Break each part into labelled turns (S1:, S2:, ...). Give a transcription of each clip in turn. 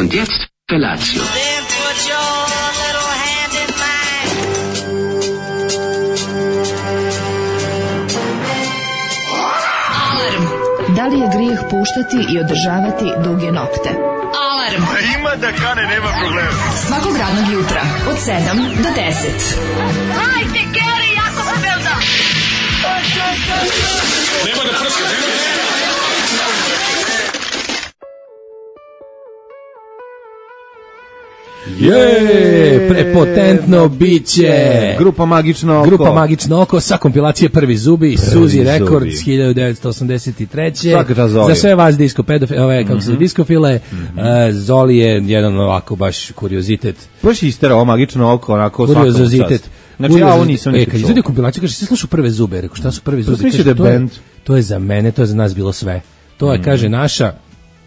S1: Und jetzt Felatio.
S2: Then put your little hand in mine.
S3: Alarm. Da li je grijeh puštati i održavati duge nokte? Alarm.
S4: Ima da kane, nema problema.
S3: Svakog radnog jutra od 7 do 10.
S2: Hajde, Geri, jako se velda.
S4: Nema da prska,
S5: prepotentno biće.
S6: Grupa Magično oko
S5: sa kompilacije Prvi zubi, Suzi Records 1983. Za sve vas disko pedofile, kako se diskofile, Zoli je jedan ovako baš kuriozitet.
S6: Baš isterao Magično oko, onako
S5: kuriozitet.
S6: Znači ja ovo nisam nikad
S5: čuo. Kad izvodi kompilaciju, kaže, se slušao Prve zube, rekao, šta su Prvi zube? To je za mene, to je za nas bilo sve. To je, kaže, naša...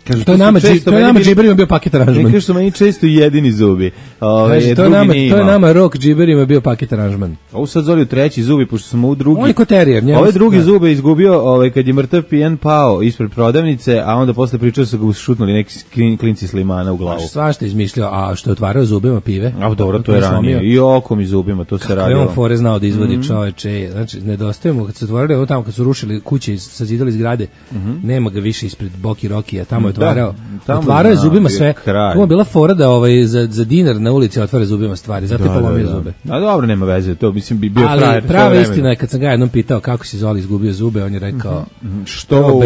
S5: Kaže, to je nama džiberima bio paket aranžman.
S6: Ne kaže su meni često jedini zubi.
S5: Kaže, to je nama rock džiberima bio paket aranžman.
S6: Ovo sad Zoli u treći zubi, pošto smo u drugi.
S5: On je koterijer.
S6: Ove drugi zube izgubio kad je mrtav pijan pao ispred prodavnice, a onda posle pričao su ga šutnuli neki klinci s limana u glavu.
S5: Svašta izmišljao, a što je otvarao zubima pive.
S6: A dobro, to je ranije. I okom i zubima, to se radilo.
S5: Kako je on fore znao da izvodi čoveče. Znači, nedostaje mu, kad se otvorili, ovo tamo kad su rušili kuće i sazidali zgrade, nema ga više ispred Boki Rokija, tamo je otvarao. Otvarao je zubima sve. To je bila fora da za dinar na ulici otvara zubima stvari, zato je polomio zube.
S6: A dobro, nema veze, to mislim bi bio frajer.
S5: Ali prava istina je kad sam ga jednom pitao kako si Zoli izgubio zube, on je rekao što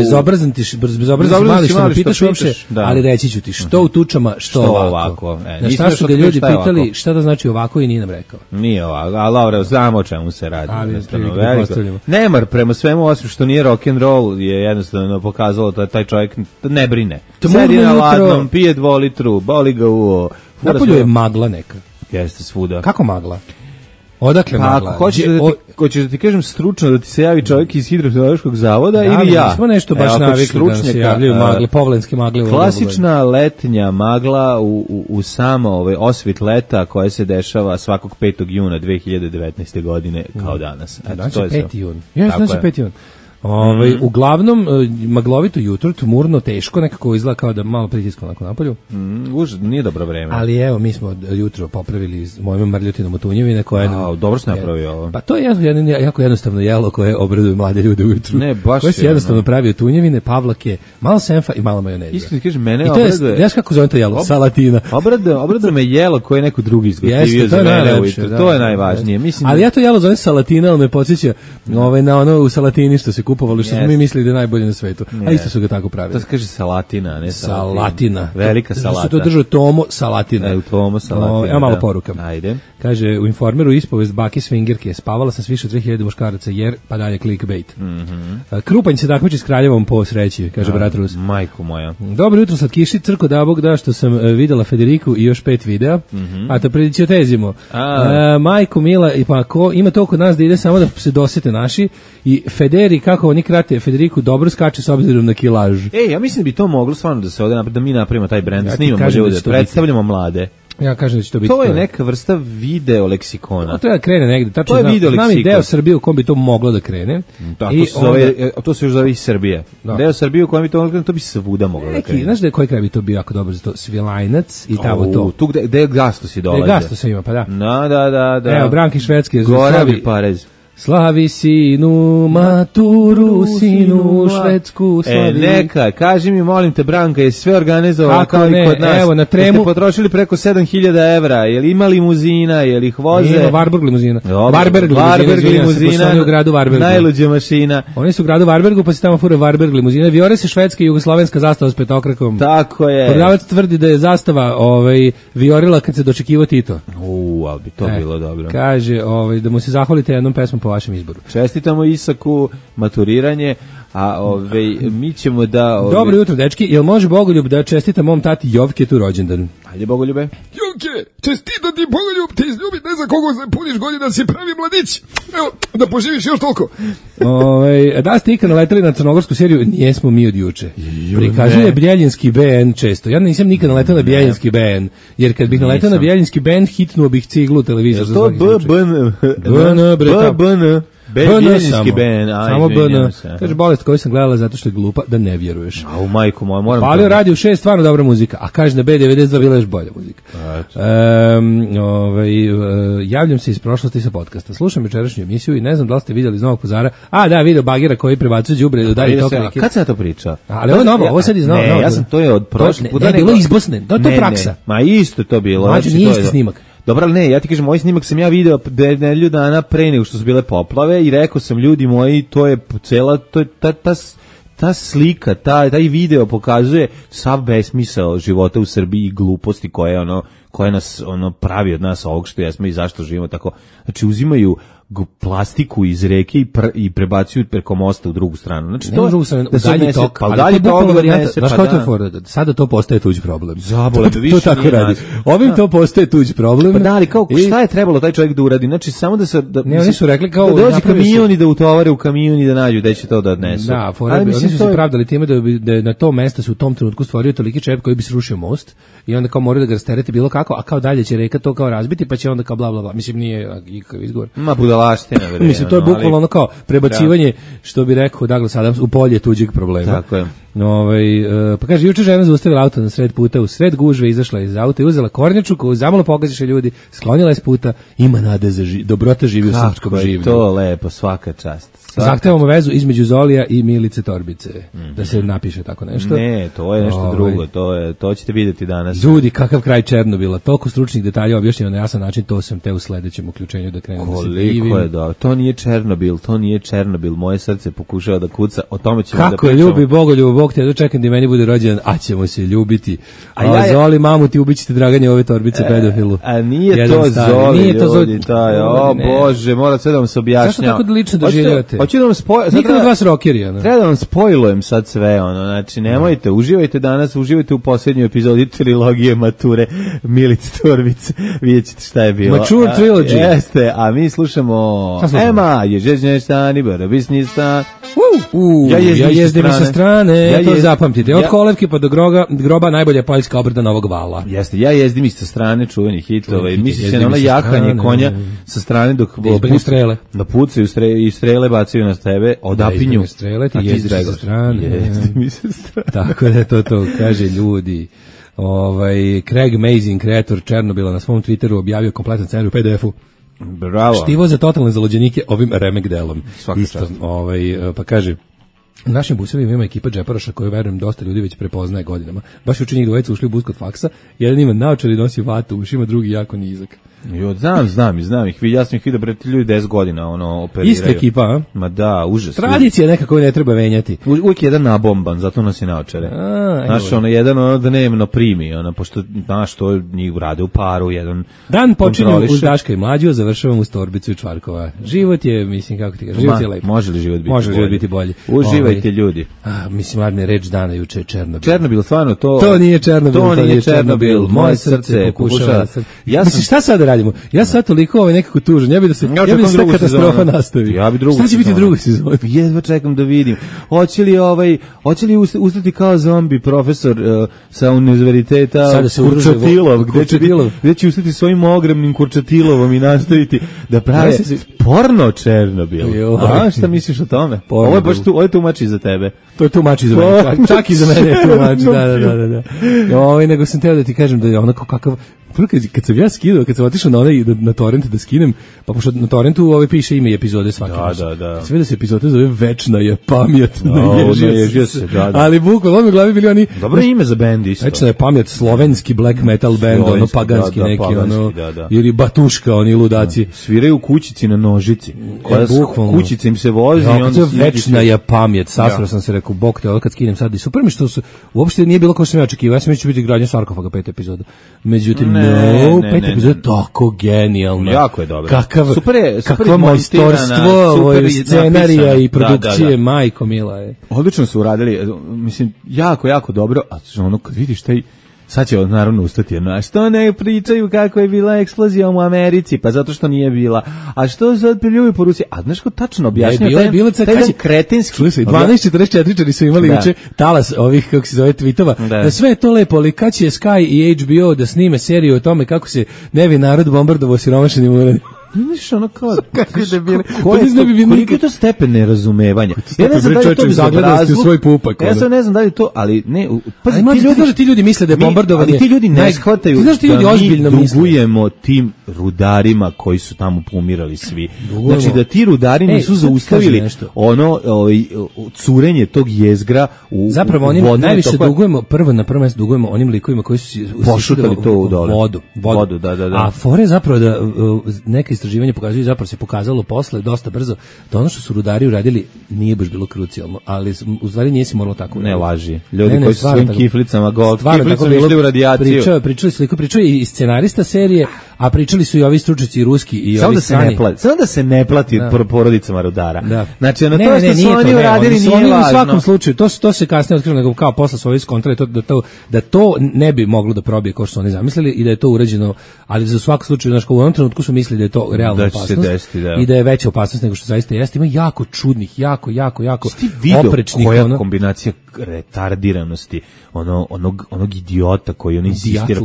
S5: bezobrazan mali što me pitaš uopšte, ali reći ću ti što u tučama, što ovako. Na šta su ga ljudi pitali šta da znači ovako i nije nam rekao.
S6: Nije ovako, ali dobro, znamo o čemu se radi. Nemar prema svemu osim što nije rock and roll je jednostavno pokazalo da taj čovjek ne brine. Sedi na ladnom, pije 2 litru, boli ga uvo.
S5: Napolju je magla neka.
S6: Jeste svuda.
S5: Kako magla? Odakle magla?
S6: Hoćeš da ti kažem stručno da ti se javi čovjek iz Hidrometeorološkog zavoda ili ja?
S5: Nismo nešto baš navikli da se javljaju magle, povlenske magle.
S6: Klasična letnja magla u samo osvit leta koja se dešava svakog 5. juna 2019. godine kao danas.
S5: Znači 5. jun. Znači 5. jun. Uglavnom maglovito jutro, tmurno, teško, nekako izgleda kao da malo pritiska onako napolju.
S6: Nije dobro vreme.
S5: Ali evo, mi smo jutro popravili mojom mrljutinom od tunjevine koje...
S6: dobro se napravio ovo.
S5: Pa to je jako jednostavno jelo koje obraduje mlade ljude ujutru.
S6: Ne, baš
S5: koje se jednostavno pravi od tunjevine, pavlake, malo senfa i malo majoneza.
S6: Iskreno kažem, mene obraduje...
S5: Znaš kako zove to jelo? Salatina.
S6: Obraduje me jelo koje neko drugi izgotivio za mene ujutru. To je najvažnije.
S5: Ali ja to jelo zove salatina, ali me podsjeća na ono u Salatini što se kupovali, što smo mi mislili da je najbolje na svetu. A isto su ga tako pravili.
S6: To se kaže salatina, ne
S5: salatina.
S6: Velika salata.
S5: Što to držao Tomo Salatina.
S6: Tomo Salatina.
S5: Evo malo poruka.
S6: Ajde.
S5: Kaže, u Informeru ispovest bake swingerke. Spavala sam s više od 3000 muškaraca jer, pa dalje clickbait. Krupanj se takmiči s kraljevom po sreći, kaže brat Rus.
S6: Majko moja.
S5: Dobro jutro, sad kiši, crko da Bog da što sam videla Federiku i još 5 videa. A to prediciotezimo. Majko Mila, i pa ko ima to kod nas da ide samo da se dosete naši. I Federi, kako oni krate, Federiku dobro skače s obzirom na kilaž.
S6: Ja mislim da bi to moglo stvarno da se ovdje, da mi napravimo taj brend, snimamo ljude, predstavljamo mlade.
S5: Ja kažem da će to biti.
S6: To je neka vrsta video leksikona.
S5: To treba da krene negde. Tačno
S6: to je video leksikon.
S5: Znam i deo Srbije u kom bi to moglo da krene.
S6: To se još zove iz Srbije. Deo Srbije u kojem bi to moglo da krene, to bi svuda moglo da krene.
S5: Znaš da je koji kraj bi to bio jako dobro za to? Svilajnac i tamo to.
S6: Tu gde je Gastos i dolaze.
S5: Gde Gastos ima, pa da.
S6: Da.
S5: Evo, Branki Švedske.
S6: Goravi Parez.
S5: Slavi sinu maturu, sinu švedsku slavi.
S6: Neka, kaži mi, molim te, Branka, je sve organizovano kao i kod nas.
S5: Evo, na Tremu.
S6: Ste potrošili preko 7000 evra, je li ima limuzina, je li ih voze?
S5: Ima Varburg limuzina.
S6: Varberg limuzina,
S5: u gradu Varbergu.
S6: Najluđa mašina.
S5: Oni su u gradu Varbergu, pa se tamo fure Varberg limuzina. Viore se švedska i jugoslovenska zastava s petokrakom.
S6: Tako je.
S5: Prodavac tvrdi da je zastava viorila kad se dočekivao Tito.
S6: Ali bi to bilo dobro.
S5: Kaže da mu se zahvalite jednom pesmom po vašem izboru.
S6: Čestitamo Isaku maturiranje, a mi ćemo da...
S5: Dobro jutro, dečki. Jel može Bogoljub da čestita mom tati Jovketu rođendan?
S6: Ajde, Bogoljube.
S4: Jovke, čestita ti Bogoljub, te izljubi, ne znam koliko se puniš godina, si pravi mladić. Evo, da poživiš još toliko.
S5: Da ste ikad naletali na crnogorsku seriju, nijesmo mi od juče. Prikazuje Bljeljinski BN često. Ja nisam nikad naletao na Bljeljinski BN, jer kad bih naletao na Bljeljinski BN, hitnuo bih ciglu televizor.
S6: To BBN. Belgijski Ben,
S5: samo BN. Kaže, bolest koju sam gledala zato što je glupa, da ne vjeruješ.
S6: A u majku moja, moram...
S5: Palio Radio 6, stvarno dobra muzika, a kaže na B92 bila još bolja muzika. Javljam se iz prošlosti sa podcasta. Slušam jučerašnju emisiju i ne znam da li ste vidjeli iz Novog Pazara. A, da, video bagera koji prebacuje đubre do dalje toga.
S6: Kad se na to priča?
S5: Ali ovo je novo, ovo sad iz Novog.
S6: Ne, ja sam to je od prošle puta.
S5: Ne, bilo iz Bosne, to je praksa.
S6: Ma isto to bilo.
S5: Znači, nije isti snimak.
S6: Dobro, ali ne, ja ti kažem, moj snimak sam ja video nedelju dana pre nego što su bile poplave i rekao sam, ljudi moji, to je cela, to je ta slika, taj video pokazuje sav besmisao života u Srbiji i gluposti koje nas pravi od nas ovog što jesmo i zašto živimo tako. Znači, uzimaju plastiku iz reke i prebacuju preko mosta u drugu stranu. Znači,
S5: to u dalji tok,
S6: pa dalji tok varijanta.
S5: Znaš kao to je fora? Sada to postaje tuđ problem.
S6: Zabole, da više
S5: to tako radi. Ovim to postaje tuđ problem.
S6: Pa da, ali kao, šta je trebalo taj čovjek da uradi? Znači, samo da se...
S5: Ne, oni su rekli kao...
S6: Da dođe kamion i da utovare u kamion i da nađu gde će to da odnesu.
S5: Da, oni su se pravdali time da na to mesto se u tom trenutku stvorio toliki čep koji bi srušio most i onda kao moraju da ga rastereti bilo kako, a kao dalje će reka to kao razbiti, pa će onda kao bla bla bla. Mislim, nije ikakav izgovor.
S6: Ma budalaština, verujem.
S5: Mislim, to je bukvalno ono kao prebacivanje, što bi rekao Douglas Adams, u polje tuđeg problema.
S6: Tako je.
S5: Pa kaže, juče žena zaustavila auto na sred puta, u sred gužve izašla iz auta i uzela kornjaču koju zamalo pogaziše ljudi, sklonila je s puta, ima nade za dobrota živi u srpskom življu.
S6: Kako je to lepo, svaka čast.
S5: Zahtevamo vezu između Zolija i Milice Torbice, da se napiše tako nešto.
S6: Ne, to je nešto drugo, to ćete vidjeti danas.
S5: Ljudi, kakav kraj Černobila, toliko stručnih detalja objašnjeno na jasan način, to sam te u sledećem uključenju da krenem da se divim.
S6: Koliko je dobro, to nije Černobil, moje srce pokušava da kuca, o tome ćemo da pričamo.
S5: Kako ljubi Bogoljubo, Bog te, dočekam da meni bude rođendan, a ćemo se ljubiti. Zoli, mamu ti ubićete Draganje ove Torbice pedofilu.
S6: A nije to Zoli, ljudi, o Bože, mora sve da vam se objašnjava.
S5: Zašto tako lično doživljavate?
S6: Hoću da vam
S5: nikad od vas rokeri,
S6: treba da vam spojlujem sad sve, znači nemojte, uživajte danas, uživajte u posljednjoj epizodi trilogije Mature Milice Torbice, vidjet ćete šta je bilo.
S5: Mature trilogy.
S6: Jeste, a mi slušamo Ema, ježežnje stani, barabisni stan.
S5: Ja jezdim sa strane, to zapamtite. Od kolevke pa do groba najbolja poljska obrada Novog Vala.
S6: Jeste, ja jezdim i sa strane čuveni hitova i misli se na ono jahanje konja sa strane dok pucaju i strele bacaju na tebe, odapinju.
S5: Strele, ti jezdiš sa strane. Tako da to kaže ljudi. Craig Mazin, kreator Černobila, na svom Twitteru objavio kompletan scenarij u PDF-u.
S6: Bravo.
S5: Štivo za totalne zalođenike ovim remek delom. Isto, pa kaže, u našim busevima ima ekipa džeparoša koju, verujem, dosta ljudi već prepoznaje godinama. Baš juče njih dvojica ušli u bus kod faksa, jedan ima naočar i nosi vatu u ušima, drugi jako nizak.
S6: Znam ih. Ja sam ih vidio pred ljudi 10 godina operiraju.
S5: Ista ekipa, a?
S6: Ma da, užas.
S5: Tradicija neka koju ne treba venjati.
S6: Uvijek jedan nabomban, zato nosi naočare. Znaš, jedan dnevno primi, pošto, znaš, to njih rade u paru, jedan
S5: dan počinjem uz Daška i Mlađu, završavam uz Torbicu i Čvarkova. Život je, mislim, kako ti kažeš, život je lepo.
S6: Može li život biti bolji?
S5: Uživajte,
S6: ljudi.
S5: Mislim, Adne, reč dana juče je Černobil.
S6: Černobil, stvarno,
S5: to nije Černobil, moje srce pokušava. Mislim, šta sad radimo? Ja sad toliko nekako tužan, ja bi da se katastrofa nastavi.
S6: Ja bi drugu
S5: sezonu. Šta će biti druga sezona?
S6: Jedva čekam da vidim. Hoće li ustati kao zombi profesor sa univerziteta Kurčatilov, gde će ustati svojim ogromnim Kurčatilovom i nastaviti da prave porno Černobil. A šta misliš o tome? Ovo je baš ovo je tumači za tebe.
S5: To je tumači za mene. Čak i za mene je tumači, da. Nego sam teo da ti kažem da je onako kakav. Kad sam ja skidao, kad sam otišao na torrent da skinem, pa pošto na torrentu piše ime epizode svake.
S6: Da.
S5: Sve da se epizode zove Večna je pamet,
S6: naježio se.
S5: Ali bukvalno mi u glavi bili oni.
S6: Dobro ime za bend isto.
S5: Večna je pamet, slovenski black metal band, paganski neki, ili Batuška, oni ludaci.
S6: Sviraju u kućici na nožici. Kućica im se vozi i onda
S5: Večna je pamet. Sasvro sam se rekao, bok te, kad skinem sad i super mi što su, uopšte nije bilo kao što sam ja očekivao. Ja sam mislio biti gradnja sarkofaga 5 epizoda. Međutim, peta epizoda je tako genijalno.
S6: Jako je dobro.
S5: Kakvo majstorstvo scenarija i produkcije, majko mila je.
S6: Odlično su uradili, mislim, jako dobro, a kad vidiš taj, sad će naravno ustati jedno, a što ne pričaju kako je bila eksplozija u Americi, pa zato što nije bila, a što sad pljuju po Rusiji, a znaš ko tačno objašnjava, taj kretenski.
S5: Slušaj, 12:44 su imali juče talas ovih, kako se zove, tweetova, da sve je to lepo, ali kad će Sky i HBO da snime seriju o tome kako se nevin narod bombardovao siromašenim uranijom.
S6: Znaš, ono kao...
S5: Kako je debili?
S6: Koliko je to stepen nerazumevanja?
S5: Ja ne znam da li to zagledanosti u svoj pupak.
S6: Ja sam ne znam da li to, ali ne...
S5: Pazi, ti ljudi misle da je bombardovanje...
S6: Ali ti ljudi ne shvataju da mi dugujemo tim rudarima koji su tamo pomirali svi. Znači da ti rudari nisu zaustavili ono curenje tog jezgra u
S5: zapravo oni najviše dugujemo, na prvo mesto dugujemo onim likovima koji su
S6: pošutali to u
S5: vodu.
S6: Da.
S5: A fore je zapravo da neke istraživanja pokazuju, zapravo se pokazalo posle dosta brzo da ono što su rudari uradili nije baš bilo krucijalno, ali u stvari nije se moralo tako.
S6: Ne laži. Ljudi koji su svojim kiflicama išli u radijaciju.
S5: Pričaju i scenarista serije, a pričali su i ovi stručnjaci ruski i ovi strani.
S6: Samo da se ne plati porodicama rudara.
S5: Da.
S6: Znači, ono to što su oni uradili nije važno.
S5: U svakom slučaju, to se kasnije otkrilo, nego kao posle su ovi skontrali da to ne bi moglo da probije kao što su oni zamislili i da je to urađeno, ali za svaku slučaju, znači, u onom trenutku su mislili da je to realna opasnost i da je veća opasnost nego što zaista jeste. Ima jako čudnih, jako oprečnih.
S6: Koja kombinacija retardiranosti onog idiota koji on insistira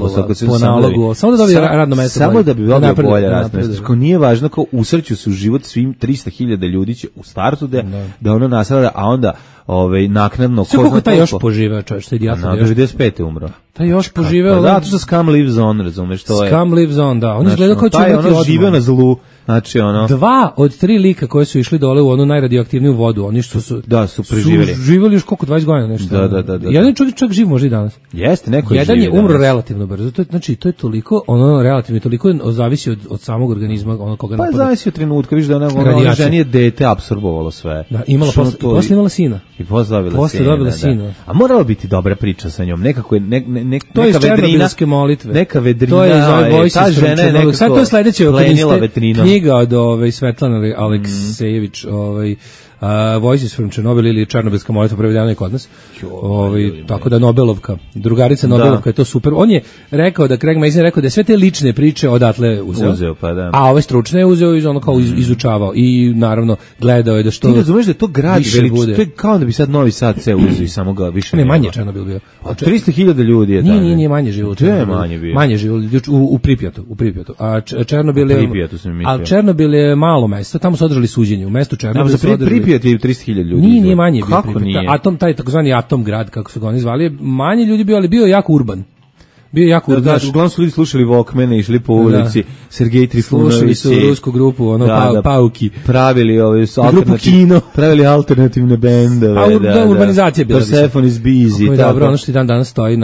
S5: po nalogu, samo da dobije radno mesto.
S6: Samo da bi dobio bolje radno mesto. Kao nije važno, kao usreću se u život svim 300.000 ljudi će u startu da ono naslada, a onda naknadno
S5: sve koliko taj još poživeo, čovječ, taj idiot.
S6: 95. umro.
S5: Taj još poživeo.
S6: Da, to što Scum lives on, razumeš, to je.
S5: Scum lives on, da. On izgleda kao
S6: taj ono živeo na zlu. Znači
S5: 2 od 3 lika koji su išli dole u onu najradioaktivniju vodu, oni što su
S6: preživjeli.
S5: Su živjeli još koliko 20 godina nešto.
S6: Da.
S5: Jedan čovjek čak živ možda i danas.
S6: Jeste, neko je
S5: jedan je umro relativno brzo. To je toliko, relativno toliko zavisi od samog organizma, koga napada.
S6: Pa zavisi od trenutka, vidiš da ona ženi je dete apsorbovalo sve.
S5: Da, posle imala sina.
S6: I posle dobila sina. A morala biti dobra priča sa njom. Nekako je
S5: to je černobilske molitve.
S6: Neka vedrina.
S5: To je
S6: ta žena je nekako.
S5: Sad to je sledeće
S6: vetrinom.
S5: Knjiga od Svetlana Aleksejević, Voices from Chernobyl ili Černobilska molitva prevedena je kod nas. Tako da Nobelovka, drugarica Nobelovka je to super. On je rekao da Craig Mazin rekao da je sve te lične priče odatle uzeo.
S6: Pa da.
S5: A ove stručne je uzeo iz ono kao izučavao i naravno gledao je da što.
S6: Ti razumeš da je to grad veliki, to je kao da bi sad Novi Sad se uzeo i samo ga više
S5: ne manje Černobil bio.
S6: 300.000 ljudi je
S5: tamo. Nije manje živo. Manje živo u Pripjatu. A Černobil je Černobil je malo mesto, tamo su održali suđenje. U mestu Černobil su održali
S6: Pripjat je 300.000 ljudi.
S5: Nije manje bio Pripjat. Taj takozvani atom grad, kako su ga oni zvali, manje ljudi bio, ali bio jako urban. Bio jako urban.
S6: Uglavnom su ljudi slušali Walkmane, išli po ulici, Sergej Trifunović.
S5: Slušali su rusku grupu, Pauki.
S6: Pravili pravili alternativne bendove.
S5: Urbanizacija bila.
S6: Persephone is busy.
S5: Dobro, ono što i dan danas stoji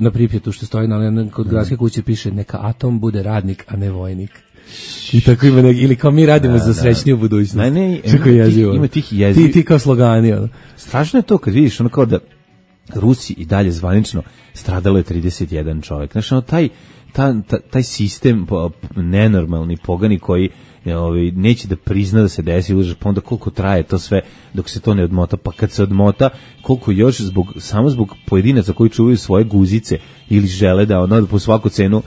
S5: na Pripjatu, što stoji kod gradske kuće, piše neka atom bude radnik, a ne vojnik. I tako ima ili kao mi radimo za srećniju budućnost.
S6: Ima tih jeziva.
S5: Ti kao slogani.
S6: Strašno je to kad vidiš ono kao da Rusi i dalje zvanično stradalo je 31 čovjek. Znači taj sistem nenormalni, pogani koji neće da prizna da se desi, pa onda koliko traje to sve dok se to ne odmota, pa kad se odmota koliko još samo zbog pojedinaca koji čuvaju svoje guzice ili žele da po svaku cenu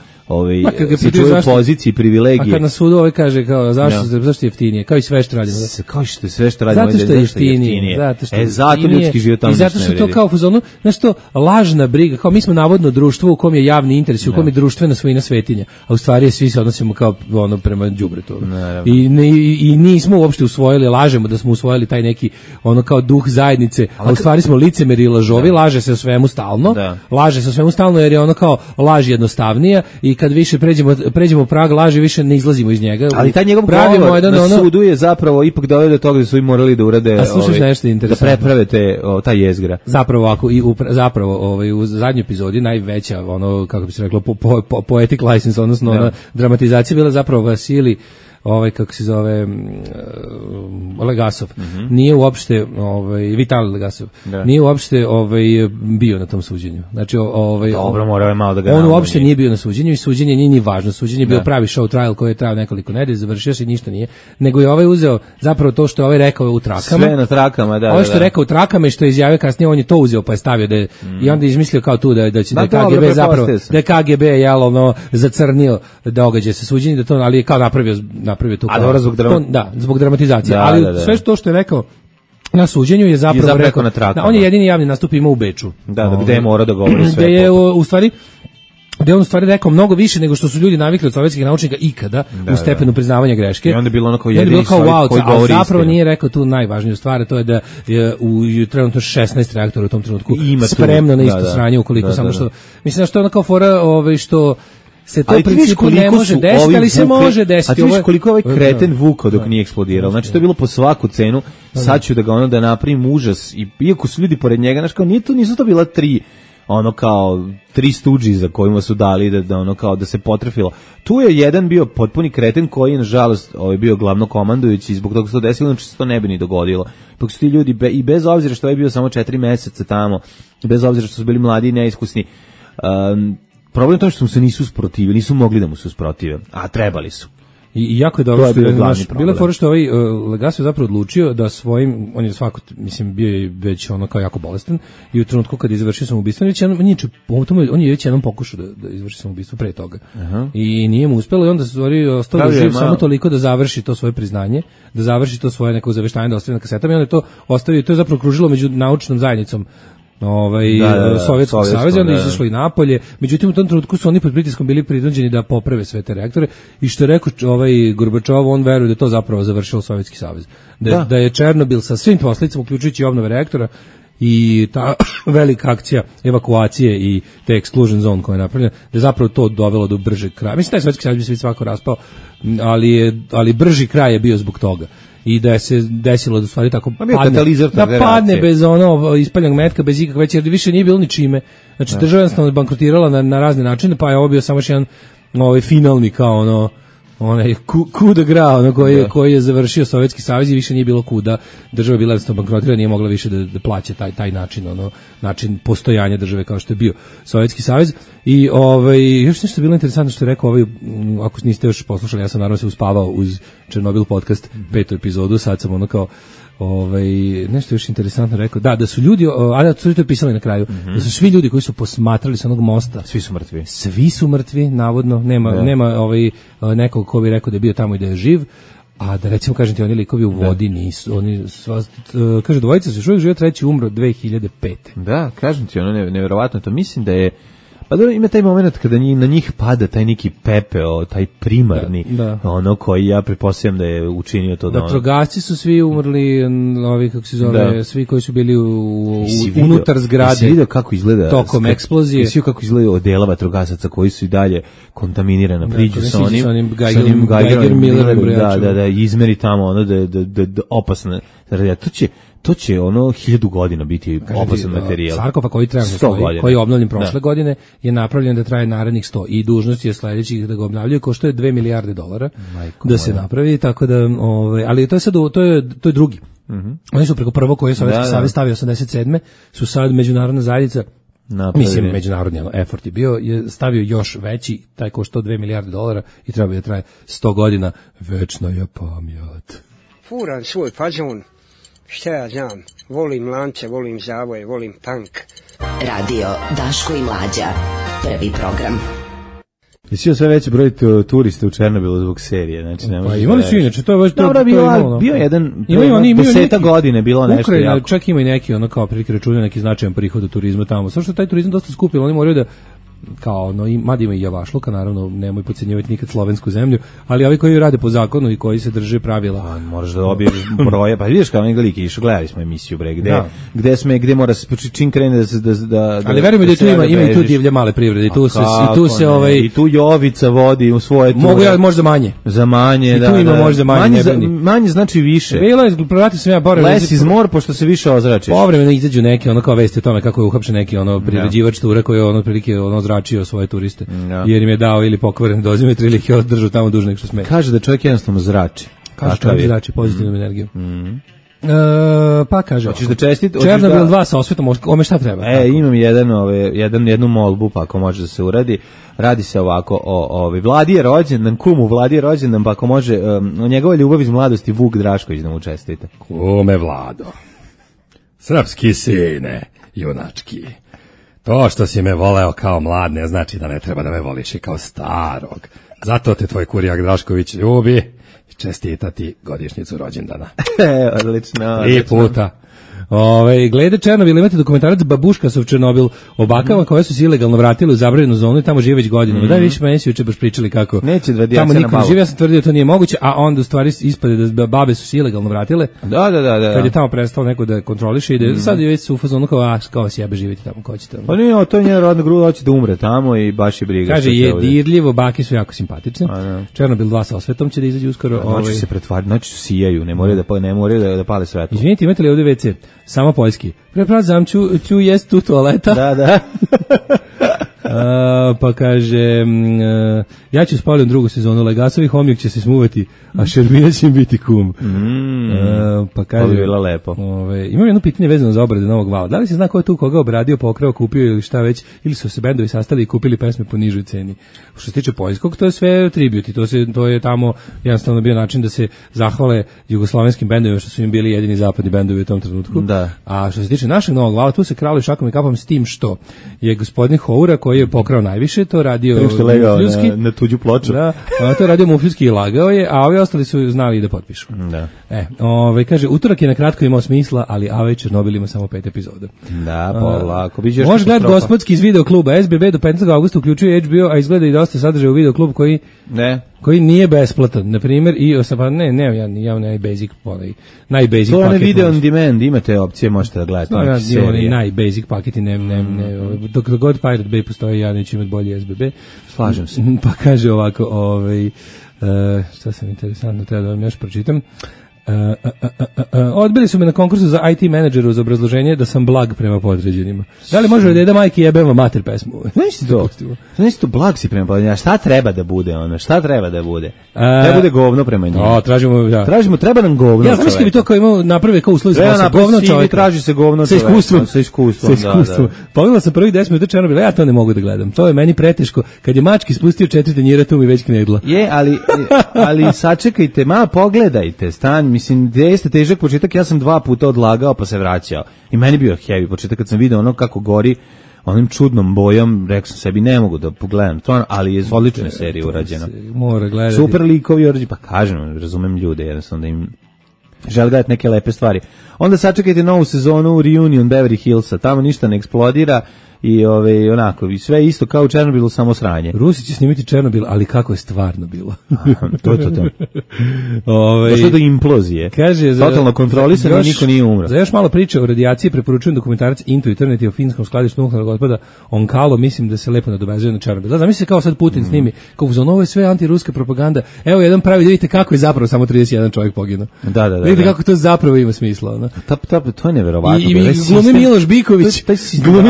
S6: se čuvaju pozicije i privilegije.
S5: A kad na sudu kaže kao zašto je jeftinije, kao i sve što radimo.
S6: Kao što je sve što radimo.
S5: Zato što je jeftinije.
S6: Zato ljudski život tamo
S5: i zato što to kao u fazonu, nešto lažna briga, kao mi smo navodno društvo u kom je javni interes, u kom je društvena svojina svetinja, a u stvari svi se odnosimo kao prema đubretu. I nismo uopšte usvojili, lažemo da smo usvojili taj neki kao duh zajednice, a u stvari smo licemeri i lažovi, laže se o svemu stalno, jer je kao laž jednostavnija i kad više pređemo prag laži, više ne izlazimo iz njega.
S6: Ali taj njegov govor na sudu je zapravo ipak doveo do toga da su i morali da urade, da preprave ta jezgra.
S5: Zapravo u zadnjoj epizodi najveća, kako bi se reklo, poetic license, odnosno dramatizacija bila zapravo Vasili, kako se zove, Legasov, nije uopšte, Vitalij Legasov, nije uopšte bio na tom suđenju. Znači,
S6: dobro, morao je malo da ga
S5: on uopšte nije bio na suđenju i suđenje nije ni važno. Suđenje je bio pravi show trial koji je trajao nekoliko nedelja, završio se i ništa nije. Nego je uzeo zapravo to što je rekao u trakama.
S6: Sve na trakama, da.
S5: Ovo što je rekao u trakama i što je izjavio kasnije, on je to uzeo pa je stavio da je, i onda je izmislio kao tu da će da KGB zapravo, da je KGB zacrnio događaj sa suđenjem, da to, ali je kao napravio tu zbog dramatizacije, ali sve to što je rekao na suđenju je zapravo rekao
S6: na trakama.
S5: On je jedini javni nastup imao u Beču.
S6: Gde je morao da govori sve.
S5: Gde je u stvari gde on u stvari rekao mnogo više nego što su ljudi navikli od sovjetskih naučnika ikada u stepenu priznavanja greške.
S6: I onda je bilo onako jedini
S5: wow,
S6: koji govori istinu.
S5: Zapravo nije rekao tu najvažniju stvar, to je da je u trenutno 16 reaktora u tom trenutku spremno na isto sranje ukoliko samo što... Mislim da što je ono kao fora što se to u principu ne može desiti, ali se može desiti.
S6: A ti vidiš koliko ovaj kreten vukao dok nije eksplodirao. Znači to je bilo po svaku cenu. Sad ću da ga da napravim užas. I iako su ljudi pored njega, znači kao nisu to bila 3 stuđi za kojima su dali da se potrefilo. Tu je jedan bio potpuni kreten koji nažalost bio glavno komandujući i zbog toga se to desilo, znači se to ne bi ni dogodilo. Dok su ti ljudi i bez obzira što je bio samo 4 meseca tamo, bez obzira što su bili mladi i neiskusni, problem je to što se nisu usprotivili, nisu mogli da mu se usprotive, a trebali su.
S5: I jako je dobro što je bila fora što Legasov zapravo odlučio da svojim, on je svako, mislim, bio je već ono kao jako bolestan i u trenutku kad je izvršio samoubistvo, on je već jednom pokušao da izvrši samoubistvo pre toga. I nije mu uspelo i onda se ostao živ samo toliko da završi to svoje priznanje, da završi to svoje neko zaveštanje da ostavi na kasetama i onda je to ostavio, to je zapravo kružilo među naučnom zajednicom Sovjetskog saveza, onda izašlo i napolje. Međutim, u tom trenutku su oni pod pritiskom bili prinuđeni da poprave sve te reaktore i što je rekao Gorbačov, on veruje da je to zapravo završilo Sovjetski savez. Da je Černobil sa svim posledicama, uključujući obnove reaktora i ta velika akcija evakuacije i te exclusion zone koja je napravljena, da je zapravo to dovelo do bržeg kraja. Mislim, taj Sovjetski savez bi se svako raspao, ali brži kraj je bio zbog toga. I da je se desilo da stvari tako padne bez ispaljenog metka, bez ikakve veće, jer više nije bilo ni čime. Znači, država jednostavno bankrotirala na razne načine, pa je ovo bio samo jedan finalni kao onaj coup de grace koji je završio Sovjetski savez i više nije bilo kuda. Država je bila jednostavno bankrotirala, nije mogla više da plaća taj način postojanja države kao što je bio Sovjetski savez. I još nešto bilo interesantno što je rekao ako niste još poslušali, ja sam naravno se uspavao uz Černobil podcast 5. epizodu, sad sam nešto još interesantno rekao, da su ljudi, to je pisali na kraju, da su svi ljudi koji su posmatrali sa onog mosta, svi su mrtvi, navodno, nema nekog ko bi rekao da je bio tamo i da je živ, a da recimo, kažem ti, oni likovi u vodi nisu, oni kaže, dvojica se još uvijek žive, treći umro 2005.
S6: Da, kažem ti, nevjerovatno, to mislim da je. Pa dobro, ima taj moment kada na njih pada taj neki pepeo, taj primarni, koji ja pretpostavljam da je učinio to da
S5: vatrogasci su svi umrli, kako se zove, svi koji su bili unutar zgrade.
S6: Jesi vidio kako izgleda
S5: tokom eksplozije?
S6: Jesi vidio kako izgleda odela vatrogasaca koji su i dalje kontaminirana, priđu sa onim
S5: Geiger Millerom,
S6: da izmeri tamo da opasno. To će 1000 godina biti opasan materijal.
S5: Sarkofag koji treba koji je obnovljen prošle godine je napravljen da traje narednih 100 i dužnost je sledećih da ga obnavljaju, košta je $2 milijarde da se napravi, tako da ali to je sad to je drugi. Oni su preko prvog koji je Sovjetski savez stavio 87. su sad međunarodna zajednica mislim, međunarodni effort je stavio još veći, taj košta $2 milijarde i treba da traje 100 godina. Večna je pamet.
S1: Furan svoj fazon. Šta ja znam, volim lance, volim zavoje, volim tank.
S7: Radio Daško i Mlađa, prvi program.
S6: Jesi sve veći broj turista u Černobilu zbog serije, znači ne može.
S5: Pa imali su inače, to je baš
S6: bio jedan 10 godine bilo nešto jako.
S5: Čak ima i neki kao prilike računaju neki značajan prihod od turizma tamo. Samo što taj turizam dosta skupio, oni moraju da kao mada ima i javašluka, naravno nemoj podcenjivati nikad slovensku zemlju, ali ovi koji rade po zakonu i koji se drže pravila.
S6: Možeš da dobiješ broje, pa vidiš kao neki liki išao, gledali smo emisiju gde mora se čim krene da
S5: ali verujemo da tu ima i tu divlje male privrede i
S6: tu Jovica vodi u svoje ture.
S5: Mogu ja možda manje.
S6: Za manje,
S5: i tu ima možda manje.
S6: Manje znači više.
S5: Bilo je, pratio sam ja povremeno.
S6: Less is more, pošto se više ozračiš.
S5: Povremeno izađu neki kao vesti o tome kako je uhapšen neki priređivač ture koji je prilike zračio svoje turiste, jer im je dao ili pokvaren dozimetri ili ih je održao tamo duže nego što sme.
S6: Kaže da čovjek jednostavno zrači.
S5: Kaže čovjek zrači pozitivnom energijom. Pa kaže,
S6: hoćeš da čestit
S5: Černobil 2 sa osvetom, ome šta treba?
S6: Imam jednu molbu, pa ako može da se uradi. Radi se ovako o Vladi je rođendan, kumu Vladi je rođendan, pa ako može o njegove ljubavi iz mladosti Vuk Drašković da mu čestite.
S8: Kume Vlado, srpski sine, junački, to što si me voleo kao mlad ne znači da ne treba da me voliš i kao starog. Zato te tvoj kurijak Drašković ljubi i čestita ti godišnjicu rođendana.
S6: Odlično.
S8: 3 puta.
S5: Glede Černobil, imate dokumentarac Babuškasov Černobil o bakama koje su se ilegalno vratile u zabranjenu zonu i tamo žive već godinama. Da, više meni si juče baš pričali kako
S6: neće
S5: tamo niko ne živi, ja sam tvrdio to nije moguće, a onda u stvari ispade da babe su se ilegalno vratile.
S6: Da.
S5: Kad je tamo prestao neko da kontroliše i da sad je već su u fazonu kao sjebe živite tamo, ko ćete.
S6: Pa nije, to je njena rodna gruda, hoće da umre tamo i baš je briga.
S5: Kaže, je dirljivo, bake su jako simpatične. Černobil 2 sa osvetom će da izađe uskoro.
S6: Noći se pretvaraju, noći su sijaju, ne moraju da pale svetlo.
S5: Izvinite, imate li ovdje WC? Samo poljski. Prepravzam ću jest tu toaleta.
S6: Da.
S5: Pa kaže, ja ću spalim drugu sezonu, Legasovi homijak će se smuvati, a Šerbina će biti kum. Pa kaže,
S6: bilo lepo.
S5: Imam jedno pitanje vezano za obrade Novog Vala. Da li se zna ko je tu koga obradio, pokrao, kupio ili šta već, ili su se bendovi sastali i kupili pesme po nižoj ceni? Što se tiče poljskog, to je sve tribute, to je tamo jednostavno bio način da se zahvale jugoslovenskim bendovima što su im bili jedini zapadni bendovi u tom trenutku.
S6: Da.
S5: A što se tiče našeg Novog Vala, tu se krali šakom i kapom s tim što je gospodin Houra koji je pokrao najviše, to radio Mufljski.
S6: Na tuđu ploču.
S5: Da, to je radio Mufljski i lagao je, a ovi ostali su znali da potpišu.
S6: Da.
S5: Kaže, utorak je na kratko imao smisla, ali A.V. Černobil ima samo 5 epizoda.
S6: Da, polako.
S5: Može gledati gospodski iz video kluba. SBB do 15. augusta uključuje HBO, a izgleda i dosta sadržaja u video klub koji nije besplatan. Na primjer, najbasic paket.
S6: To je video on demand, imate opcije, možete da gledate.
S5: Najbasic paket i dok god Pirate Bay postoji, ja neću imati bolji SBB.
S6: Slažem se.
S5: Pa kaže ovako, šta sam interesantno, treba da vam još pročitam. Odbili su me na konkursu za IT menadžera uz obrazloženje da sam blag prema podređenima. Da li može da majke jebemo mater pesmu?
S6: Znaš to blag si prema podređenima. Šta treba da bude ono? Šta treba da bude? Treba bude govno prema njima. Treba nam govno.
S5: Ja znam što bi to kao imao naprave kao uslovi za govno čovjek.
S6: Traži se govno
S5: čovjek.
S6: Sa iskustvom.
S5: Pogledao sam prvih 10 minuta Černobila, ja to ne mogu da gledam. To je meni preteško. Kad je mački spustio 4 tanjira, tu mi već knedla.
S6: Ali sačekajte, malo pogledajte, mislim, gde jeste težak početak, ja sam 2 puta odlagao pa se vraćao. I meni bio heavy početak kad sam video ono kako gori onim čudnom bojom, rekao sam sebi ne mogu da pogledam to, ali je odlična serija urađena.
S5: Mora gledati.
S6: Super likovi urađeni, pa kažem, razumem ljude, jednostavno da im žele gledati neke lepe stvari. Onda sačekajte novu sezonu Reunion Beverly Hillsa, tamo ništa ne eksplodira. I onako, i sve isto kao u Černobilu, samo sranje.
S5: Rusi će snimiti Černobil, ali kako je stvarno bilo.
S6: To. Došlo do implozije.
S5: Kaže,
S6: totalno kontrolisano, niko nije umro.
S5: Za još malo priče o radijaciji preporučujem dokumentarac Into Eternity o finskom skladištu nuklearnog otpada Onkalo, mislim da se lepo nadovezuje na Černobil. Zamisli se kao sad Putin snimi, kao ovo je sve antiruska propaganda. Evo jedan pravi, da vidite kako je zapravo samo 31 čovjek poginuo.
S6: Da.
S5: Vidite kako to zapravo ima smisla. No?
S6: To je neverovatno.
S5: I glumi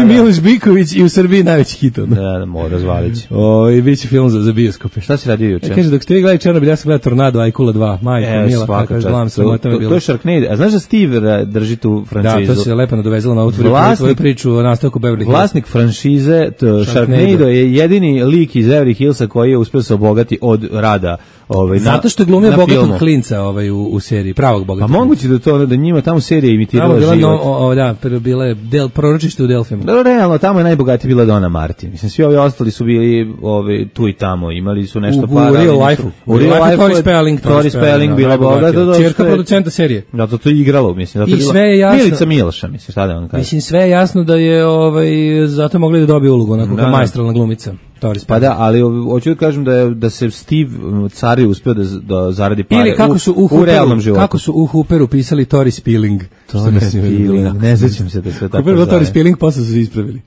S5: Miloš Biković i u Srbiji najveći hit.
S6: Da, mora razvalići.
S5: I biće film za bioskope.
S6: Šta si radio juče?
S5: Kaže, dok ste vi gledali Černobil, ja sam gledao Tornado, Ajkula 2, majko, mila, kako je gledam se.
S6: To je Sharknado. A znaš da Steve drži tu franšizu?
S5: Da, to se lepo nadovezalo na tvoju priču o nastavku Beverly Hills.
S6: Vlasnik franšize Sharknado je jedini lik iz Beverly Hillsa koji je uspio se obogati od rada.
S5: Zato što je glumio bogatog klinca u seriji, pravog bogatog.
S6: A moguće da njima tamo serija imitirala život.
S5: Da, bila je proročište u Delfima.
S6: Da, realno, tamo je najbogatija bila Donna Martin. Mislim, svi ovi ostali su bili tu i tamo, imali su nešto para.
S5: U real life-u.
S6: U real life-u
S5: Tori
S6: Spelling bila bogata.
S5: Čerka producenta serije.
S6: Da, to je igralo, mislim.
S5: I sve je jasno.
S6: Milica Miloša, mislim, šta da vam kažem.
S5: Mislim, sve je jasno da je zato mogli da dobije ulogu, onako kao maestralna glumica.
S6: Pa da, ali hoću da kažem da se Steve Cari uspio da zaradi pare
S5: ili
S6: u realnom životu.
S5: Kako su u Hooperu pisali Tori Spilling.
S6: Ne sećam se da sve tako
S5: Hooper zove. Tori Spilling, posle su se ispravili.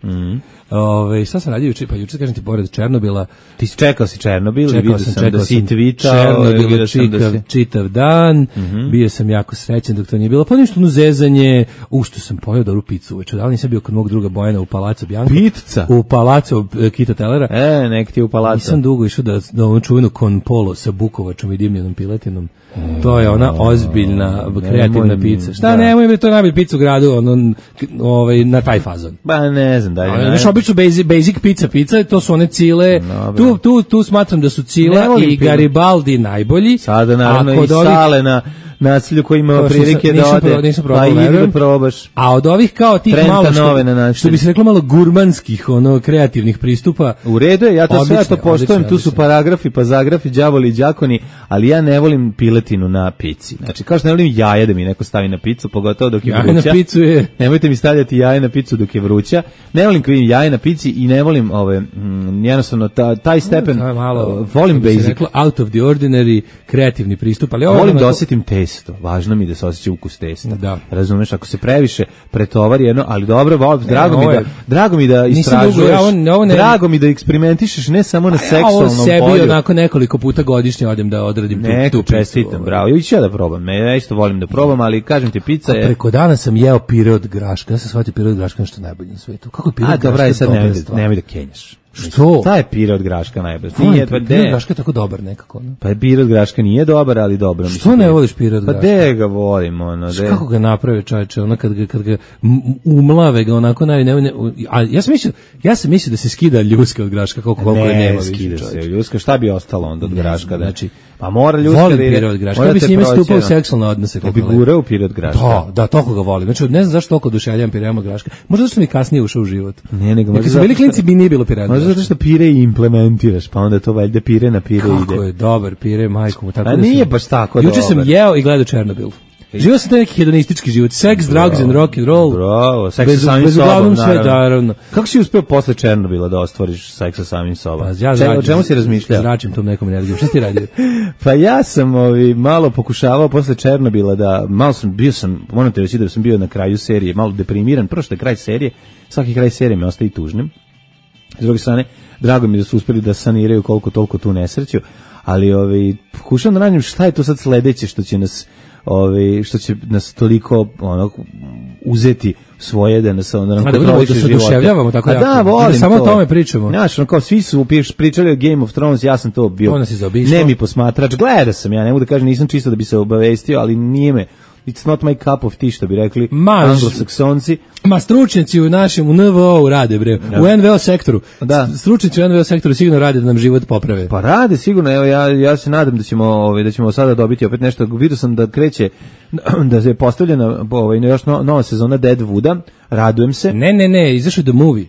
S5: Šta sam radio juče? Pa juče kažem ti, pored Černobila.
S6: Ti si čekao si Černobil i vidio sam da si tweetao.
S5: Čitav dan. Bio sam jako srećan dok to nije bilo. Pa ništa, zezanje. Što sam pojeo dobru picu uveče. Da li nisam bio kod mog druga Bojana u Palacu Bianco?
S6: Pizza?
S5: U Palacu Kita Tellera.
S6: Nek ti je u Palacu.
S5: Nisam dugo išao da ovom čuvenu Con Polo sa bukovačom i dimljenom piletinom. To je ona ozbiljna, kreativna pizza. Šta nemoj mi to najbolji pizza u gradu, na taj fazon.
S6: Ba ne znam da je.
S5: Znaš, obično basic pizza, to su one Cile. Tu smatram da su Cila i Garibaldi najbolji.
S6: Sada naravno i Sale nasilju koji ima prilike da ode, pa idi da probaš.
S5: A od ovih kao tih malo što bi se reklo malo gurmanskih, kreativnih pristupa.
S6: U redu je, ja to sve to poštujem, tu su paragrafi, pa zagrafi, đavoli i đakoni, ali ja ne volim piletinu na pici. Znači, kao što ne volim jaje da mi neko stavi na picu, pogotovo dok je vruća.
S5: Na picu je.
S6: Nemojte mi stavljati jaje na picu dok je vruća. Ne volim kad vidim jaje na pici i ne volim jednostavno taj stepen, volim basic.
S5: Rekla, out of the ordinary, kreativni pristup, ali
S6: volim da osjetim testo. Važno mi da se osjeća ukus testa. Da. Razumeš, ako se previše pretovari jedno, ali dobro, drago mi da istražuješ. Drago mi da eksperimentišeš ne samo na seksualnom polju.
S5: Ovo sebi onako nekoliko puta godišnje odem da odradim tu
S6: čestitam, bravo. Ja ću da probam. Ja isto volim da probam, ali kažem ti, pizza je...
S5: Preko dana sam jeo pire od graška. Ja sam shvatio pire od graška nešto najbolje na svetu. Kako je pire od graška?
S6: Sad nemoj da kenjaš.
S5: Što?
S6: Šta je pire od graška najbolje?
S5: Pire od graška je tako dobar nekako. No?
S6: Pa pire od graška nije dobar, ali dobro.
S5: Što ne voliš pire od graška?
S6: Pa de ga volim.
S5: Kako ga napravi čovječe? Kad ga umlave ga onako ja sam mislio da se skida ljuska od graška koliko je nema više.
S6: Ne, skida se ljuska. Šta bi ostalo onda od graška?
S5: Znači,
S6: pa mora ljuska
S5: volim pire od graška. Ja bi s njime stupao u seksualne odnose.
S6: Ja bi gurao pire od graška.
S5: Da, toliko ga volim. Znači, ne znam zašto toliko oduševljavam pireom od graška. Možda zašto mi kasnije ušao u život.
S6: Ne, nego
S5: možda. Kad su bili klinci bi nije bilo pire od graška.
S6: Možda zato što pire i implementiraš, pa onda to valjda pire na pire ide.
S5: Kako je dobar pire, majko mu.
S6: A nije baš tako dobar.
S5: Juče sam jeo i gledao Černobil. Živio sam taj neki hedonistički život, sex, drugs and rock and roll.
S6: Bravo, seks sa samim sobom, naravno. Kako si uspeo posle Černobila da ostvariš seks sa samim sobom? O čemu si razmišljao?
S5: Zračim tom nekom energijom. Šta si ti radio?
S6: Pa ja sam malo pokušavao posle Černobila da, moram ti reći da sam bio na kraju serije, malo deprimiran. Prvo što je kraj serije, svaki kraj serije me ostaje tužnim. S druge strane, drago mi da su uspeli da saniraju koliko toliko tu nesreću, ali pokušam da nađem šta je to sad sledeće što će nas toliko uzeti svoje da nas onda nam kontroliše života.
S5: Da se oduševljavamo tako jako.
S6: Da, volim
S5: samo o tome pričamo.
S6: Znaš, kao svi su pričali o Game of Thrones, ja sam to bio nemi posmatrač. Gledao sam, ja ne mogu da kažem, nisam čisto da bi se obavestio, ali nije me. It's not my cup of tea, što bi rekli anglosaksonci.
S5: Stručnjaci u našem, u NVO rade, bre. Da. U NVO sektoru. Da. Stručnjaci u NVO sektoru sigurno rade da nam život poprave.
S6: Pa rade, sigurno. Evo, ja se nadam da ćemo sada dobiti opet nešto. Vidio sam da kreće, da je postavljena još nova sezona Deadwooda. Radujem se.
S5: Ne, izašao The Movie.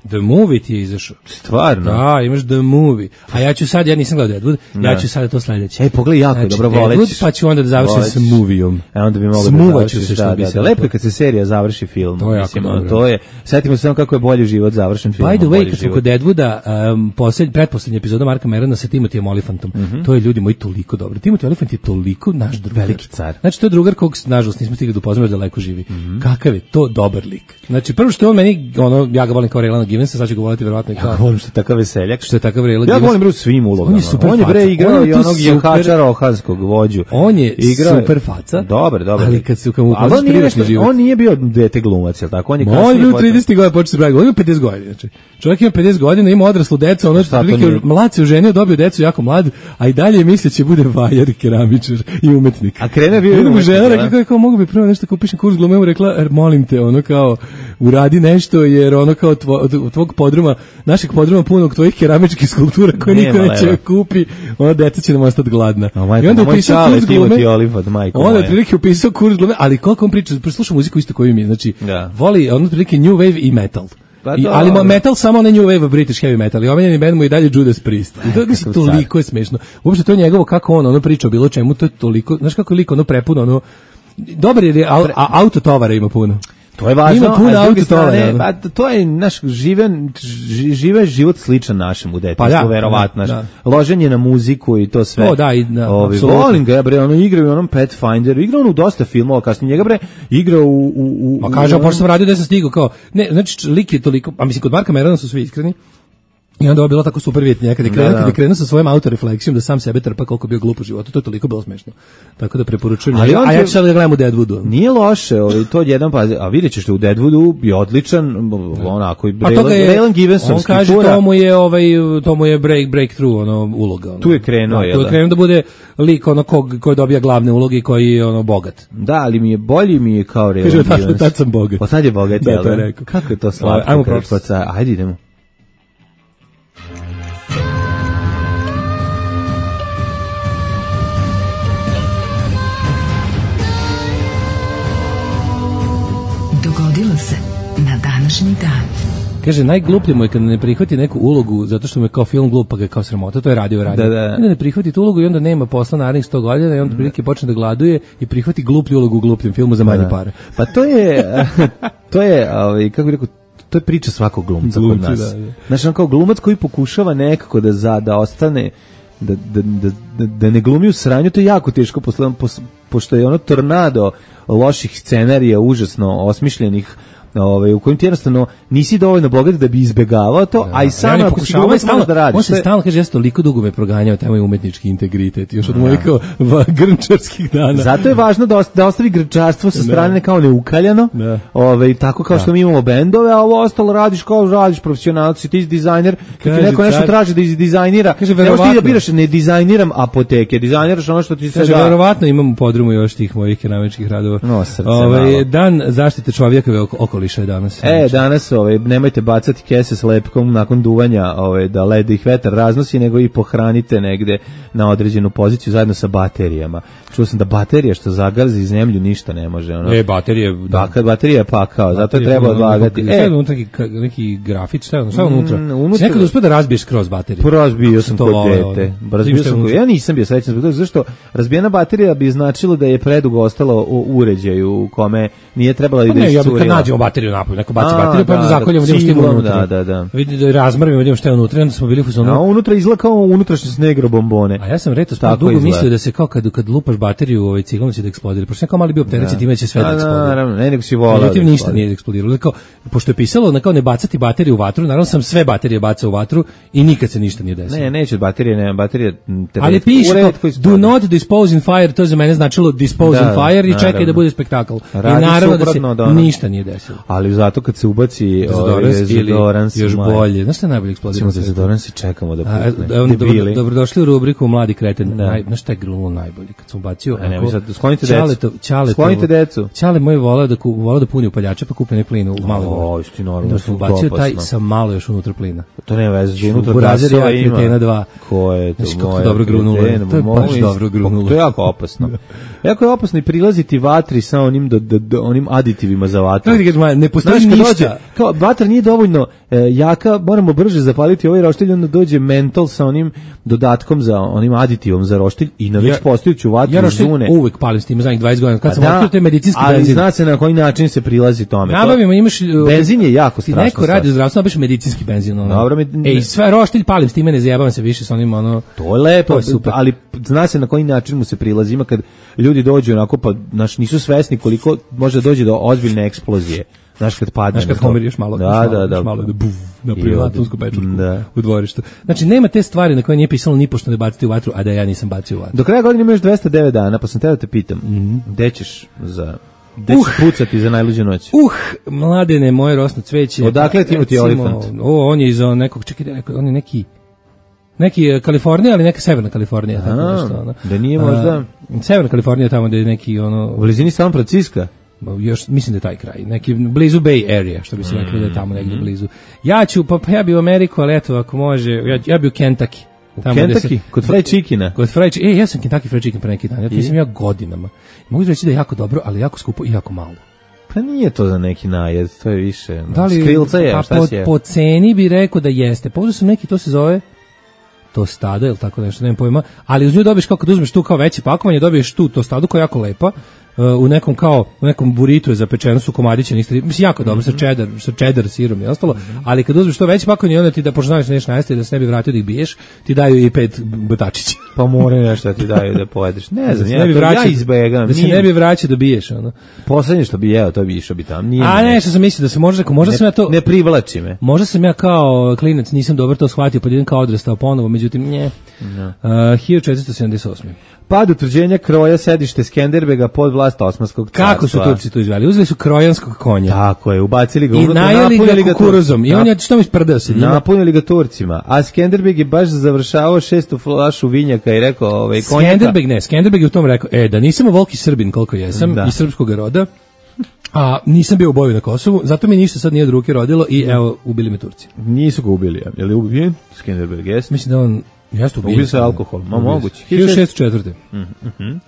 S5: The Movie ti je izašao.
S6: Stvarno?
S5: Da, imaš The Movie. A ja nisam gledao Deadwood, ja ću sad to sledeće.
S6: Pogledaj, jako dobro volećeš.
S5: Deadwood, pa ću onda da završim sa movijom.
S6: Onda bi mogli da završiš. Da. Lepo je kad se serija završi film.
S5: To je jako dobro.
S6: Setimo se samo kako je bolji život završen film.
S5: By the way, kad smo kod Deadwooda, pretposlednja epizoda Marka Merona sa Timothyjem Olifantom, to je, ljudi moji, toliko dobro. Timothy Olyphant je toliko naš drugar.
S6: Veliki car.
S5: Znači, to je drugar kog, nažalost, nismo stigli da upoznamo, daleko živi. Kakav je to dobar lik. Znači, prvo što je on meni, ja ga volim kao Raylana Givensa, sad ću ga voliti verovatno kao.
S6: Ja volim što je takav veseljak.
S5: Što je takav Raylana
S6: Givens. Ja volim bre u svim ulogama. On je bre igrao i onog jahača rohanskog vođu.
S5: On je super faca.
S6: Dobar.
S5: Ali kad mu upoznaš privatni život.
S6: On nije bio dete glumac, al tako?
S5: On je bio 30 godina počeo se baviti. On je 50 godina, znači. Čovjek ima 50 godina, ima odraslu decu, ono prilike mlad se oženio, dobio decu jako mlad, a i dalje misli će bude vajar i keramičar i umetnik.
S6: A krene bio
S5: umetnik. Žena rekla kako mogu bi prvo nešto kupiš kurs glume, mu rekla molim te, ono kao uradi nešto jer ono kao tvog podruma, našeg podruma punog tvojih keramičkih skulptura koje niko neće kupi, ona deca će nam ostati gladna.
S6: I onda upisao kurs glume.
S5: Onda je prilike upisao kurs glume, ali koliko on priča, sluša muziku isto koju mi, znači voli ono prilike new wave i metal. Ali metal samo ne new wave, British heavy metal. I omenjeni band mu i dalje Judas Priest. I to mislim toliko je smešno. Uopšte to je njegovo kako on ono priča o bilo čemu, to je toliko, znaš kako je lik ono prepuno, ono dobar je, a autotovara ima puno.
S6: To je važno,
S5: ima puno autotovara.
S6: Pa to je naš žive život sličan našem u detinjstvu, verovatno. Loženje na muziku i to sve. Volim ga, bre, ono igrao u onom Pathfinderu, igrao on u dosta filmova, kasnije njega bre igrao u
S5: Ma kaže, pošto sam radio da sam stigao kao, ne, znači lik je toliko, a mislim kod Marka Merona su svi iskreni. I onda je bilo tako super vidjeti nekad je krenuo sa svojom autorefleksijom da sam sebe trpa koliko bio glup u životu, to je toliko bilo smešno. Tako da preporučujem. A ja ću sad da gledam u Deadwoodu.
S6: Nije loše, to je jedan a vidjet ćeš da u Deadwoodu je odličan, onako i Raylan Givensonski.
S5: On kaže to mu je breakthrough, ono uloga.
S6: Tu je krenuo,
S5: tu je krenuo da bude lik ono koji dobija glavne uloge i koji je ono bogat.
S6: Da, ali bolji mi je kao Raylan Givens.
S5: Kaže, tad sam bogat.
S6: Pa sad je bogat, jel da? Kako je to slatko. Ajde idemo.
S5: Kaže, najgluplje mu je kad ne prihvati neku ulogu zato što mu je kao film glup, pa ga je kao sramota, to je radio.
S6: Da.
S5: Onda ne prihvati tu ulogu i onda nema posla narednih 100 godina i onda prilike počne da gladuje i prihvati gluplju ulogu u glupljem filmu za manje pare.
S6: Pa to je, kako bih rekao, to je priča svakog glumca kod nas. Znači, on kao glumac koji pokušava nekako da ostane, da ne glumi u sranju, to je jako teško, pošto je ono tornado loših scenarija, užasno osmišljenih, u kojim ti jednostavno nisi dovoljno bogat da bi izbegavao to, a i sam ako si glumac možeš da radiš.
S5: On se stalno kaže, ja sam toliko dugo me proganjao, taj moj umetnički integritet, još od mojih grnčarskih dana.
S6: Zato je važno da ostavi grnčarstvo sa strane kao neukaljano, tako kao što mi imamo bendove, a ovo ostalo radiš profesionalci, ti si dizajner, kad ti neko nešto traži da izdizajnira, ne možeš ti da biraš, ne dizajniram apoteke, dizajniraš ono što ti se da.
S5: Kaže, verovatno imam u podrumu još tih mojih keramičkih radova. Dan zaštite čovjekove okoliša je danas.
S6: Danas nemojte bacati kese s lepkom nakon duvanja, da led ih vetar raznosi, nego i pohranite negde na određenu poziciju zajedno sa baterijama. Čuo sam da baterija što zagarzi zemlju ništa ne može.
S5: Baterije...
S6: Kad baterija je pakao, zato je treba odlagati.
S5: Šta je unutra neki grafit, šta je unutra? Si nekad uspio da razbiješ kroz bateriju?
S6: Razbio sam kod dete. Ja nisam bio srećan zbog toga, zašto razbijena baterija bi značilo da je predugo ostalo u uređaju u kome nije trebala da iscurila.
S5: Nađemo bateriju napolju, neko baci bateriju, pa onda zakoljemo, idemo što ima unutra. Vidi da razmrvimo, idemo što je unutra, onda smo bili u fazonu.
S6: A unutra izgleda kao unutrašnje snegro bombone.
S5: A ja sam dugo mislio da se kao kad lupaš bateriju ciglom će da eksplodira, pošto neko mali bio opterećen, time će sve da eksplodira.
S6: Naravno, nego si volao.
S5: Međutim, ništa nije eksplodiralo. Pošto je pisalo kao ne bacati bateriju u vatru, naravno sam sve baterije bacao u vatru i nikad se ništa nije desilo.
S6: Ne, neće baterije.
S5: Ali piše do not dispose in fire, to za mene značilo dispose in fire i čekaj da bude spektakl. I naravno da se ništa nije desilo.
S6: Ali zato kad se ubaci
S5: dezodorans još bolje. Znaš šta je najbolje eksplodiralo?
S6: Samo dezodorans i čekamo da pukne.
S5: Dobrodošli u rubriku Mladi kreten. Znaš šta je grunulo najbolje? Kad sam ubacio...
S6: Sklonite decu.
S5: Čale moj volao da puni upaljače pa kupe ne plin u malo.
S6: Isti normalno.
S5: Da sam ubacio taj sa malo još unutra plina.
S6: To nema veze, unutra gasova ima. Ko je to?
S5: Kako dobro grunulo. To je baš dobro grunulo.
S6: To je jako opasno. Jako je opasno i prilaziti vatri sa onim aditivima za vatru.
S5: Ne postoji ništa.
S6: Kao vatra nije dovoljno jaka, moramo brže zapaliti ovaj roštilj, onda dođe mentol sa onim dodatkom za onim aditivom za roštilj i na već postojeću vatru zune.
S5: Ja uvek palim s tim zadnjih 20 godina. Kad sam otkrio taj medicinski benzin.
S6: Ali zna se na koji način se prilazi tome.
S5: Nabavimo, imaš...
S6: Benzin je jako strašno.
S5: Neko radi u zdravstvu, nabaš medicinski benzin.
S6: Dobro,
S5: sve roštilj palim s time, ne zajebavam se više s onim
S6: To je lepo, ali zna se na koji način mu se prilazi. Ima kad ljudi dođu onako, pa nisu svesni koliko može doći do ozbiljne eksplozije. Znaš kad padne.
S5: Znaš kad pomiriš malo. Malo da buf, napravila atomsku pečurku u dvorištu. Znači, nema te stvari na koje nije pisalo ni pošto ne baciti u vatru, a da ja nisam bacio u vatru.
S6: Do kraja godine imaš 209 dana, pa sam teo da te pitam, gde ćeš pucati za najluđu noć?
S5: Mladene, moje rosno cveće.
S6: Odakle ti imati Olifant?
S5: On je iz nekog, čekaj, on je neki Kalifornija, ali neka severna Kalifornija. Tako nešto,
S6: da nije možda...
S5: Severna Kalifornija tamo gde je neki
S6: u blizini San Francisco.
S5: Još mislim da je taj kraj, neki blizu Bay Area, što bi se rekli da je tamo negdje blizu. Ja bi u Ameriku, ali eto, ako može, ja bi u Kentucky.
S6: Kentucky? Kod fried chickena?
S5: Kod fried chicken, ja sam Kentucky fried chicken pre neki dan, ja sam godinama. Mogu reći da je jako dobro, ali jako skupo i jako malo.
S6: Pa nije to za neki najed, to je više. Skrilca je, šta si je?
S5: Po ceni bi rekao da jeste. Pozdrav sam neki, to se zove tostada, ili tako nešto, nemam pojma, ali uz nju dobiješ kao kad uzmeš tu kao veće pakovanje, dobiješ tu tostadu koja je jako lepa, u nekom buritu je zapečeno su komadiće, mislim jako dobro sa cheddar sirom i ostalo, ali kad uzmeš to veće pakovanje, onda ti da pošto znaš nešto najesti da se ne bi vratio da ih biješ, ti daju i 5 batačića.
S6: Pa moraju nešto ti daju da pojedeš. Ne znam, ja izbegam.
S5: Da se ne bi vraćao da biješ, ono.
S6: Poslednje što bi jeo, to bi išao bi tamo.
S5: A ne, što sam mislio da se možda sam ja to
S6: ne privlači me.
S5: Možda sam ja kao klinac nisam dobro to shvatio, pa idem kao odrastao ponovo, međutim nje. 1478.
S6: Pad utvrđenja kroja sedište Skenderbega pod vlast Osmanskog carstva.
S5: Kako su Turci to izveli? Uzeli su krojanskog konja.
S6: Tako je, ubacili ga
S5: unutra, napunili ga kukuruzom. I on je što mi sprdao se njima.
S6: Napunili ga Turcima. A Skenderbeg je baš završavao 6. flašu vinjaka i rekao konjaka.
S5: Skenderbeg je u tom rekao, da nisam volki Srbin koliko jesam, iz srpskog roda, a nisam bio u boju na Kosovu, zato mi ništa sad nije od ruke rodilo i evo, ubili me Turci.
S6: Nisu ga ubili, je li ubijen Skenderbeg, jes?
S5: Mislim da on Jeste
S6: ubio se alkohol, moguće.
S5: 1604.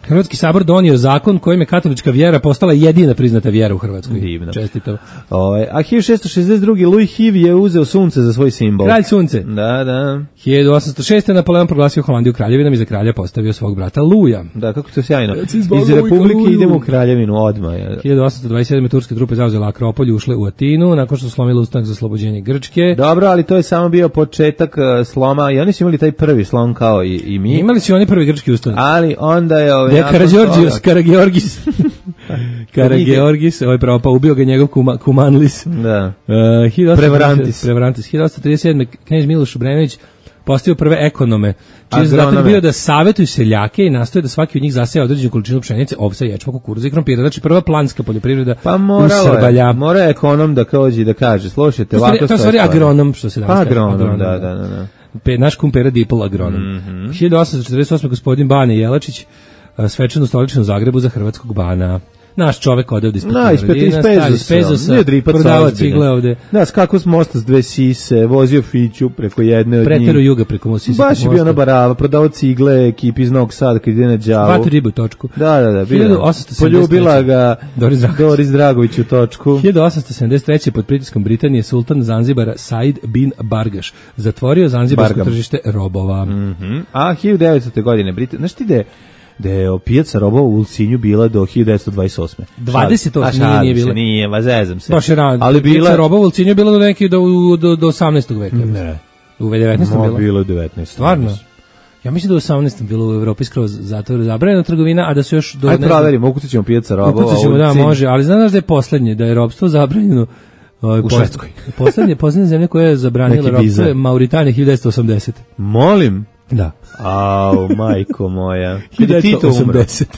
S5: Hrvatski sabor donio zakon kojim je katolička vjera postala jedina priznata vjera u Hrvatskoj.
S6: Divno.
S5: Čestito.
S6: A 1662. Louis Hiv je uzeo sunce za svoj simbol.
S5: Kralj sunce.
S6: Da.
S5: 1806. Napoleon proglasio Holandiju kraljevinom i za kralja postavio svog brata Luja.
S6: Da, kako to sjajno. Iz Republike idemo u kraljevinu odmah.
S5: 1827. turske trupe zauzele Akropolj, ušle u Atinu nakon što su slomile ustanak za oslobođenje Grčke.
S6: Dobro, ali to je samo bio početak sloma i oni su imali taj prvi slom kao i mi.
S5: Imali su oni prvi grčki ustanak.
S6: Ali onda je
S5: Karageorgis, ovaj propao, ubio ga njegov Kumanlis.
S6: Da.
S5: Prevarantis. 1837. knez Miloš Obrenović postavio prve ekonome, čiji je zadatak bio da savetuju seljake i nastoje da svaki od njih zaseja određenu količinu pšenice, ovsa, ječma, kukuruza i krompira. Znači prva planska poljoprivreda u Srbalja.
S6: Mora ekonom da dođe da kaže, slušajte, ovako
S5: to je stvari agronom, što se danas kaže.
S6: Agronom, da.
S5: Naš kumpera Dipol agronom. 1848. gospodin Bane Jelačić svečano stoličen u Zagrebu za hrvatskog bana. Naš čovek ode ovde iz Pezosa, prodava cigle ovde.
S6: Da, skako s mosta s dve sise, vozio fiću preko jedne od njih.
S5: Preteru juga preko sise.
S6: Baš je bio na barava, prodavao cigle, ekipi iz Novog Sada kad ide na Đavu.
S5: Hvati ribu u točku.
S6: Da, poljubila ga Doris Dragović u točku.
S5: 1873. pod pritiskom Britanije sultan Zanzibara Said bin Bargaš zatvorio zanzibarsko tržište robova.
S6: A 1900. godine znaš ti da je pijaca robova u Ulcinju bila do 1928.
S5: 28 nije bila.
S6: Nije, zezam se.
S5: Baš je rano. Ali pijaca robova u Ulcinju je bila do 18. veka.
S6: Ne.
S5: U 19. bila?
S6: Bilo je 19.
S5: Stvarno? Ja mislim da u 18. bilo u Evropi skroz zabranjena trgovina, a da su još...
S6: Ajde proverimo, ukucat ćemo pijaca robova u Ulcinju.
S5: Da, može, ali znaš da je poslednje, da je robstvo zabranjeno
S6: u Švedskoj.
S5: Poslednja zemlja koja je zabranila robstvo je Mauritanija 1980.
S6: Molim?
S5: Da.
S6: Au, majko moja.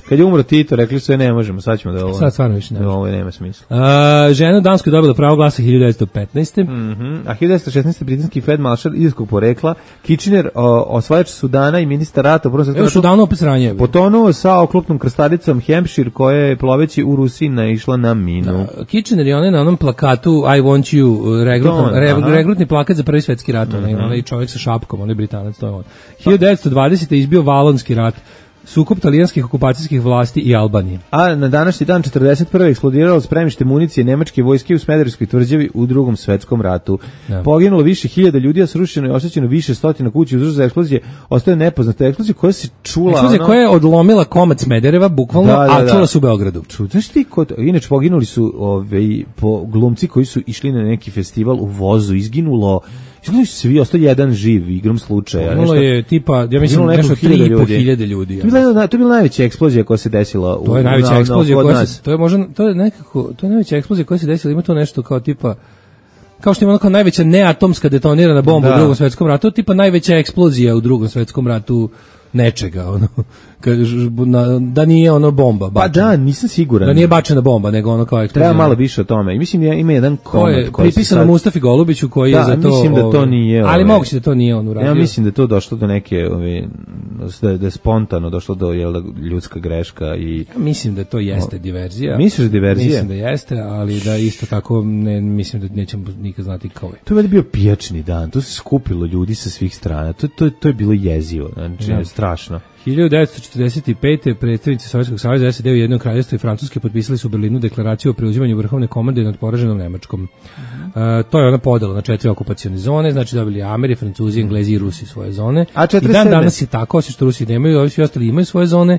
S6: Kad je umro Tito, rekli su ne možemo, sad ćemo da ovo...
S5: Sad stvarno više ne.
S6: Ovo nema smisla.
S5: Žena u Danskoj dobila pravo glasa 1915.
S6: A 1916. britanski feldmaršal irskog porekla, Kitchener, osvajač Sudana i ministar rata...
S5: Evo Sudanu opet sranje.
S6: Potonuo sa oklopnom krstalicom Hampshire, koja je ploveći u Rusiji naišla na minu.
S5: Kitchener je onaj na onom plakatu I want you, regrutni plakat za prvi svetski rat. Onaj čovjek sa šapkom, onaj Britanac, to je on. 1920. izbio Valonski rat, sukob talijanskih okupacijskih vlasti i Albanije.
S6: A na današnji dan 41. eksplodiralo spremište municije nemačke vojske u Smederevskoj tvrđavi u Drugom svetskom ratu. Poginulo više hiljada ljudi, a srušeno i oštećeno više stotina kuća. Uzrok za eksplozije ostaje nepoznata eksplozija koja se čula...
S5: Eksplozija koja je odlomila komad Smedereva, bukvalno, a čula se u Beogradu.
S6: Znaš ti, inače poginuli su glumci koji su išli na neki festival u vozu, izginulo svi, ostao jedan živ igrom slučaja.
S5: Ono je tipa, ja mislim, nešto 3.500 ljudi.
S6: To je bila najveća eksplozija koja se desila
S5: to je najveća eksplozija koja se... To je najveća eksplozija koja se desila, ima to nešto kao tipa... Kao što ima ono kao najveća neatomska detonirana bomba u Drugom svetskom ratu, tipa najveća eksplozija u Drugom svetskom ratu nečega, ono, da nije ono bomba bačena.
S6: Pa da, nisam siguran.
S5: Da nije bačena bomba, nego ono kao eksplozija.
S6: Treba malo više o tome. I mislim, ima jedan komad
S5: koji je pripisano Mustafi Golubiću, koji je za to...
S6: mislim da to nije...
S5: Ali moguće da to nije on uradio.
S6: Ja mislim da to došlo do neke... da je spontano došlo do ljudska greška i...
S5: Ja mislim da to jeste diverzija.
S6: Misliš da diverzija?
S5: Mislim da jeste, ali da isto tako mislim da nećemo nikad znati kao je.
S6: To je bio pijačni dan, to se skupilo ljudi sa svih strana, to je bilo jezivo, znači strašno.
S5: 1945. predstavnici Sovjetskog saveza, SAD, Ujedinjenog kraljevstva i Francuske potpisali su u Berlinu deklaraciju o preuzimanju vrhovne komande nad poraženom Nemačkom. To je ona podela na 4 okupacione zone, znači dobili Ameri, Francuzi, Englezi i Rusi svoje zone. I dan danas je tako, osim što Rusi nemaju, ovi svi ostali imaju svoje zone.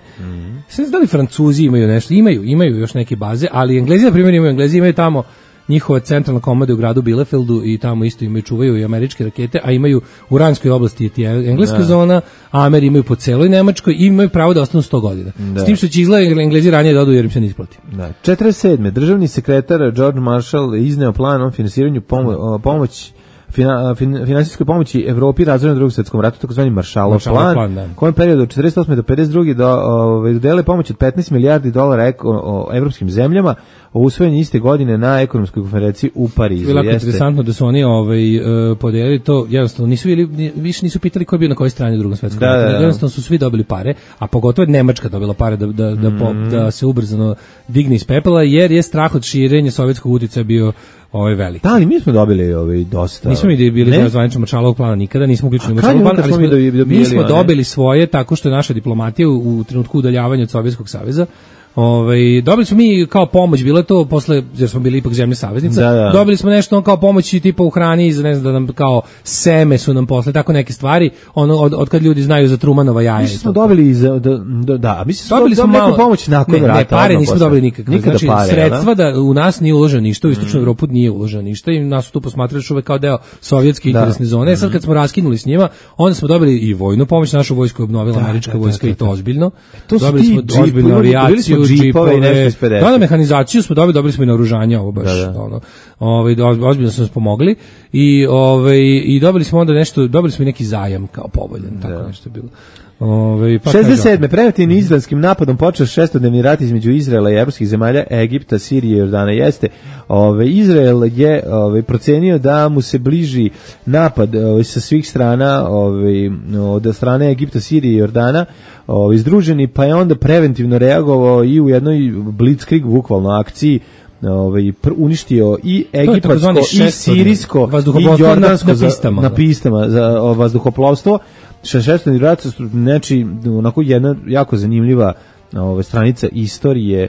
S5: Sve da li Francuzi imaju nešto? Imaju još neke baze, ali Englezi, na primjer, imaju tamo njihova centralna komanda u gradu Bielefeldu i tamo isto čuvaju i američke rakete, a imaju u Ranskoj oblasti je engleska zona, a Ameri imaju po celoj Nemačkoj i imaju pravo da ostanu 100 godina. S tim što će izgleda Englezi ranije da odu jer im se ne isplati.
S6: 47. Državni sekretar George Marshall izneo plan o finansiranju finansijskoj pomoći Evropi razvoju na Drugom svetskom ratu, takozvani Marshallov plan, kojem periodu od 48. do 52. dodele pomoć od 15 milijardi dolara evropskim zemljama, usvojen iste godine na ekonomskoj konferenciji u Parizu.
S5: Bilo je interesantno da su oni podelili to, jednostavno više nisu pitali ko je bio na kojoj strani u Drugom svetskom ratu, jednostavno su svi dobili pare, a pogotovo je Nemačka dobila pare da se ubrzano digne iz pepela, jer je strah od širenja sovjetskog uticaja bio veliki.
S6: Da, ali mi smo dobili dosta.
S5: Nismo mi bili deo zvaničnog Maršalovog plana nikada, nismo uključeni u Maršalov plan, ali mi smo dobili svoje tako što je naša diplomatija u trenutku udaljavanja od Sovjetskog saveza. Dobili smo mi kao pomoć, bilo je to posle, jer smo bili ipak zemlja saveznica, dobili smo nešto kao pomoć tipa u hrani, ne znam, da nam kao seme su nam posle, tako neke stvari, od kad ljudi znaju za Trumanova jaja.
S6: Mi smo dobili dobili smo neku pomoć nakon rata.
S5: Ne, pare nismo dobili nikakve. Znači, sredstva da u nas nije uloženo ništa, u Istočnu Evropu nije uloženo ništa i nas su tu posmatrali još uvek kao deo sovjetske interesne zone. Sad kad smo raskinuli s njima, onda smo dobili i vojnu pomoć, našu vojsku je obnovila američka vojska i to ozbiljno. Dobili smo ozbiljnu avijaciju, džipove, da, mehanizaciju smo dobili smo i naoružanje, ovo baš, ozbiljno smo pomogli i dobili smo onda nešto, dobili smo i neki zajam kao povoljan, tako nešto je bilo.
S6: 67. preventivnim izraelskim napadom počeo šestodnevni rat između Izraela i evropskih zemalja, Egipta, Sirije i Jordana. Jeste, Izrael je procenio da mu se bliži napad sa svih strana, od strane Egipta, Sirije i Jordana, združeni, pa je onda preventivno reagovao i u jednoj blitzkrieg bukvalno akciji uništio i egipatsko i sirijsko i jordansko na pistama za vazduhoplovstvo. Šestodnevni rat, znači onako jedna jako zanimljiva stranica istorije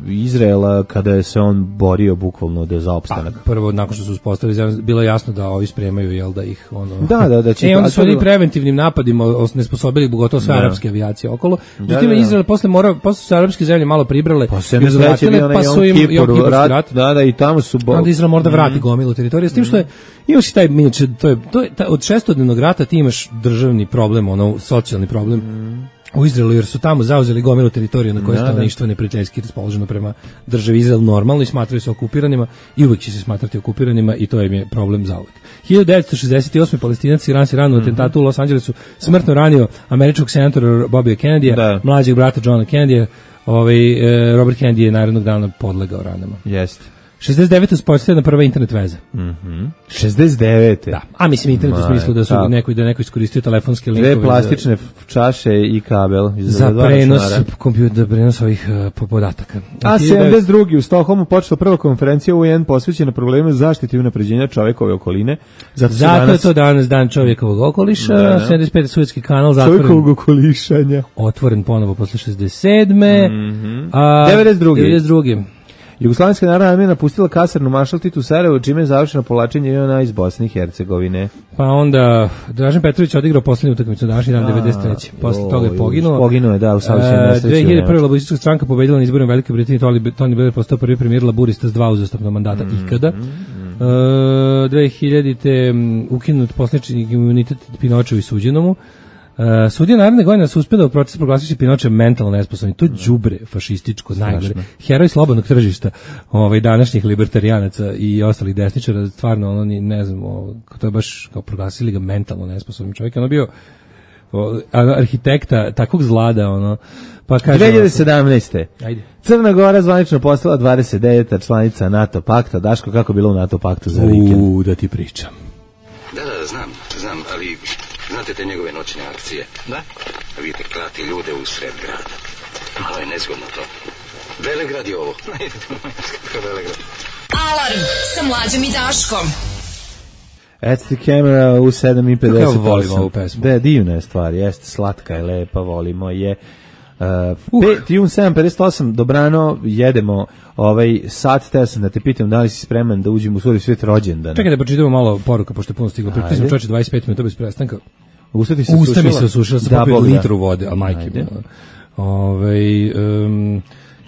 S6: Izraela kada je se on borio bukvalno za opstanak.
S5: Prvo, nakon što su uspostavili, bilo je jasno da ovi spremaju, da ih
S6: Da će
S5: onda su oni preventivnim napadima nesposobili gotovo sve arapske avijacije okolo. Međutim, Izrael posle su se arapske zemlje malo pribrale, pa su im Kipurski rat.
S6: Da, i tamo su
S5: onda Izrael mora da vrati gomilu teritorije, s tim što je imaš i taj inače, to je od šestodnevnog rata ti imaš državni problem, socijalni problem u Izraelu, jer su tamo zauzeli gomilu teritoriju na kojoj stanovništvo neprijateljski raspoloženo prema državi Izrael normalno i smatraju se okupiranima i uvek će se smatrati okupiranima i to im je problem zauvek. 1968. Palestinac Iran se rano u atentatu u Los Angelesu smrtno ranio američkog senatora Bobija Kennedya, mlađeg brata Johna Kennedya. Robert Kennedy je narednog dana podlegao ranama.
S6: Jeste.
S5: 69. uspostavljena prva internet veza.
S6: 69.
S5: Da. A mislim internet u smislu da su neko iskoristio telefonske linkove.
S6: Dve plastične čaše i kabel.
S5: Za prenos kompjutera, prenos ovih podataka.
S6: A 72. u Stokholmu počela prva konferencija UN posvećena problemu zaštite i unapređenja čovekove okoline.
S5: Zato je to danas dan čovjekovog okoliša. 75. Suetski kanal zatvoren.
S6: Čovjekovog okolišanja.
S5: Otvoren ponovo posle 67.
S6: 92. Jugoslavijska narodna armija napustila kasarnu Maršal Tito u Sarajevu, čime je završeno povlačenje JNA iz Bosne i Hercegovine.
S5: Pa onda Dražen Petrović odigrao poslednju utakmicu današnji dan 93. Posle toga je poginuo.
S6: Poginuo je, u saobraćajnoj nesreći.
S5: 2001. laburistička stranka pobedila na izborima Velike Britanije, Tony Blair postao prvi premijer laburista s 2 uzastopna mandata ikada. 2000. ukinut poslanički imunitet Pinočevu i suđenomu. Sudija naredne godine se uspjela u procesu proglasiti Pinoče mentalno nesposobni. To je đubre fašističko, najgore. Heroj slobodnog tržišta današnjih libertarijanaca i ostalih desničara, stvarno, ne znam, to je baš kao proglasili ga mentalno nesposobnim čovjek. Ono bio arhitekta takvog zlada, pa kaže
S6: 2017. Ajde. Crna Gora zvanično postala 29. članica NATO pakta. Daško, kako bilo u NATO paktu za vikend?
S5: Da ti pričam.
S9: Da, znam, ali znate te njegove noćne akcije? Da. Vidite, klati ljude u sred grada. Malo je nezgodno to. Velegrad je ovo. Velegrad.
S3: Alarm sa Mlađom i Daškom.
S6: At the camera u 7:58.
S5: Kako volimo ovu pesmu?
S6: Da, divna je stvar, jeste, slatka je, lepa, volimo je. 7:58, dobrano, jedemo sat, teo sam da te pitam da li si spreman da uđemo u svoj svijet rođendana.
S5: Čekaj da pročitamo malo poruka, pošto je puno stiglo. Prije smo čoveče 25 minuta bez prestanka.
S6: Usta
S5: mi se osušila, sam popio litru vode, a majke mi.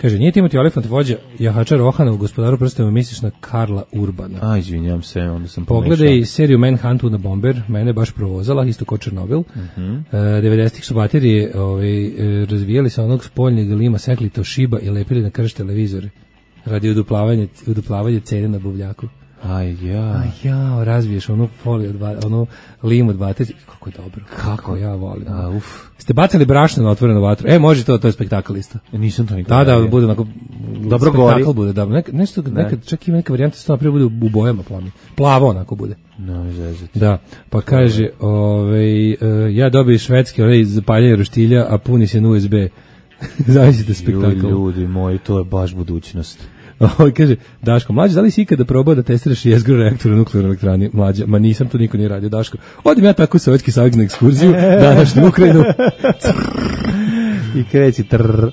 S5: Kaže, nije Timothy Olyphant vođa jahača Rohana u Gospodaru prstena, misliš na Karla Urbana.
S6: Izvinjam se, onda sam
S5: pogledaj seriju Manhuntu na Bomber, mene baš provozala, isto ko Černobil. 90-ih su baterije razvijali sa onog spoljnjeg lima, sekli Toshiba i lepili na krš televizore radi uduplavanja cene na buvljaku. Razbiješ onu foliju, onu limu od baterije. Kako je dobro. Kako ja volim. Ste bacali brašno na otvorenu vatru? Može to je spektakl isto.
S6: Nisam to nikada.
S5: Da, bude onako
S6: dobro gori.
S5: Spektakl bude, da. Nekad čak ima neka varijanta što napravo bude u bojama plami. Plavo onako bude. Da, pa kaže, ja dobiju švedski zapaljanje roštilja, a puni se na USB. Zamislite spektakl.
S6: Ljudi moji, to je baš budućnost.
S5: Kaže, Daško, mlađe, da li si ikada probao da testiraš jezgru reaktora u nuklearnoj elektrani? Mlađe, ma nisam, to niko nije radio. Daško, odim ja tako u Sovjetski savez na ekskurziju, današnju Ukrajinu.
S6: I kreći trrr.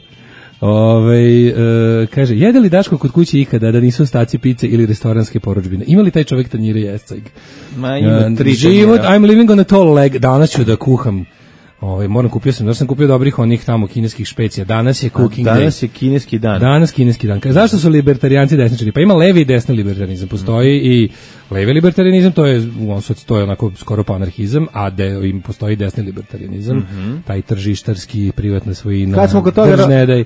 S5: Kaže, jede li Daško kod kuće ikada da nisu ostaci pice ili restoranske porudžbine? Ima li taj čovjek tanjire jescajg?
S6: Ma ima 3
S5: život, I'm living on a tall leg. Danas ću da kuham. Moram sam kupio dobrih onih tamo kineskih špecija. Danas je cooking day.
S6: Danas je kineski dan.
S5: Danas kineski dan. Kaže, zašto su libertarijanci desničari? Pa ima levi i desni libertarijanizam. Postoji i levi libertarijanizam, to je onako skoro pa anarhizam, a im postoji desni libertarijanizam, taj tržištarski, privatna svojina.
S6: Kad smo kod toga,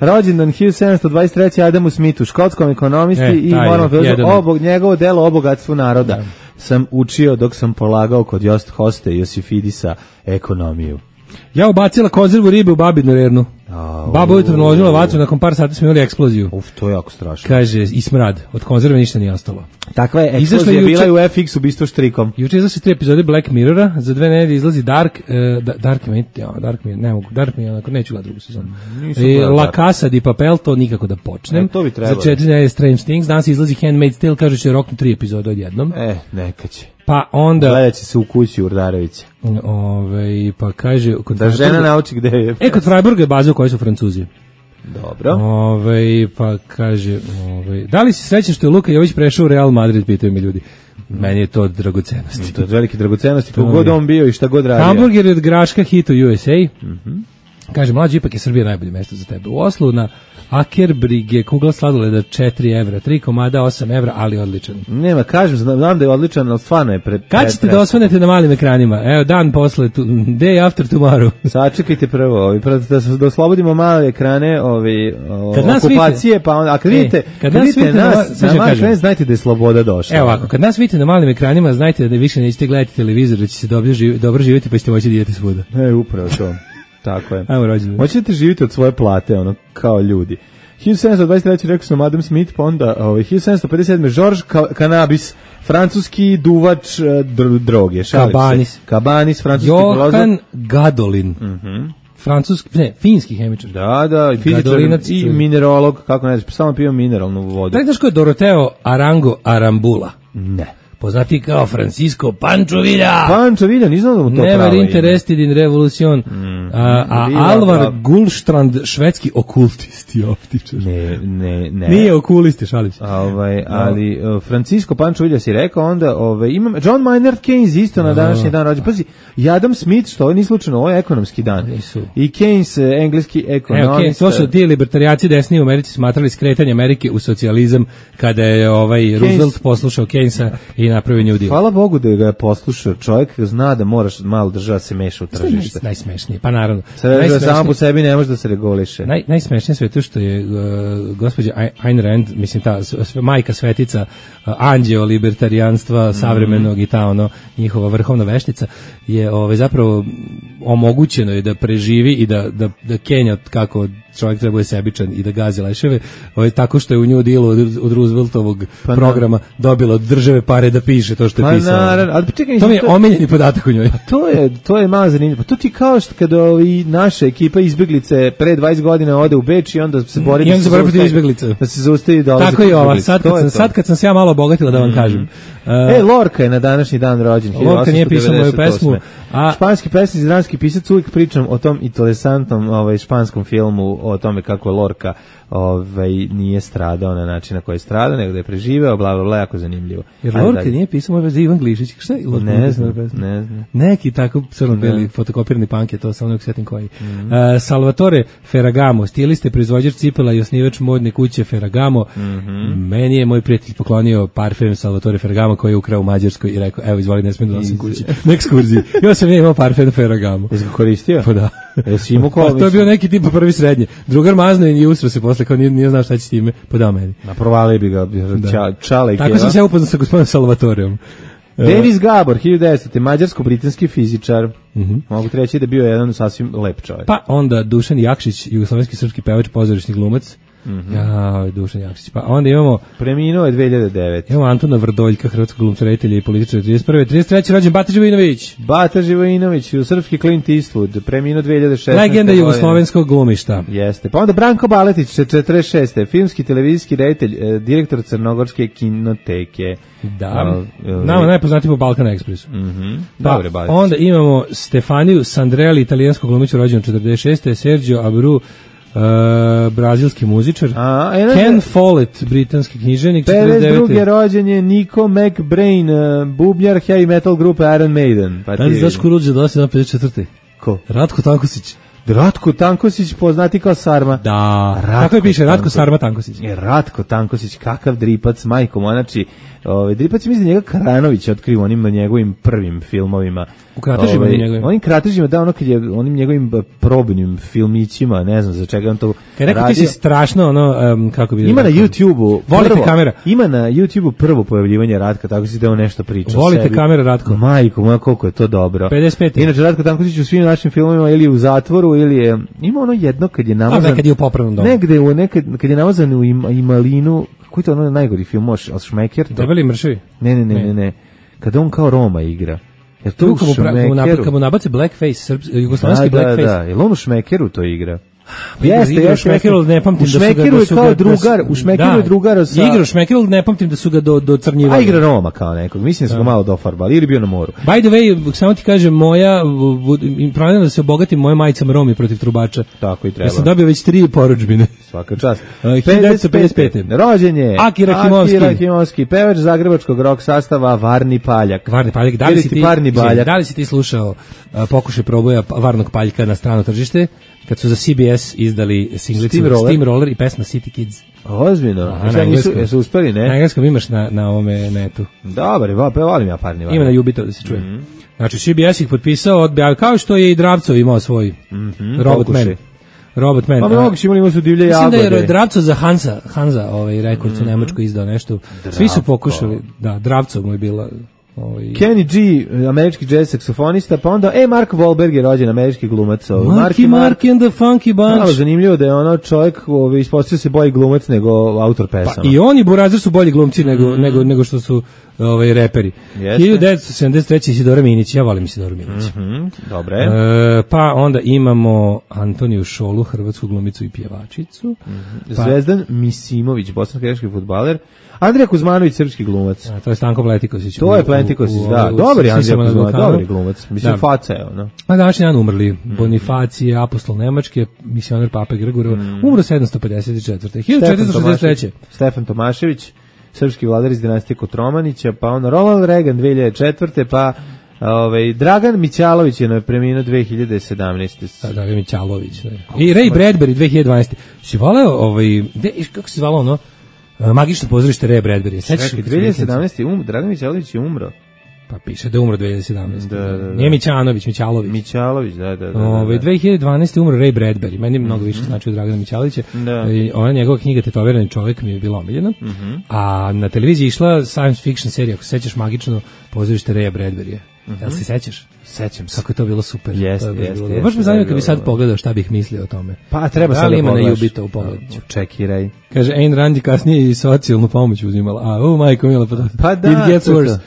S6: rođendan 1723. Adamu Smithu, škotskom ekonomisti i moramo njegovo delo o bogatstvu naroda. Sam učio dok sam polagao kod Hoste Josifidisa ekonomiju.
S5: Ja ubacila konzervu ribe u babinu rernu. Baba ujutro naložila vatru, nakon par sati smo imali eksploziju.
S6: To je jako strašno.
S5: Kaže, i smrad, od konzerve ništa nije ostalo.
S6: Takva je eksplozija bila i u FX ubistvo štrikom.
S5: Juče izlazi 3 epizode Black Mirrora, za 2 nedelje izlazi Dark mi je onako, neću gledati drugu sezonu. La Casa di Papel, to nikako da počnem.
S6: To bi trebalo.
S5: Za 4 nedelje Strange Things, danas izlazi Handmaid's Tale, kaže će roknu 3 epizode odjednom.
S6: Neka će.
S5: Pa onda
S6: gledat će se u kući Urdarevića.
S5: Pa kaže
S6: da žena nauči gde je.
S5: Kod Freiburga je baza u kojoj su Francuzi.
S6: Dobro.
S5: Pa kaže, da li si srećan što je Luka Jović prešao u Real Madrid, pitaju mi ljudi. Meni je to od dragocenosti.
S6: To je od velike dragocenosti, kogod on bio i šta god radio.
S5: Hamburger je od Graška, hit u USA. Kaže, mlađi, ipak je Srbija najbolje mesto za tebe. U Oslu na Akerbrige kugla sladoleda 4 evra, 3 komada 8 evra, ali odličan.
S6: Nema, kažem, znam da je odličan, ali stvarno je
S5: kad ćete da osvanete na malim ekranima? Evo, dan posle, day after tomorrow.
S6: Sačekajte prvo, da oslobodimo male ekrane okupacije, pa onda, a kad vidite nas na malim ekranima, znajte da je sloboda došla.
S5: Evo ovako, kad nas vidite na malim ekranima, znajte da više nećete gledati televizor, da će se dobro živjeti, pa ćete moći da idete svuda.
S6: Upravo to. Tako je. Hoćete živjeti od svoje plate, kao ljudi. 1723. rekao sam Adam Smith, pa onda 1757. Georges Cannabis, francuski duvač droge. Cabanis, francuski filozof.
S5: Johan Gadolin. Finski hemičar.
S6: Da, fizičar i minerolog, kako ne znaš, samo pio mineralnu vodu.
S5: Da, znaš ko je Doroteo Arango Arambula?
S6: Ne.
S5: Poznati kao Francisco Pancho Villa.
S6: Pancho Villa, nisam da mu to pravo.
S5: Never interested in revolution. Alvar Gullstrand, švedski okultist i optičar.
S6: Ne.
S5: Nije okulist, šalim se.
S6: Ali Francisco Pancho Villa si rekao, onda imam John Maynard Keynes isto na današnji dan rođen. Pazi, i Adam Smith, što ovo nije slučajno, ovo je ekonomski dan. I Keynes, engleski ekonomist.
S5: To su ti libertarijaci desni u Americi smatrali skretanje Amerike u socijalizam kada je Roosevelt poslušao Keynesa i napravio New Deal.
S6: Hvala Bogu da ga je poslušao. Čovjek zna da moraš malo država se meša u tržište.
S5: Najsmešnije, pa naravno.
S6: Samo po sebi ne može da se reguliše.
S5: Najsmešnije sve to što je gospođa Ayn Rand, mislim ta majka svetica anđeo libertarijanstva savremenog i ta njihova vrhovna veštica je zapravo omogućeno je da preživi i da Kenja kako čovjek treba je sebičan i da gazi leševe, tako što je u New Dealu od Rooseveltovog programa dobila od države pare da piše to što je pisao. To mi je omiljeni podatak u njoj.
S6: To je malo zanimljivo. Pa to ti kao što kada naša ekipa izbeglice pre 20 godina ode u Beč i onda se bori da se zaustavi dolazak.
S5: Tako i ova. Sad kad sam se ja malo obogatila da vam kažem.
S6: Lorca je na današnji dan rođen.
S5: Lorca nije pisao moju pesmu.
S6: Španski pesnik, dramski pisac, uvijek pričam o tom interesantnom španskom filmu, o tome kako Lorca nije stradao na način na koji je stradao, nego da je preživeo, bla, bla, bla, jako zanimljivo.
S5: Jer Lorca nije pisao moju pesmu, Ivan Glišić, šta je Lorca?
S6: Ne znam.
S5: Neki tako crno-beli fotokopirni punk je to, samo nek sjetim koji. Salvatore Ferragamo, stilist je proizvođač cipela i osnivač modne kuće Ferragamo. Meni je moj prijatelj poklonio parfem Salvatore Ferragamo koji je ukrao u Mađarskoj i rekao, evo izvoli, ne smijem da nosim kući. Na ekskurziji. Ja sam imao parfem Ferragamo.
S6: Jesi ga koristio?
S5: Pa da.
S6: Jesi imao
S5: ko? To je bio neki tipa prvi srednje. Drugar mazno i usro se posle, kao nije znao šta će s time, podao meni.
S6: Naprovali bi ga, čale i keva.
S5: Tako sam se upoznao sa gospodinom Salvatoreom.
S6: Davis Gabor, 1900. mađarsko-britanski fizičar. Mogu reći da bio jedan sasvim lep čovjek.
S5: Pa onda Dušan Jakšić, jugoslovenski srpski pevač, pozorišni glumac. Ja, Dušan Jakšić. Pa onda imamo...
S6: Preminuo je 2009.
S5: Imamo Antona Vrdoljka, hrvatskog glumca, reditelja i političara 31. 33. rođen Bata Živojinović.
S6: Bata Živojinović, srpski Clint Eastwood, preminuo 2016.
S5: Legenda jugoslovenskog glumišta.
S6: Jeste. Pa onda Branko Baletić, 46. Filmski, televizijski reditelj, direktor Crnogorske kinoteke.
S5: Da. Nama najpoznatiji po Balkan Expressu.
S6: Dobre, Baletić.
S5: Onda imamo Stefaniju Sandrelli, italijanskog glumića rođen 46. Sergio Abreu, brazilski muzičar. Ken Follett, britanski književnik,
S6: 52. rođen je Nico McBrain, bubnjar heavy metal grupe Iron Maiden.
S5: Pa ti znaš ko rođe 54.
S6: Ko?
S5: Ratko Tankosić.
S6: Ratko Tankosić, poznati kao Sarma.
S5: Da, kako je piše, Ratko Sarma Tankosić.
S6: Ratko Tankosić, kakav dripac, majko moja, znači, dripac je mislim njega Karanović otkrio onim njegovim prvim filmovima.
S5: U kratežima njegovim.
S6: Onim kratežima, da, ono kad je onim njegovim probnim filmićima, ne znam za čega on to
S5: kad rekao ti si strašno, kako bi...
S6: Ima na YouTube-u...
S5: Volite kamera.
S6: Ima na YouTube-u prvo pojavljivanje Ratka, tako si da on nešto priča.
S5: Volite kamera, Ratko.
S6: Majko moja, koliko je to dobro.
S5: 55.
S6: Inače, Ratko Tankosić u svim našim filmovima ili u zatvoru, ili je... Ima ono jedno kad je namazan...
S5: Kad je u popravnom domu.
S6: Kad je namazan u Imalinu... Koji je to ono najgori film, Šmeker?
S5: Debeli mršavi?
S6: Ne. Kada on kao Roma igra. Jer to u Šmekeru...
S5: Kad mu nabace blackface, jugoslovenski blackface.
S6: Da, jer on u Šmekeru to igra.
S5: Jeste, Šmekeru ne pamtim da su ga...
S6: U Šmekeru je kao drugar, u Šmekeru je drugar sa...
S5: Igra u Šmekeru, ne pamtim da su ga docrnjivali.
S6: A igra Roma kao nekog, mislim da su ga malo dofarbali, ili bio na moru.
S5: By the way, samo ti kažem, planira da se obogatim moja majicama Romi protiv trubača.
S6: Tako i treba.
S5: Ja sam dobio već 3 porudžbine.
S6: Svaka čast.
S5: 1955.
S6: Rođen je
S5: Akira
S6: Himovski, pevač zagrebačkog rock sastava Varni Paljak.
S5: Varni Paljak, da li si ti slušao pokušaj proboja Varnog Paljka na strano tržište? Kad su za CBS izdali singlicu Steamroller i pesma City Kids.
S6: Ozbiljno. Jesu uspeli, ne?
S5: Na engleskom imaš na ovome netu.
S6: Dobar, volim ja parni Varni.
S5: Ima na Jubito da se čuje. Znači CBS ih potpisao, kao što je i Dravcov imao svoj Robot Man.
S6: Pa moguće imali su divlje jagode.
S5: Mislim da je Dravcov za Hansa Records u Nemačkoj izdao nešto. Svi su pokušali, da, Dravcov mu je bila...
S6: Kenny G, američki jazz saksofonista, pa onda Mark Wahlberg je rođen, američki glumac.
S5: Mark and the Funky Bunch.
S6: Malo zanimljivo da je ono čovjek ispostavio se bolji glumac nego autor pesama.
S5: Pa i oni Burazir su bolji glumci nego što su reperi. 1973. Isidora Minić, ja volim Isidora Minić.
S6: Dobre.
S5: Pa onda imamo Antoniju Šolu, hrvatsku glumicu i pjevačicu.
S6: Zvezdan Misimović, bosansko-hercegovački fudbaler. Andrija Kuzmanović, srpski glumac.
S5: To je Stanko Pletikošić.
S6: To je Pletikošić, da. Dobar je Andrija Kuzmanović, dobar glumac. Mislim, faca je ono.
S5: A današnji dan umrli. Bonifacije, apostol Nemačke, misioner Pape Grgorov, umro 754. 1463.
S6: Stefan Tomašević, srpski vladar iz dinastije Kotromanića, pa onda Ronald Reagan 2004. pa Dragan Mićalović je preminuo 2017.
S5: Dragan Mićalović. I Ray Bradbury 2012. Si voleo, kako se zvalo ono? Magično pozorište Ray Bradbury.
S6: Sećaš 2017. Dragan Mićalović je umro.
S5: Pa piše da je umro 2017.
S6: Da.
S5: Nije Mićanović, Mićalović.
S6: Mićalović, da.
S5: 2012. umro Ray Bradbury. Meni mnogo više znači od Dragana Mićalovića. Ona njegova knjiga Tetovirani čovjek mi je bila omiljena. A na televiziji išla science fiction serija, ako se sećaš, Magično pozorište Raya Bradburyja. Jel se sećaš?
S6: Sećam se.
S5: Kako je to bilo super.
S6: Jeste.
S5: Baš me zanima kad bi sad pogledao šta bih mislio o tome.
S6: Pa treba sad
S5: da ima na Jubita u pogledu.
S6: Čekiraj.
S5: Kaže, Ayn Rand je kasnije i socijalnu pomoć uzimala. Majko mila,
S6: pa da.
S5: It gets worse.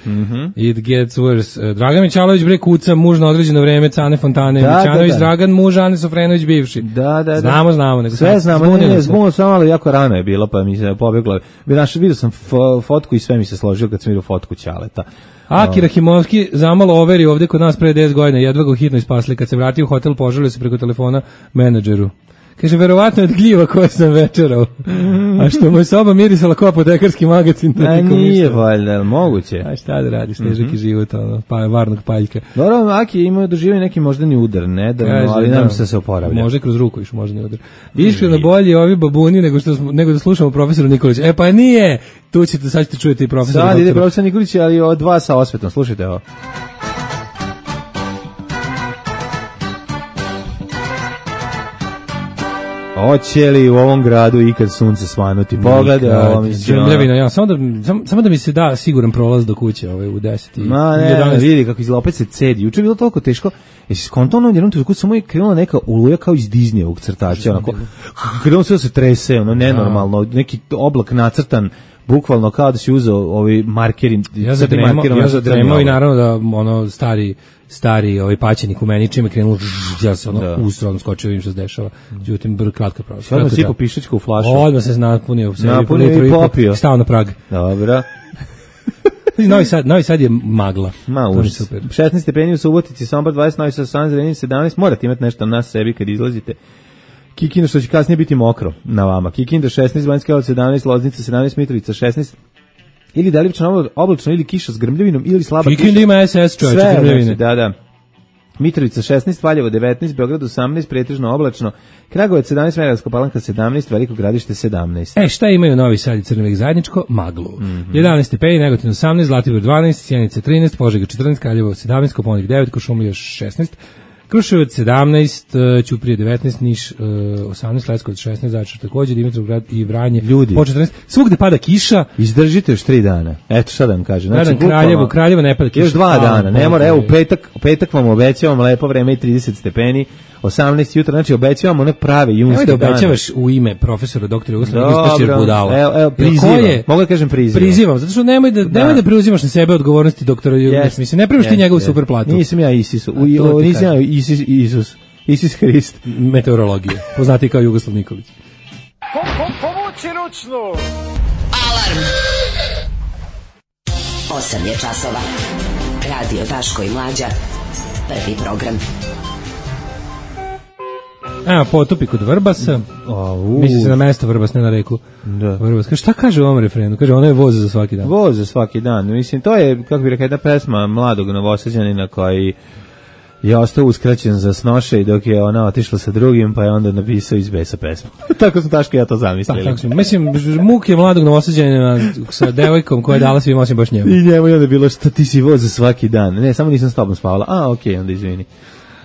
S5: It gets worse. Dragan Mićalović bre kuca, muž na određeno vreme, Cane Fontane. Mićanović Dragan, muž Ane Sofrenović bivši.
S6: Da.
S5: Znamo.
S6: Sve znamo, zbunilo samo, ali jako rano je bilo, pa mi se pobjeglo. Vidio sam fotku i sve mi se složilo kad sam vidio fotku Ćaleta.
S5: Akira Himovski zamalo overi ovde kod nas pre 10 godina, jedva ga hitno ispasli. Kad se vratio u hotel, požalio se preko telefona menadžeru. Kaže, verovatno je od gljiva koje sam večerao. A što mu je soba mirisala kao apotekarski magazin.
S6: Nije valjda, moguće.
S5: A šta da radiš, težak i život, Varnog Paljka.
S6: Dobro, Aki je imao doživio neki moždani udar, nedavno, ali nam se oporavlja.
S5: Može kroz ruku iš moždani udar. Iskreno bolje ovi babuni nego da slušamo profesoru Nikolića. Pa nije! Tu ćete, sad ćete čujete i profesora.
S6: Sad ide profesor Nikolić, ali od dva sa osvetom. Slušajte ovo. Hoće li u ovom gradu ikad sunce svanuti? Pogledaj ovo, mislim.
S5: Džemljavina, ja, samo da mi se da siguran prolaz do kuće u 10 i 11.
S6: Vidi kako izgleda, opet se cedi. Juče je bilo toliko teško. Jesi skontono jednom trenutku samo je krenula neka oluja kao iz Disneyevog crtača, onako. Krenulo sve da se trese, ono nenormalno, neki oblak nacrtan, bukvalno kao da si uzeo ovi markeri.
S5: Ja zadremao i naravno da ono stari paćenik u meni čime krenulo, ja se ustro skočio, vidim što se dešava. Međutim, kratka prava.
S6: Odmah sipo pišačku u flašu.
S5: Odmah se napunio u sebi.
S6: Napunio i popio.
S5: Stao na prag.
S6: Dobro.
S5: Novi Sad je magla.
S6: Super. 16 stepeni u Subotici, Sombor 20, Novi Sad 17, morate imati nešto na sebi kad izlazite. Kikinda, što će kasnije biti mokro na vama. Kikinda 16, Banjska Karlovac 17, Loznica 17, Mitrovica 16, ili delimično oblačno, ili kiša s grmljavinom, ili slaba kiša.
S5: Kikinda ima SS, čovječe, grmljavine.
S6: Da. Mitrovica 16, Valjevo 19, Beograd 18, pretežno oblačno, Kragujevac 17, Smederevska Palanka 17, Veliko Gradište 17.
S5: Šta imaju Novi Sad i Crni Vrh zajedničko? Maglu. 11 stepeni, Negotin 18, Zlatibor 12, Sjenica 13, Požega 14, Kraljevo 17, Koponik 9, Košumlija 16, Kruševac 17, Ćuprije 19, Niš 18, Leskovac 16, Zaječar takođe, Dimitrovgrad i Vranje
S6: ljudi
S5: po 14. Svugde pada kiša.
S6: Izdržite još 3 dana. Eto šta da vam kažem.
S5: Znači, Kraljevo ne pada kiša.
S6: Još 2 dana. Ne mora, evo u petak vam obećavam lepo vreme i 30 stepeni. 18 jutra, znači obećavam one prave junske dane.
S5: Da obećavaš u ime profesora doktora Jugoslava, ispašćeš budala.
S6: Evo, prizivam. Mogu da kažem prizivam.
S5: Prizivam, zato što nemoj da preuzimaš na sebe odgovornosti doktora Jugoslava. Mislim, ne primaš ti njegovu super platu.
S6: Nisam ja Isus. Nisam ja Isus Hrist.
S5: Meteorologija. Poznati kao Jugoslav Nikolić.
S10: Povuci ručnu.
S7: Alarm. 8 je časova. Radio Daško i Mlađa. Prvi program.
S5: Potopi kod Vrbasa. Misli se na mesto Vrbas, ne na reku.
S6: Da.
S5: Vrbas. Šta kaže u ovom refrenu? Kaže, ono je voz za svaki dan.
S6: Voz za svaki dan. Mislim, to je, kako bih rekao, jedna pesma mladog Novosađanina koji je ostao uskraćen za snošaj dok je ona otišla sa drugim, pa je onda napisao iz besa pesmu. Tako sam Taško ja to zamislili.
S5: Tako sam. Mislim, muk je mladog Novosađanina sa devojkom koja je dala svim osim baš njemu.
S6: I njemu je onda bilo, šta ti si voz za svaki dan. Ne, samo nisam s tobom spavala. Okej, onda izvini.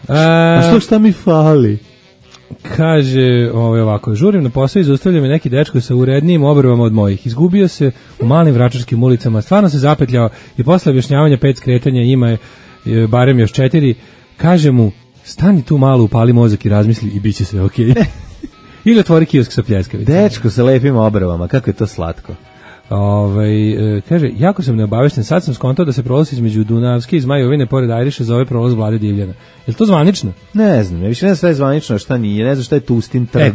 S6: A šta mi fali?
S5: Kaže ovako, žurim na posao i zaustavlja me neki dečko sa urednijim obrvama od mojih. Izgubio se u malim vračarskim ulicama, stvarno se zapetljao i posle objašnjavanja 5 skretanja ima je barem još 4. Kaže mu, stani tu malo, upali mozak i razmisli i bit će sve okej. Ili otvori kiosk sa pljeskavicama.
S6: Dečko sa lepim obrvama, kako je to slatko.
S5: Kaže, jako sam neobavešten, sad sam skontao da se prolaz između Dunavske i Zmajovine pored Ajriša zove prolaz Vlade Divljana. Je li to zvanično?
S6: Ne znam, ja više ne znam šta je zvanično, a šta nije, ne znam šta je Tustin trg.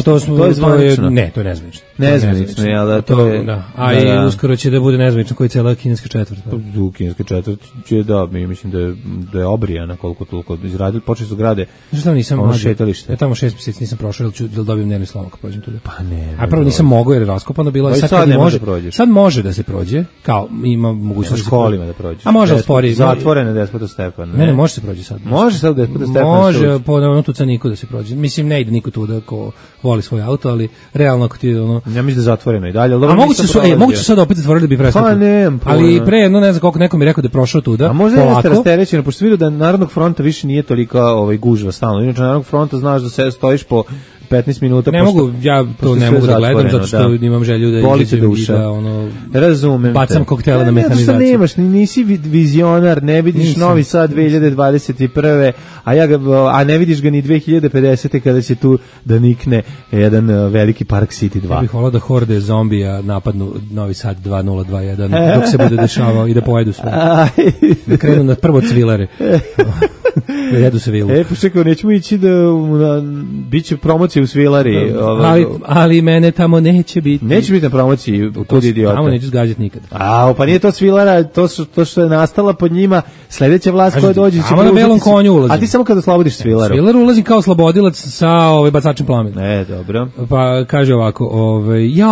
S5: To je zvanično. Ne, to je nezvanično.
S6: Nezvanično, jel da, to je...
S5: Da. A i uskoro će da bude nezvanično koji je cijela kineska četvrt.
S6: U kineska četvrt će mislim da je obrijana koliko toliko izradili, počeli su grade.
S5: Zašto nisam
S6: šetalište?
S5: Ja tamo 6 mjeseci nisam prošao, da dobijem nervni slom ako prođem tuda.
S6: Pa ne.
S5: A prvo nisam mogao jer je raskopano bilo, sad može da se prođe, kao ima mogućnost
S6: u školima da prođe.
S5: A može spori.
S6: Zatvorene Despota Stefana.
S5: Ne, može se prođe sad.
S6: Može sad Despota Stefana.
S5: Može po onom tucaniku da se prođe. Mislim ne ide niko tuda ko voli svoj auto, ali realno ako ti ono.
S6: Ja mislim da je zatvoreno i dalje.
S5: A moguće sad opet zatvorili da bi prestao.
S6: Pa ne.
S5: Ali pre ne znam koliko neko mi rekao da je prošao tuda.
S6: A možda jeste rasterećeno, pošto vidio da Narodnog fronta više nije tolika gužva stalno. Inače Narodnog fronta znaš da se stojiš po 15 minuta.
S5: Ne mogu, ja to ne mogu da gledam zato što imam želju da izađem i da
S6: razumem
S5: bacam koktele na metanizaciju.
S6: Zato što nemaš, nisi vizionar, ne vidiš Novi Sad 2021. A ne vidiš ga ni 2050. kada će tu da nikne jedan veliki Park City 2.
S5: Ja bih volao da horde zombija napadnu Novi Sad 2021 dok se bude dešavao i da pojedu sve. Da krenu na prvo cvilare. Da jedu se vilu.
S6: Pa čekaj, nećemo ići da biće promocija u Svilari.
S5: Ali mene tamo neće biti.
S6: Neće biti na promociji kod idiota.
S5: Tamo neću zgađati nikad.
S6: Pa nije to Svilara, to što je nastala pod njima, sledeća vlast koja dođe će
S5: preuzeti. Na belom konju ulazim.
S6: A ti samo kada oslobodiš Svilaru.
S5: Svilaru ulazim kao oslobodilac sa bacačem plamena.
S6: Dobro.
S5: Pa kaže ovako,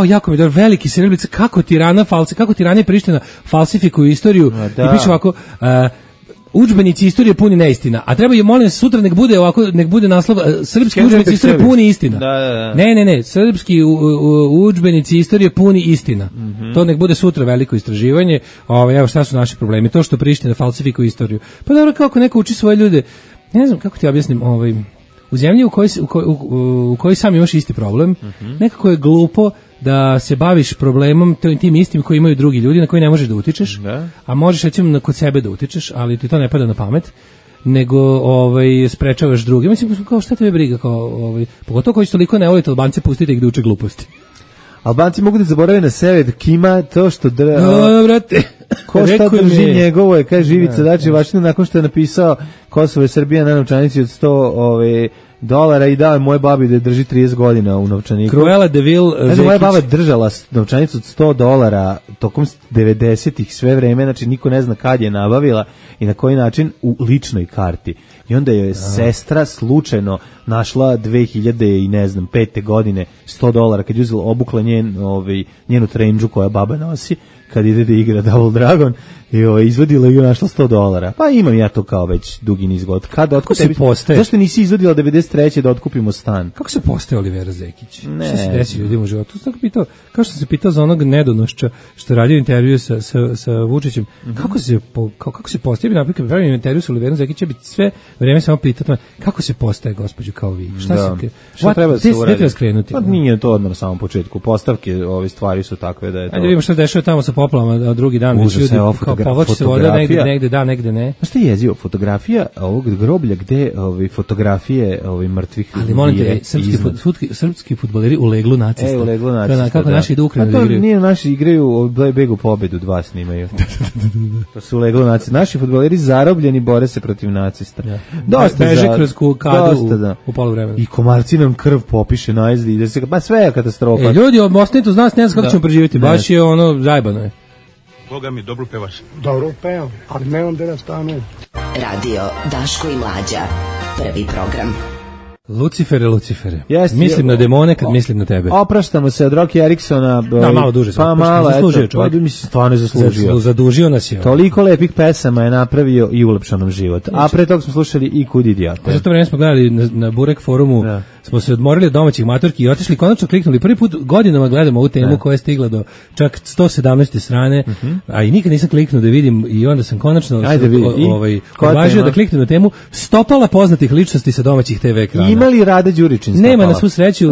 S5: jako mi je dobro, veliki Srbica, kako Tirana i Priština falsifikuju istoriju. I piše ovako, udžbenici istorije puni neistina. A treba je, molim se, sutra nek bude naslov srpski udžbenici istorije puni istina.
S6: Da.
S5: Ne, srpski udžbenici istorije puni istina. To nek bude sutra veliko istraživanje. Evo šta su naši problemi. To što Priština falsifikuje istoriju. Pa dobro, kako neko uči svoje ljude, ne znam kako ti objasnim, u zemlji u kojoj sam imaš isti problem, nekako je glupo da se baviš problemom tim istim koji imaju drugi ljudi na koji ne možeš da utičeš, a možeš recimo kod sebe da utičeš, ali ti to ne pada na pamet, nego sprečavaš druge. Mislim, kao šta tebe briga, pogotovo koji su toliko ne volite Albance, pustite ih da uče gluposti.
S6: Albanci mogu da zaborave na sebe, kima to što
S5: brate.
S6: Ko šta drži njegovo je, kaže Ivica Dačić Vašina, nakon što je napisao Kosovo je Srbija na novčanici od $100 i dao je moje babi da drži 30 godina u novčaniku.
S5: Cruella de Vil Zekić.
S6: Moja baba držala novčanicu od $100 tokom 90-ih sve vreme, znači niko ne zna kad je nabavila i na koji način u ličnoj karti. I onda je sestra slučajno našla 2005. godine $100 kad je uzela, obukla njenu trendžu koja baba nosi kad ide da igra Double Dragon i izvadila i našla $100. Pa imam ja to kao već dugi niz godina. Kako se postaje? Zašto nisi izvadila 93. da otkupimo stan?
S5: Kako se postaje Olivera Zekić? Šta se desi ljudima u životu? Kao što sam se pitao za onog nedonošća što radio intervju sa Vučićem, kako se postaje? Bi naprijed pravim intervju sa Oliverom Zekićem, bi sve vreme samo pitao kako se postaje gospođu kao vi? Šta treba da se uradi?
S6: Pa nije to odmah na samom početku. Postavke, ove stvari su takve da je to...
S5: Ajde vidimo šta dešava tamo sa poplavama, a drugi dan već ljudi povlači se voda negde da, negde ne.
S6: Znaš šta je jezivo? Fotografija ovog groblja gde fotografije mrtvih ljudi.
S5: Ali molim te, srpski fudbaleri u leglu nacista.
S6: U leglu nacista,
S5: kako naši idu Ukrajinu da igraju.
S6: Nije, naši igraju Begu pobedu 2 snimaju. To su u leglu nacista. Naši fudbaleri zarobljeni bore se protiv nacista.
S5: Dosta beže kroz kadu u poluvremenu.
S6: I komarci nam krv popiše najezdi. Pa sve je katastrofa.
S5: Ljudi, ostanite uz nas, ne znam kako ćemo preživjeti. Baš je zajebano je.
S11: Boga mi, dobro pevaš.
S12: Dobro pevam, ali ne onda da stane.
S7: Radio Daško i Mlađa, prvi program.
S5: Lucifere. Mislim na demone kad mislim na tebe.
S6: Opraštamo se od Rocky Eriksona.
S5: Da, malo duže.
S6: Pa malo, mislim, stvarno je zaslužio.
S5: Zadužio nas je.
S6: Toliko lepih pesama je napravio i ulepšao nam život. A pre toga smo slušali i Kud idiota.
S5: Za to vreme smo gledali na Burek forumu, smo se odmorili od domaćih matorki i otišli, konačno kliknuli. Prvi put godinama gledamo ovu temu koja je stigla do čak 117. strane, a i nikad nisam kliknuo da vidim i onda sam konačno odvažio da kliknem na temu stopala poznatih ličnosti sa domaćih TV ekrana.
S6: Ima li Rade Đuričin stopala?
S5: Nema, na svu sreću.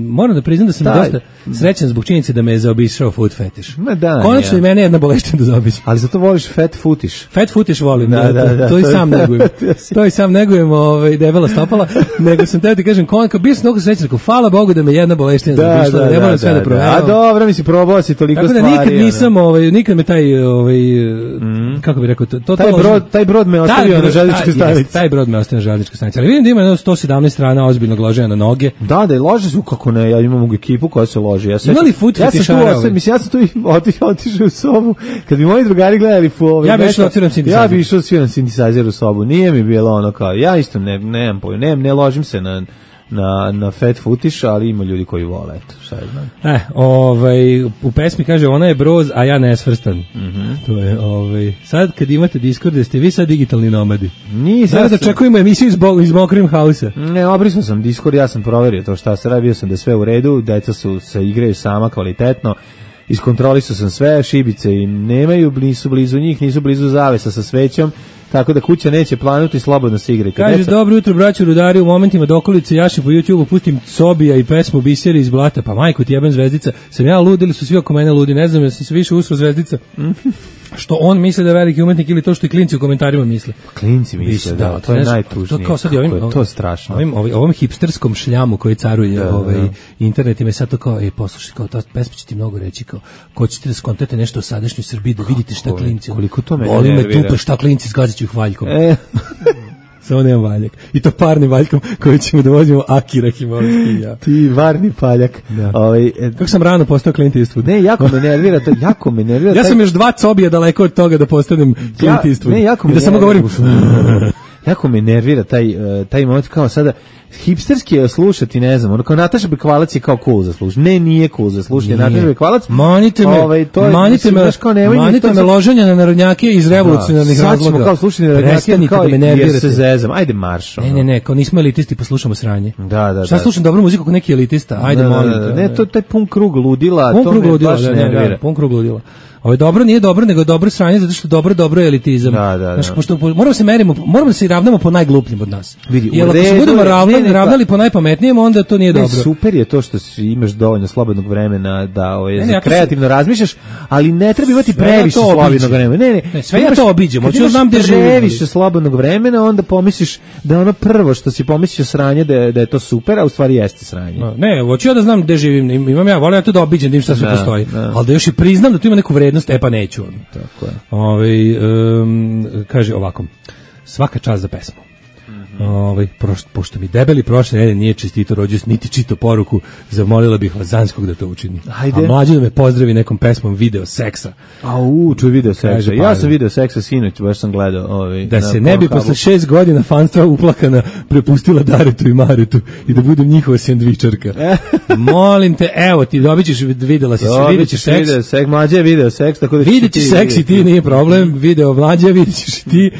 S5: Moram da priznam da sam dosta srećan zbog činjenice da me je zaobišao food fetiš. Konačno i mene jedna boleština da zaobići.
S6: Ali zato voliš fat footish.
S5: Fat footish volim, to i sam negujem. To i sam negujem debela stopala, nego sam teo ti kažem, bio sam mnogo srećan, hvala Bogu da me jedna boleština zaobišla, ne moram sve da proveram.
S6: A dobro, mi si probao si toliko stvari.
S5: Tako da nikad nisam, nikad me taj, kako bih rekao,
S6: taj brod me ostavio na željezničkoj stanici.
S5: Taj brod me ostavio na željezničkoj stanici, ali vidim da ima 117 strana ozbiljnog loženja na noge.
S6: Da, lože su, kako ne, ja imam ekipu koja se loži.
S5: Ima li food fetišara?
S6: Ja sam tu otišao u sobu, kad bi moji drugari gledali
S5: ja bi išao odsviram synthesizer.
S6: Ja bi išao odsviram synthesizer u sobu, nije mi bilo ono kao, ja isto ne ložim se na fat footish, ali ima ljudi koji vole, eto, šta je znam.
S5: U pesmi kaže, ona je broz, a ja nesvrstan. To je, sad kad imate Discord, jeste vi sad digitalni nomadi? Sad da čekujemo emisiju iz Mokrim House-a.
S6: Ne, obrisao sam Discord, ja sam proverio to šta se radi, bio sam da je sve u redu, deca se igraju sama kvalitetno, iskontrolisao sam sve, šibice i nemaju, nisu blizu njih, nisu blizu zavesa sa svećom, tako da kuća neće planuti, slobodno se igrajte.
S5: Kaže, dobro jutro, braćo rudari, u momentima dokolice jaši po YouTube-u, pustim Sobija i pesmu Biseri iz blata, pa majko ti jebem Zvezdica, sam ja lud ili su svi oko mene ludi, ne znam, ja sam se više usro Zvezdica. Što on misle da je veliki umetnik ili to što i klinci u komentarima misle.
S6: Klinci misle, da, to je najtužnije. To je strašno.
S5: Ovom hipsterskom šljamu koji caruje internet i sad to kao, poslušaj, kao ta pesma će ti mnogo reći, kao, ko ćete da skontate nešto o sadašnjoj Srbiji, da vidite šta klinci.
S6: Koliko to me
S5: boli me tupe, šta klinci zgađaću ih valjkom. Samo nemam valjak. I to parnim valjkom koji ćemo da vozimo Akira Himoviski i ja.
S6: Ti varni paljak.
S5: Kako sam rano postao Clint Eastwood.
S6: Ne, jako me nervira to, jako me nervira.
S5: Ja sam još 2 cobija daleko od toga da postanem Clint Eastwood.
S6: Ne, jako me
S5: i da samo govorim...
S6: Jako me nervira taj moment kao sada hipsterski je slušati, ne znam, ono kao Nataša Bekvalac je kao cool za slušati. Ne, nije cool za slušati. Nataša Bekvalac.
S5: Manite me loženja na narodnjake iz revolucionarnih razloga.
S6: Sad ćemo kao slušati narodnjake kao jer se zezam. Ajde marš.
S5: Ne, kao nismo elitisti pa slušamo sranje.
S6: Da.
S5: Šta slušam dobru muziku kao neki elitista? Ajde molim te.
S6: Ne, to taj pun krug ludila,
S5: to me baš nervira. Pun krug ludila. dobro nije dobro, nego je dobro sranje zato što dobro je elitizam. Znači, pošto moramo da se ravnamo po najglupljem od nas. Jer ako se budemo ravnali po najpametnijem, onda to nije dobro.
S6: Super je to što imaš dovoljno slobodnog vremena da kreativno razmišljaš, ali ne treba imati previše slobodnog vremena. Ne,
S5: sve ja to obiđem. Hoću da znam gde živim.
S6: Previše slobodnog vremena, onda pomisliš da ono prvo što si pomislio sranje da je to super, a u stvari jeste sranje.
S5: Ne, hoću ja da znam gde živim. Imam ja, volim ja to da obiđem, da im šta sve postoji. Ali da još i priznam da tu ima neku vrednost, pa neću.
S6: Tako je.
S5: Kaže ovako, svaka čast za pesmu. Pošto mi debeli prošle nedelje nije čestito rođendan niti čitao poruku, zamolila bih vas Zanskog da to učini.
S6: Ajde.
S5: A mlađi da me pozdravi nekom pesmom Video seksa.
S6: Čuj Video seksa. Ja sam Video seksa sinoć, baš sam gledao.
S5: Da se ne bi posle 6 godina fanstva uplakana prepustila Daretu i Maretu i da budem njihova sendvičarka. Molim te, evo ti dobićeš, videla si se, videćeš seks.
S6: Mlađe je video seks, tako da
S5: videćeš seks i ti, nije problem, video mlađe, videćeš i ti.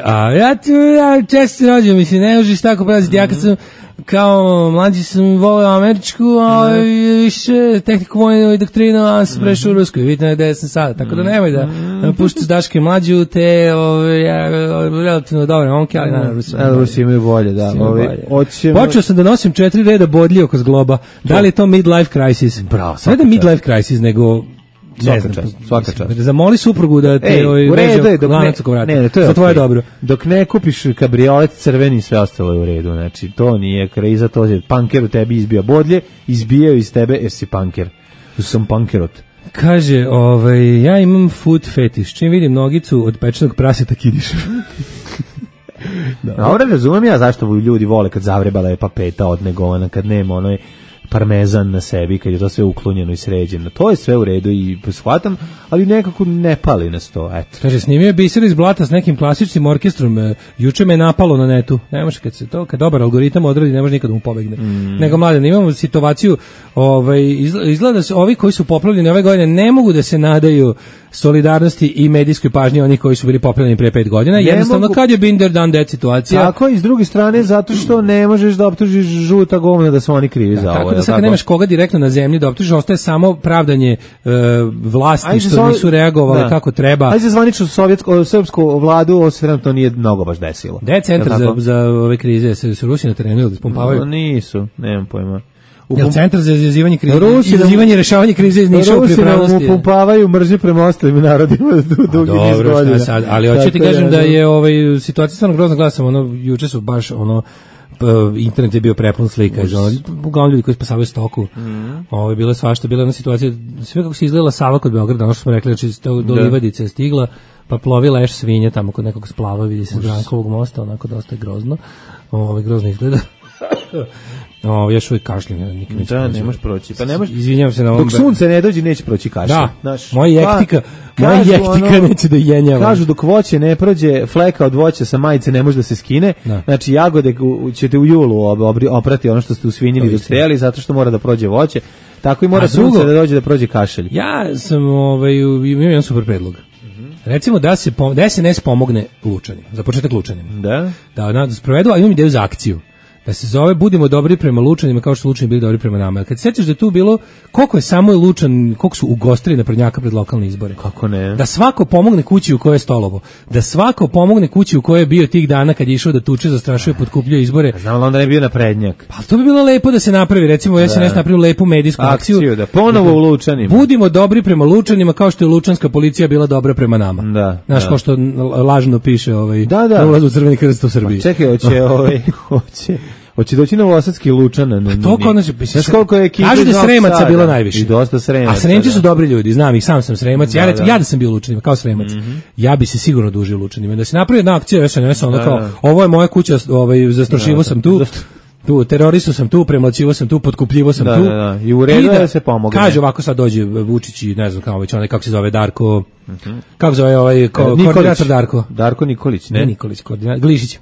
S5: A ja često rođem, mislim, ne možeš tako praziti, ja kad sam kao mlađi sam volio američku, a više tehniku vojnu doktrinu, a sam prešao u rusku i vidite gde sam sada, tako da nemoj da puštaš Daške mlađu, te relativno dobre momke, ali naravno
S6: Rusi imaju bolje, da.
S5: Počeo sam da nosim 4 reda bodlji oko zgloba, da li je to midlife crisis?
S6: Bravo,
S5: ne da midlife crisis, nego
S6: svaka čast.
S5: Zamoli suprugu da te veže lanac oko vrata.
S6: Ne, to je
S5: tvoje dobro.
S6: Dok ne kupiš kabriolet crveni, sve ostalo je u redu. Znači, to nije kriza, to je panker u tebi izbija bodlje, izbijaju iz tebe jer si panker. Sam pankerot.
S5: Kaže, ja imam food fetiš. Čim vidim nogicu od pečenog praseta kidišem.
S6: Dobro, razumijem ja zašto ljudi vole kad zavrebala je papeta odnegovana, kad nema onoj parmezan na sebi, kad je to sve uklonjeno i sređeno. To je sve u redu i shvatam, ali nekako ne pali nas to, eto.
S5: Kaže, snimio je Biser iz Blata s nekim klasičnim orkestrom, juče me napalo na netu. Ne može kad dobar algoritam odradi, ne može nikad mu pobegne. Nego mladen, imamo situaciju, izgleda da se ovi koji su poplavljeni ove godine ne mogu da se nadaju solidarnosti i medijskoj pažnji onih koji su bili poplavljeni pre 5 godina. Jednostavno, kad je Binder dan dead situacija.
S6: Tako i s druge strane, zato što ne možeš da optužiš žuta govna da su oni krivi za ovo.
S5: Tako da sad nemaš koga direktno na zemlji da optužiš, ostaje samo pravdanje vlasti što nisu reagovali kako treba.
S6: Ajde, zvanično srpsku vladu, ovo se trenutno nije mnogo baš desilo.
S5: Gde je centar za ove krize? Se Rusi na terenu ili da spompavaju?
S6: Nisu, nemam pojma.
S5: Jel centar za izazivanje krize, izazivanje i rešavanje krize iz Niša u pripravnosti?
S6: Rusi nam upumpavaju mržnju prema ostalim narodima dugi niz godina.
S5: Ali hoću ti kažem da je situacija stvarno grozna, gledam, juče su baš internet je bio prepun slika iz uglavnom ljudi koji spasavaju stoku. Bilo je svašta, bila je jedna situacija, sve kako se izgledala Sava kod Beograda, ono što smo rekli, znači do Livadice je stigla, pa plovi leš svinja tamo kod nekog splava, vidi se s Brankovog mosta, onako dosta grozno. Grozno izgleda. Još uvijek kašljem, nikad neće proći.
S6: Da, nemaš proći. Pa nemaš,
S5: izvinjavam se na ovom.
S6: Dok sunce ne dođe, neće proći kašljem.
S5: Da, moja jektika neće da jenjava.
S6: Kažu dok voće ne prođe, fleka od voća sa majice ne može da se skine. Znači, jagode ćete u julu oprati ono što ste usvinjili dok ste jeli, zato što mora da prođe voće. Tako i mora sunce da dođe da prođe kašelj.
S5: Ja sam imao jedan super predlog. Recimo da se SNS pomogne Lučanima, za početak Lučanima. Da sprovedu, a imam ideju za akciju. Da se zove budimo dobri prema Lučanima kao što Lučani bili dobri prema nama. Kad se sjećaš da je tu bilo koliko je samo Lučan, koliko su ugostili naprednjaka pred lokalne izbore.
S6: Kako ne?
S5: Da svako pomogne kući u kojoj je stolovo. Da svako pomogne kući u kojoj je bio tih dana kad je išao da tuče, zastrašuje, potkupljuje izbore.
S6: Znam li onda ne bio naprednjak?
S5: Pa to bi bilo lepo da se napravi. Recimo SNS napravio lepu medijsku akciju.
S6: Da ponovo u Lučanima.
S5: Budimo dobri prema Lučanima kao što je lučanska policija bila dobra prema nama. Znaš, kao što lažno piše na ulazu u Crveni krst u Srbiji.
S6: Čekaj, hoće doći novosadski Lučan.
S5: To konačno, kažu da je Sremaca bilo najviše.
S6: I dosta Sremaca.
S5: A Sremci su dobri ljudi, znam ih, sam sam Sremac. Ja da sam bio Lučanima, kao Sremac. Ja bi se sigurno dužio Lučanima. Da se napravi jedna akcija SNS, ono kao, ovo je moja kuća, zastrašivo sam tu, teroristu sam tu, premlaćivo sam tu, potkupljivo sam tu.
S6: I u redu da se pomogne.
S5: Kaže ovako sad dođe Vučić i ne znam kao već onaj, kako se zove, Darko, kako se zove koordinator Darko?
S6: Darko Nikolić, ne?
S5: Nikolić, Glišić.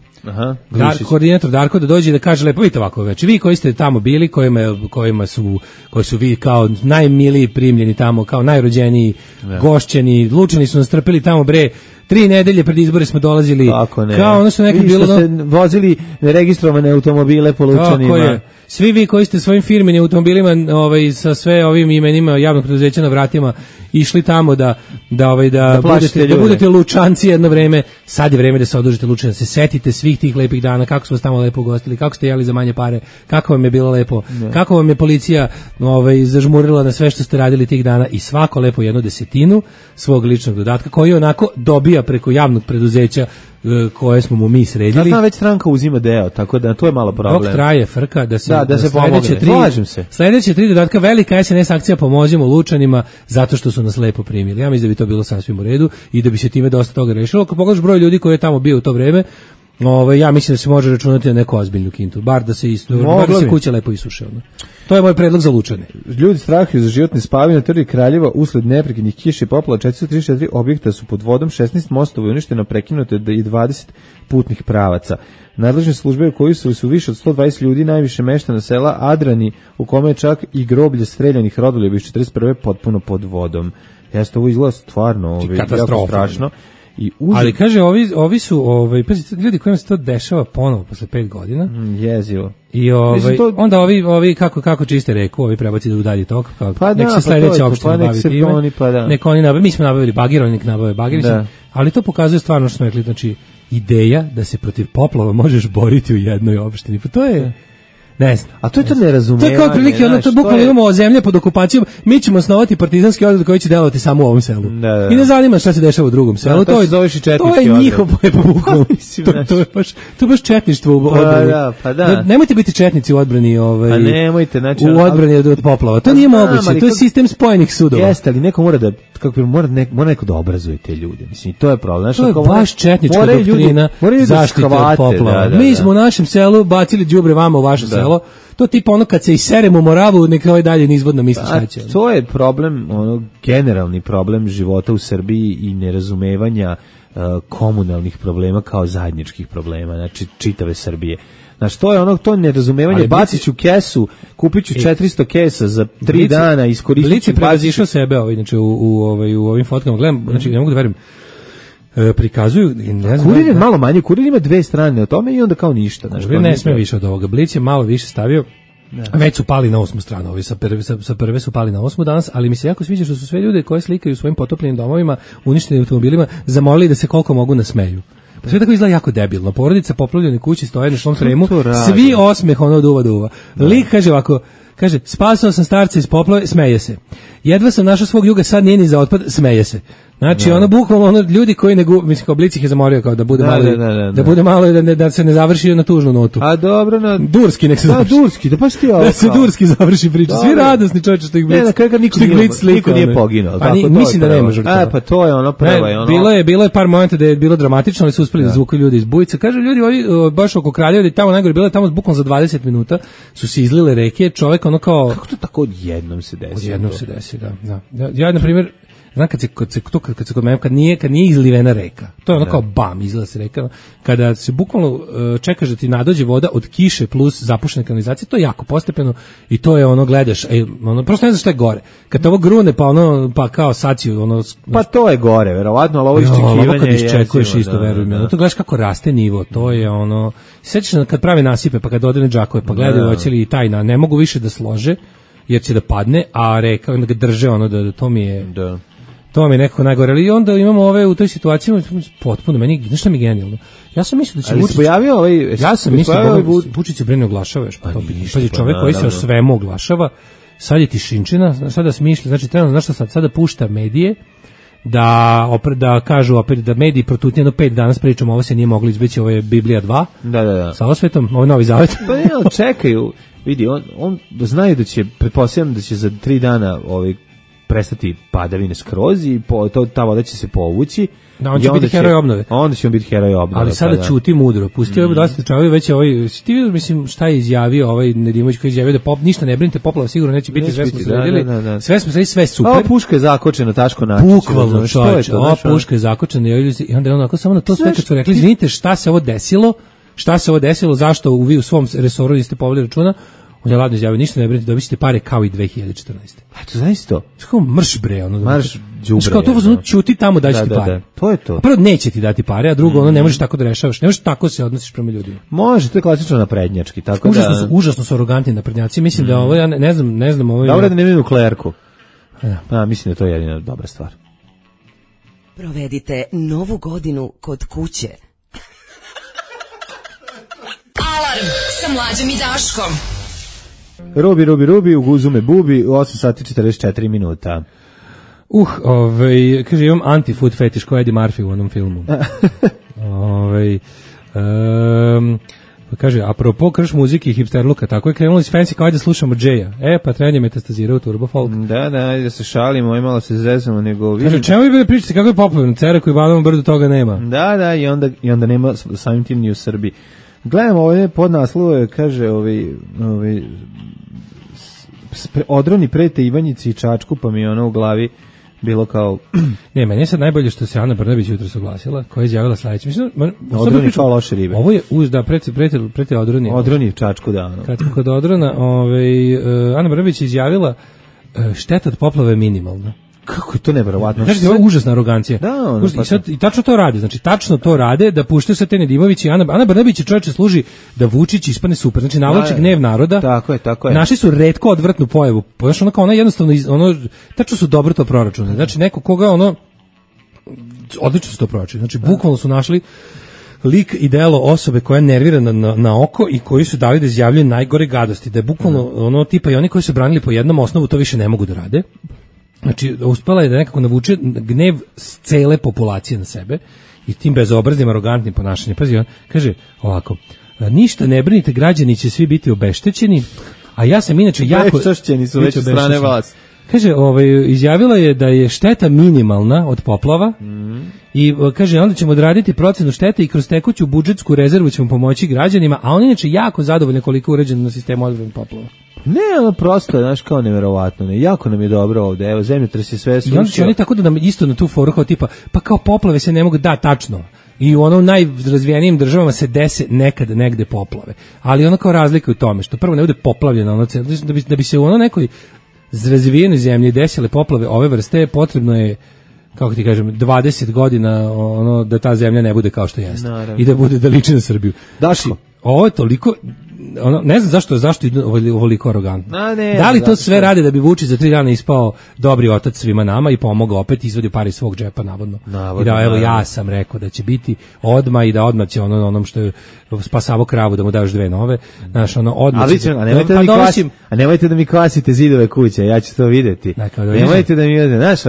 S5: Koordinator Darko da dođe da kaže lepo, vidite ovako, već vi koji ste tamo bili, koji su vi kao najmiliji primljeni tamo, kao najrođeniji, gošćeni, Lučani su nas trpeli tamo bre 3 nedelje pred izbore smo dolazili. Kao ono što nekad bilo...
S6: ste vozili registrovane automobile po Lučanima.
S5: Svi vi koji ste svojim firmenim automobilima sa sve ovim imenima javnog preduzeća na vratima išli tamo da budete Lučanci jedno vreme, sad je vreme da se odužite Lučani, da se setite svih tih lepih dana, kako smo vas tamo lepo ugostili, kako ste jeli za manje pare, kako vam je bilo lepo, kako vam je policija zažmurila na sve što ste radili tih dana i svako lepo 1/10 svog ličnog dodatka koji onako dobija preko javnog preduzeća koje smo mu mi sredili.
S6: Ja znam, već stranka uzima deo, tako da to je malo problem.
S5: Dok traje frka da se
S6: pomogne. Slažem se.
S5: Sledeće 3 dodatka, velika SNS akcija Pomozimo Lučanima zato što su nas lepo primili. Ja mislim da bi to bilo sasvim u redu i da bi se time dosta toga rešilo. Ako pogledaš broj ljudi koji je tamo bio u to vreme, ja mislim da se može računati na neku ozbiljnu kintu, bar da se kuća lepo isuše. To je moj predlog za Lučane.
S6: Ljudi strahuju za životne spavine na Trgi Kraljeva usled neprekidnih kiša i poplava. 434 objekta su pod vodom, 16 mostova uništeno, prekinuto i 20 putnih pravaca. Nadležne službe u kojoj su više od 120 ljudi, najviše meštana sela Adrani, u kome je čak i groblje streljanih rodoljuba iz 41. potpuno pod vodom. Jeste, ovo izgleda stvarno jako strašno.
S5: Ali kaže, ovi su ljudi kojima se to dešava ponovo posle 5 godina.
S6: Jezivo.
S5: I onda ovi kako čiste reku, ovi prebaci da udalji tok, nek se sledeća opština bavi time. Nek oni nabave, mi smo nabavili bagir, oni nek nabave bagir. Ali to pokazuje stvarno što smo rekli, znači ideja da se protiv poplava možeš boriti u jednoj opštini. Pa to je... Ne znam.
S6: A to je to nerazumevanje.
S5: To je kao prilike, to bukvalno imamo zemlje pod okupacijom, mi ćemo osnovati partizanski odred koji će delovati samo u ovom selu. I ne zanima šta se dešava u drugom selu. To je njihov bukvalno. To je baš četništvo u odbrani. Nemojte biti četnici u odbrani u odbrani od poplava. To nije moguće. To je sistem spojenih sudova.
S6: Jeste, ali neko mora neko da obrazuje te ljude. Mislim, to je problem.
S5: To je baš četnička doktrina zaštite od poplava. Mi smo u našem selu bacili đubre vama u vaše selo. To tipa ono kad se iseremo Moravu, neka ovaj dalje nizvodno misli šta će.
S6: To je problem, generalni problem života u Srbiji i nerazumevanja komunalnih problema kao zajedničkih problema, znači čitave Srbije. Znači, to nerazumevanje, bacit ću kesu, kupit ću 400 kesa za 3 dana, iskoristit ću...
S5: Blic je prevazišao sebe, znači, u ovim fotkama, gledam, znači, ne mogu da verujem, prikazuju, ne znam...
S6: Kurir je malo manje, Kurir ima 2 strane o tome i onda kao ništa.
S5: Kurir ne sme više od ovoga, Blic je malo više stavio, već su pali na 8. stranu, ovi sa prve su pali na 8. danas, ali mi se jako sviđa što su sve ljude koje slikaju u svojim potopljenim domovima, uništenim automobilima, zamolili da se koliko mogu nasmeju. Pa sve tako izgleda jako debilno. Porodica poplavljene kući stoje na šlom tremu, svi osmeh duva. Lik kaže ovako, spasao sam starca iz poplave, smeje se. Jedva sam našao svog juga, sad nije ni za otpad, smeje se. Znači, bukvalno ljudi koji mislim, kao Blic ih je zamorio kao da bude malo da se ne završi na tužnu notu.
S6: A dobro,
S5: Durski nek se završi.
S6: Durski, da baš ti ovo.
S5: Da se Durski završi priča. Svi radosni čovječe što ih Blic.
S6: Niko nije poginuo.
S5: Mislim da nema žrtava.
S6: Pa to je prvo.
S5: Bilo je par momenta da je bilo dramatično, ali su uspeli da zvuku ljudi iz bujica. Kažu ljudi baš oko Kraljeva, da tamo najgore bilo, tamo bukvalno za 20 minuta su se izlile reke, čovjek kao...
S6: Kako to tako odjednom se desi?
S5: Odjednom se desi, da. Ja, na primjer, znam kad se kod mene, kad nije izlivena reka, to je kao bam, izliva se reka, kada se bukvalno čekaš da ti nadođe voda od kiše plus zapušene kanalizacije, to je jako postepeno i to je gledaš, prosto ne znaš šta je gore. Kad te ovo grune, pa kao saciju,
S6: pa to je gore, verovatno, ali ovo iščekivanje
S5: je... Kad iščekuješ isto, veruj mi, to gledaš kako raste nivo, to je sećaš kad pravi nasipe, pa kad odene džakove, pa gledaju hoće li i taj, ne mogu više da slože, jer će da padne, a reka onda ga drže, da to mi je... Da. To mi je nekako najgore, ali onda imamo u toj situaciji potpuno, znaš šta mi je genijalno? Ja sam mislio da će Vučić... Ja sam mislio da Vučić se brine oglašava još po to pitanje. Pa je čovjek koji se o svemu oglašava, sad je tišinčina, sada smišlja, znači trenutno, znaš šta sada pušta medije, da kažu opet da mediji protutnje 5 danas pričamo, ovo se nije moglo izbeći, ovo je Biblija 2.
S6: Da.
S5: Sa osvetom, ovo je Novi Zavet.
S6: Pa ne, čekaju, vidi, on znaju da će, pretpostavljam da će za 3 dana prestati padavine skroz i ta voda će se povući.
S5: Da, on će biti heroj obnove.
S6: Onda će on biti heroj obnove.
S5: Ali sada ćuti mudro. Pustio je dosta čovjek već ti mislim šta je izjavio Nedimović koji je izjavio da ništa ne brinite, poplava sigurno neće biti, sve smo sredili. Sve smo sredili, sve super.
S6: Puška je zakočena, Taško Načić.
S5: Bukvalno, čovječe, puška je zakočena i onda je onako samo na to sve kad su rekli, izvinite, šta se ovo desilo, zašto vi u svom resoru niste poveli računa, On je ladno izjavio, ništa ne brinite, dobit ćete pare kao i 2014.
S6: Eto, znaš to?
S5: Kao mrš bre, ono.
S6: Marš đubre.
S5: Kao to vozno ćuti tamo daći ti pare.
S6: Da. To je to.
S5: A prvo neće ti dati pare, a drugo ono ne možeš tako da rešavaš, ne možeš tako se odnosiš prema ljudima.
S6: Može, to je klasično naprednjački, tako
S5: užasno su arogantni naprednjaci. Mislim da ovo ja ne znam ovo.
S6: Dobro da nemaju nuklearku. Mislim da je to jedina dobra stvar.
S7: Provedite novu godinu kod kuće.
S3: Alarm sa Mlađom i Daškom.
S6: Rubi, u guzume bubi, 8 sati 44 minuta.
S5: Kaže, imam anti-food fetiš ko Eddie Murphy u onom filmu. Kaže, apropo krš muzike i hipsterluka, tako je krenulo iz fancy kao da slušamo Jay-a. Pa trenje metastazira u Turbo Folk.
S6: Da se šalimo, malo se zezamo, nego...
S5: Kaže, čemu vi pričate, kako je popularno, Cera koji Banovom brdu toga nema.
S6: Da, i onda nema samim tim ni u Srbiji. Gledamo ovdje podnaslove, kaže, odroni prete Ivanjici i Čačku, pa mi je ono u glavi bilo kao...
S5: Ne, meni je sad najbolje što se Ana Brnabić jutro saglasila, koja je izjavila sledeće. Mislim,
S6: odroni kao loše ribe.
S5: Ovo je prete odroni.
S6: Odroni Čačku, da. Ono.
S5: Kod odrona, Ana Brnabić je izjavila šteta od poplave minimalna.
S6: Kako je to neverovatno?
S5: Znači, ovo je užasna arogancija.
S6: Da,
S5: I tačno to rade. Znači, tačno to rade, da puštaju se te Nedimović i Ana Brnabić je čovječe služi da Vučić ispane super. Znači, navlače gnev naroda.
S6: Tako je.
S5: Našli su retko odvrtnu pojavu. Znaš, ona jednostavno, tačno su dobro to proračune. Znači, neko koga odlično su to proračune. Znači, bukvalno su našli lik i delo osobe koja je nervirana na oko i koji su dali da izjavljaju najgore gadosti. Da je bukvalno tipa i oni koji su branili po jednom osnovu to više ne mogu da rade. Znači, uspela je da nekako navuče gnev cele populacije na sebe i tim bezobraznim, arogantnim ponašanjem. Pazi, on kaže ovako, ništa ne brinite, građani će svi biti obeštećeni, a ja sam inače jako...
S6: Obeštećeni su već od strane vas.
S5: Kaže, izjavila je da je šteta minimalna od poplava i kaže, onda ćemo odraditi procenu štete i kroz tekuću budžetsku rezervu ćemo pomoći građanima, a on inače jako zadovoljno koliko je uređeno na sistemu odbrane poplava.
S6: Ne, prosto, znaš, kao neverovatno, jako nam je dobro ovde, evo, zemljotres je sve srušio.
S5: I onda će oni tako da nam isto na tu foru kao tipa, pa kao poplave se ne mogu, da, tačno, i u najrazvijenijim državama se dese nekad negde poplave, ali ono kao razlika u tome, što prvo ne bude poplavljeno, da bi se u nekoj razvijenoj zemlji desile poplave ove vrste, potrebno je, kako ti kažem, 20 godina da ta zemlja ne bude kao što jeste. I da bude da liči na Srbiju.
S6: Daško,
S5: ovo je toliko, ne znam zašto je ovoliko arogantno. Da li to sve rade da bi Vučić za 3 dana ispao dobri otac svima nama i pomogao opet, izvadio pare iz svog džepa, navodno. I da, evo, ja sam rekao da će biti odmah i da odmah će onom što je spasavo kravu da mu daš 2 nove. Znaš, odmah će...
S6: A nemojte da mi kvasite zidove kuće, ja ću to vidjeti. Nemojte da mi vidite, znaš,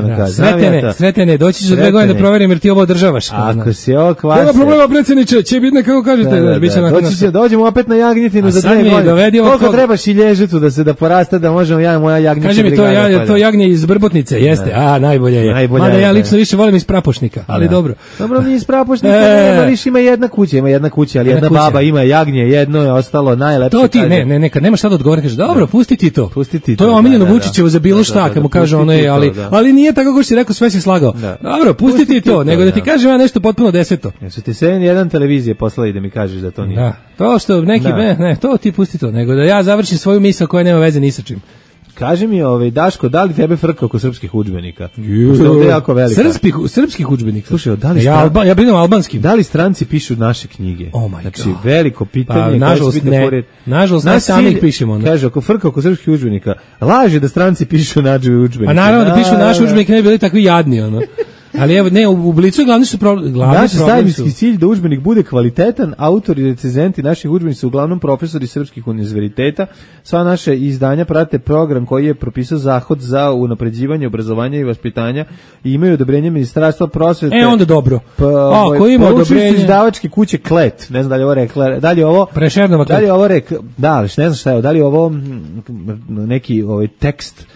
S5: Sretene, doći ću za 2 godine da proverim jer ti ovo održavaš.
S6: Ako si ovo kvase...
S5: Nema problema, predsjedniče, će biti nekako kažete.
S6: Dođemo opet na Jagnjetinu za 2 godine. Koliko treba šilježitu da porasta da možemo moja jagnjeća brigada.
S5: Kaže mi to jagnje iz Brbotnice, jeste. Najbolje je. Mada ja lično više volim iz Prapošnika, ali dobro.
S6: Dobro, mi iz Prapošnika nema, više ima jedna kuća, ali jedna baba ima jagnje, jedno je ostalo najlepše.
S5: To ti, ne, kad nemaš šta da odgovori, kaže, dobro, pusti ti to. To je omiljeno Vučićevo za bilo šta, kad mu kaže ono je, ali nije tako kako si rekao, sve si slagao. Dobro, pusti ti to, nego da ti kažem ja nešto potpuno deseto.
S6: Jesu ti se jedan televizije poslali da mi kažeš da to nije.
S5: Da, to što neki, ne, to ti pusti to, nego da ja završim svoju misao koja nema veze ni sa čim.
S6: Kaži mi, Daško, da li tebe frka oko srpskih udžbenika? Što je ovdje jako velika.
S5: Srpskih udžbenika?
S6: Slušaj, da li
S5: ja brinem albanskim.
S6: Da li stranci pišu naše knjige?
S5: Oh my
S6: znači,
S5: God.
S6: veliko pitanje.
S5: Nažalost, ne sami ih pišemo.
S6: Kaže, ako frka oko srpskih udžbenika, laže da stranci pišu naše udžbenike.
S5: A naravno da pišu naše udžbenike, ne bi bili takvi jadni, ono. Ali evo, ne, u Blicu glavni su problem.
S6: Naš zajednički cilj da udžbenik bude kvalitetan, autori i recenzenti naših udžbenika su uglavnom profesori srpskih univerziteta. Sva naše izdanja prate program koji je propisao Zahod za unapređivanje obrazovanja i vaspitanja i imaju odobrenje Ministarstva prosvete.
S5: Onda dobro. Koji ima odobrenje?
S6: Izdavačke kuće Klet. Ne znam da li ovo rekla, da li ovo
S5: Prešernova Klet.
S6: Da li ovo ne znam šta je, da li ovo neki tekst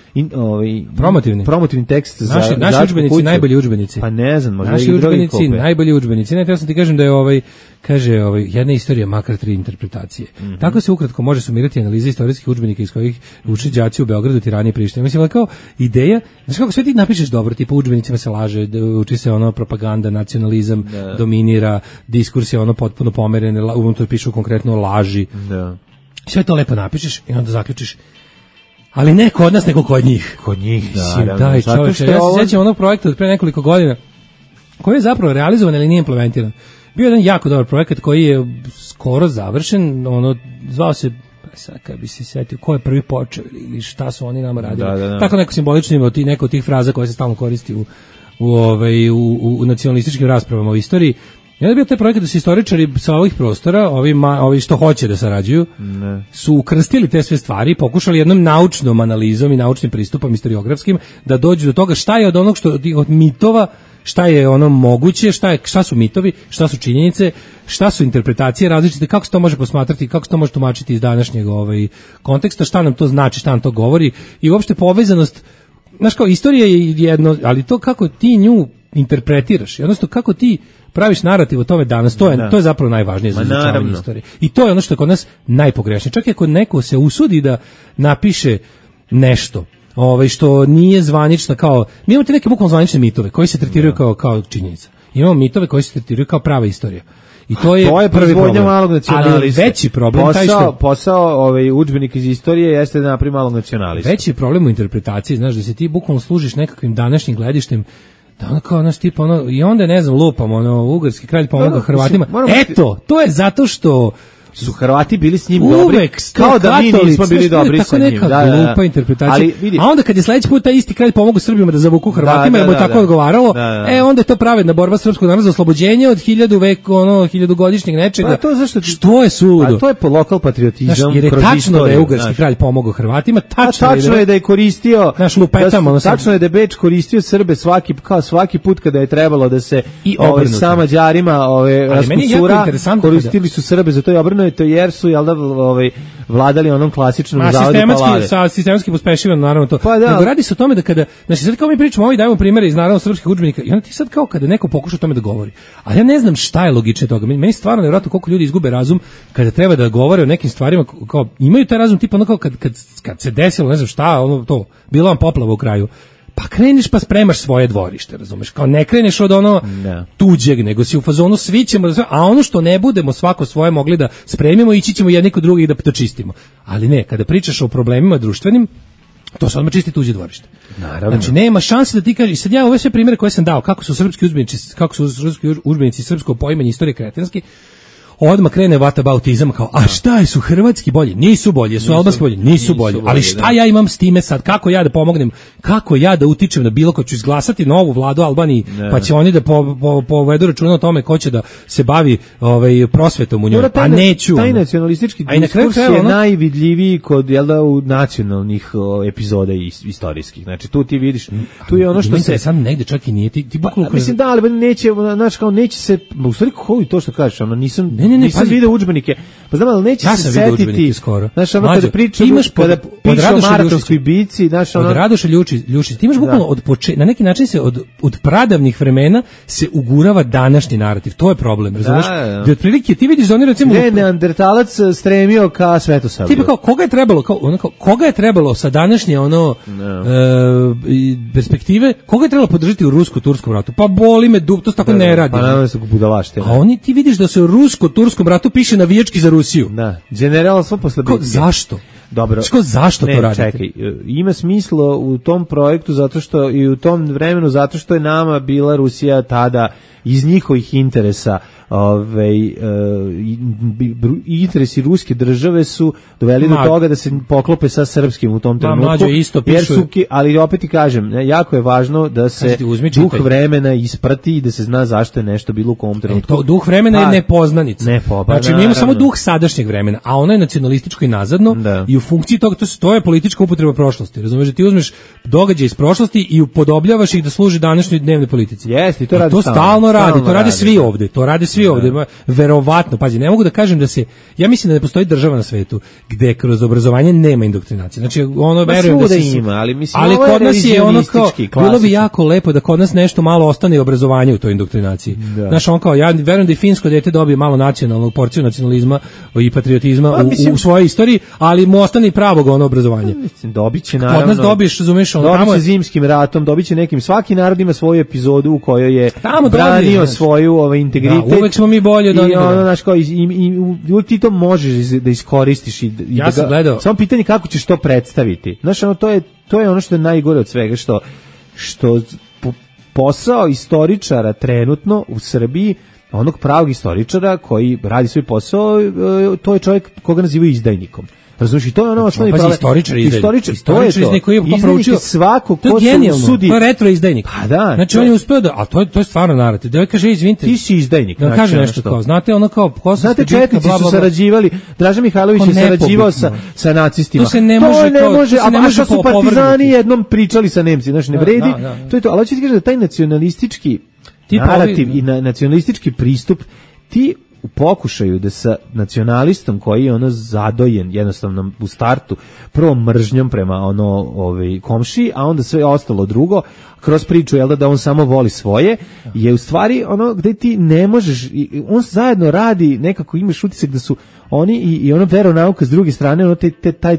S6: promotivni tekst za
S5: naši udžbenici, najbolji udžbenici.
S6: Pa ne znam, možda
S5: naši udžbenici, najbolji udžbenici. Ne, sam ti kažem da je kaže jedna istorija makar 3 interpretacije. Tako se ukratko može sumirati analiza istorijskih udžbenika iz kojih uče đaci u Beogradu, Tirani i Prištini. Mislim, kao ideja, znači kako sve ti napišeš dobro, tipa u udžbenicima se laže, uči se propaganda, nacionalizam, dominira, diskurs je potpuno pomeren, unutra pišu konkretno laži. Sve to lepo napišeš i onda zaključiš, ali ne kod nas, nego kod njih.
S6: Kod njih,
S5: da. Čovječe, ja se sjećam onog projekta od pre nekoliko godina, koji je zapravo realizovan, ali nije implementiran. Bio je jedan jako dobar projekat koji je skoro završen, zvao se, sad kad bi se setio ko je prvi počeo ili šta su oni nama radili. Da. Tako neko simbolično ima neko od tih fraza koje se stalno koristi u nacionalističkim raspravama o istoriji. I onda je bio taj projekat da se istoričari sa ovih prostora, ovi što hoće da sarađuju, su ukrstili te sve stvari, pokušali jednom naučnom analizom i naučnim pristupom historiografskim da dođu do toga šta je od onog od mitova, šta je ono moguće, šta su mitovi, šta su činjenice, šta su interpretacije različite, kako se to može posmatrati, kako se to može tumačiti iz današnjeg konteksta, šta nam to znači, šta nam to govori i uopšte povezanost. Znaš, kao istorija je jedno, ali to kako ti nju interpretiraš, odnosno kako ti praviš narativ o tome danas, to je zapravo najvažnije za izučavanje istorije. I to je ono što je kod nas najpogrešnije. Čak i ako neko se usudi da napiše nešto što nije zvanično, kao mi imamo te neke bukvalno zvanične mitove koji se tretiraju kao činjenica. Imamo mitove koji se tretiraju kao prava istorija. I to je prvi problem.
S6: Malog nacionalista.
S5: Ali veći problem
S6: posao udžbenika iz istorije jeste da napravi malog nacionalista.
S5: Veći problem u interpretaciji, znaš, da se ti bukvalno služiš nekakvim današnjim gledištem, da ono kao naš tip, i onda ne znam, lupam, ugarski kralj pomogao Hrvatima. Eto, to je zato što
S6: su Hrvati bili s njim dobri, kao da mi nismo bili dobri sa njim.
S5: Tako neka glupa interpretacija. A onda kad je sledeći put taj isti kralj pomogao Srbima da zavuku Hrvatima, jer mu je tako odgovaralo, onda je to pravedna borba srpskog naroda za oslobođenje od 1000 godišnjeg nečega. Što je suludo?
S6: A to je lokal patriotizam.
S5: Jer je tačno da je ugarski kralj pomogao Hrvatima,
S6: tačno je da je koristio, tačno je da je Beč koristio Srbe svaki put kada je trebalo da se sa Mađarima raskusura, koristili su Srbe za to i obrnuto, jer su vladali onom klasičnom zavodu palade.
S5: Sistematski pospešivano, naravno to. Nego radi se o tome da kada, znači sad kao mi pričamo, dajemo primere iz naravno srpskih udžbenika, i onda ti sad kao kada neko pokuša o tome da govori. Ali ja ne znam šta je logično toga. Meni stvarno nevjerojatno koliko ljudi izgube razum kada treba da govore o nekim stvarima, kao imaju taj razum tipa ono kao kad se desilo, ne znam šta, bila vam poplava u kraju. Pa kreniš pa spremaš svoje dvorište, razumeš? Kao ne kreneš od tuđeg, nego si u fazonu svi ćemo, a ono što ne budemo svako svoje mogli da spremimo, ići ćemo jedni kod drugih da to čistimo. Ali ne, kada pričaš o problemima društvenim, to se odmah čisti tuđe dvorište.
S6: Naravno.
S5: Znači nema šanse da ti kažeš, sad ja ove sve primjere koje sam dao, kako su srpski udžbenici srpsko poimanje istorije kretenski, odmah krene whataboutizam kao, a šta su hrvatski bolji? Nisu bolji, su albanski bolji? Nisu bolji. Ali šta ja imam s time sad? Kako ja da pomognem? Kako ja da utičem na bilo ko? Ću izglasati novu vladu Albaniji, pa će oni da povedu računa o tome ko će da se bavi prosvetom u njoj. A neću.
S6: Taj nacionalistički diskurs je najvidljiviji kod u nacionalnih epizoda istorijskih. Znači tu ti vidiš, tu je ono što se
S5: sad negde čak i nije ti bukvalno.
S6: Mislim da, ali neće, znači kao neće se, u stvari kako to što kažeš, ono nisam vidio udžbenike. Pa znam, ali neće se setiti. Znaš, ono kada pričam, kada piše o Maratonskoj bici, znaš, ono...
S5: Od Radoša Ljučić, ti imaš bukvalno na neki način se od pradavnih vremena se ugurava današnji narativ. To je problem, razumiješ? Da otprilike ti vidiš da oni recimo...
S6: Neandertalac stremio ka Svetosavlju.
S5: Tipa kao, koga je trebalo sa današnje perspektive, koga je trebalo podržati u rusko-turskom ratu? Pa boli me dub, to se tako ne radi.
S6: Pa naravno su budalašte.
S5: A oni ti vidiš da se u rusko-turskom ratu piše navijački za Rusiju.
S6: Da, generalstvo posle bitke.
S5: Zašto?
S6: Dobro.
S5: Zašto to radite?
S6: Čekaj, ima smisla u tom projektu zato što i u tom vremenu zato što je nama bila Rusija tada iz njihovih interesa, interesi ruske države su doveli do toga da se poklope sa srpskim u tom trenutku. Ali opet ti kažem, jako je važno da se duh vremena isprati i da se zna zašto je nešto bilo u kom trenutku.
S5: Duh vremena je nepoznanica. Znači, mi imamo samo duh sadašnjeg vremena, a ono je nacionalističko i nazadno i u funkciji toga to je politička upotreba prošlosti. Razumeš da ti uzmeš događaje iz prošlosti i upodobljavaš ih da služi današnjoj dnevnoj politici.
S6: Jeste, to radi
S5: stalno radi, to rade svi ovde, to rade svi ovde. Verovatno, pazi, ne mogu da kažem da se, ja mislim da ne postoji država na svetu gde kroz obrazovanje nema indoktrinacije. Znači, verujem da se
S6: ima,
S5: ali kod nas je ono kao, bilo bi jako lepo da kod nas nešto malo ostane obrazovanje u toj indoktrinaciji. Znaš, ja verujem da i finsko dete dobije malo nacionalnu porciju nacionalizma i patriotizma u svojoj istoriji, ali mu ostane pravog ono obrazovanja.
S6: Dobiće naravno.
S5: Kod nas dobiješ, razumeš, ono
S6: tamo je zimskim ratom, dobiće nekim, svaki narod ima svoju epizodu u kojoj je branio svoju integritet.
S5: Da, uvek smo mi bolje od onih.
S6: I uvek ti to možeš da iskoristiš i
S5: ja sam gledao.
S6: Samo pitanje kako ćeš to predstaviti. Znaš, ono, to je ono što je najgore od svega, što posao istoričara trenutno u Srbiji, onog pravog istoričara koji radi svoj posao, to je čovjek koga nazivaju izdajnikom. Razumiješ, i to je ono osnovni problem.
S5: Istoričar
S6: to je to. Izdajnik je svako ko se usudi.
S5: To je retro izdajnik.
S6: Pa da.
S5: Znači on je uspeo da, a to je stvarno narativ. Da kaže, izvinite.
S6: Ti si izdajnik.
S5: Da kaže nešto kao, znate ono kao
S6: znate, četnici su sarađivali, Draža Mihajlović je sarađivao sa nacistima.
S5: To se ne može.
S6: A što su partizani jednom pričali sa Nemci, znači ne vredi. To je to, ali hoćeš ti kažeš da taj nacionalistički narativ i nacionalistički pristup ti u pokušaju da sa nacionalistom koji je ono zadojen jednostavno u startu prvo mržnjom prema komšiji, a onda sve ostalo drugo kroz priču da on samo voli svoje, je u stvari ono gde ti ne možeš, on zajedno radi, nekako imaš utisak da su oni i ono veronauka s druge strane, ono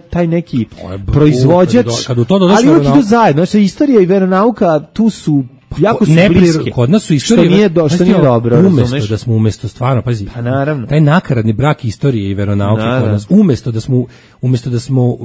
S6: taj neki proizvođač, ali uvijek idu zajedno, znači istorija i veronauka tu su jako su bliske.
S5: Kod nas su istorije
S6: što nije dobro,
S5: da smo umesto stvarno, pazi,
S6: pa naravno,
S5: taj nakaradni brak istorije i veronauke kod nas, umesto da smo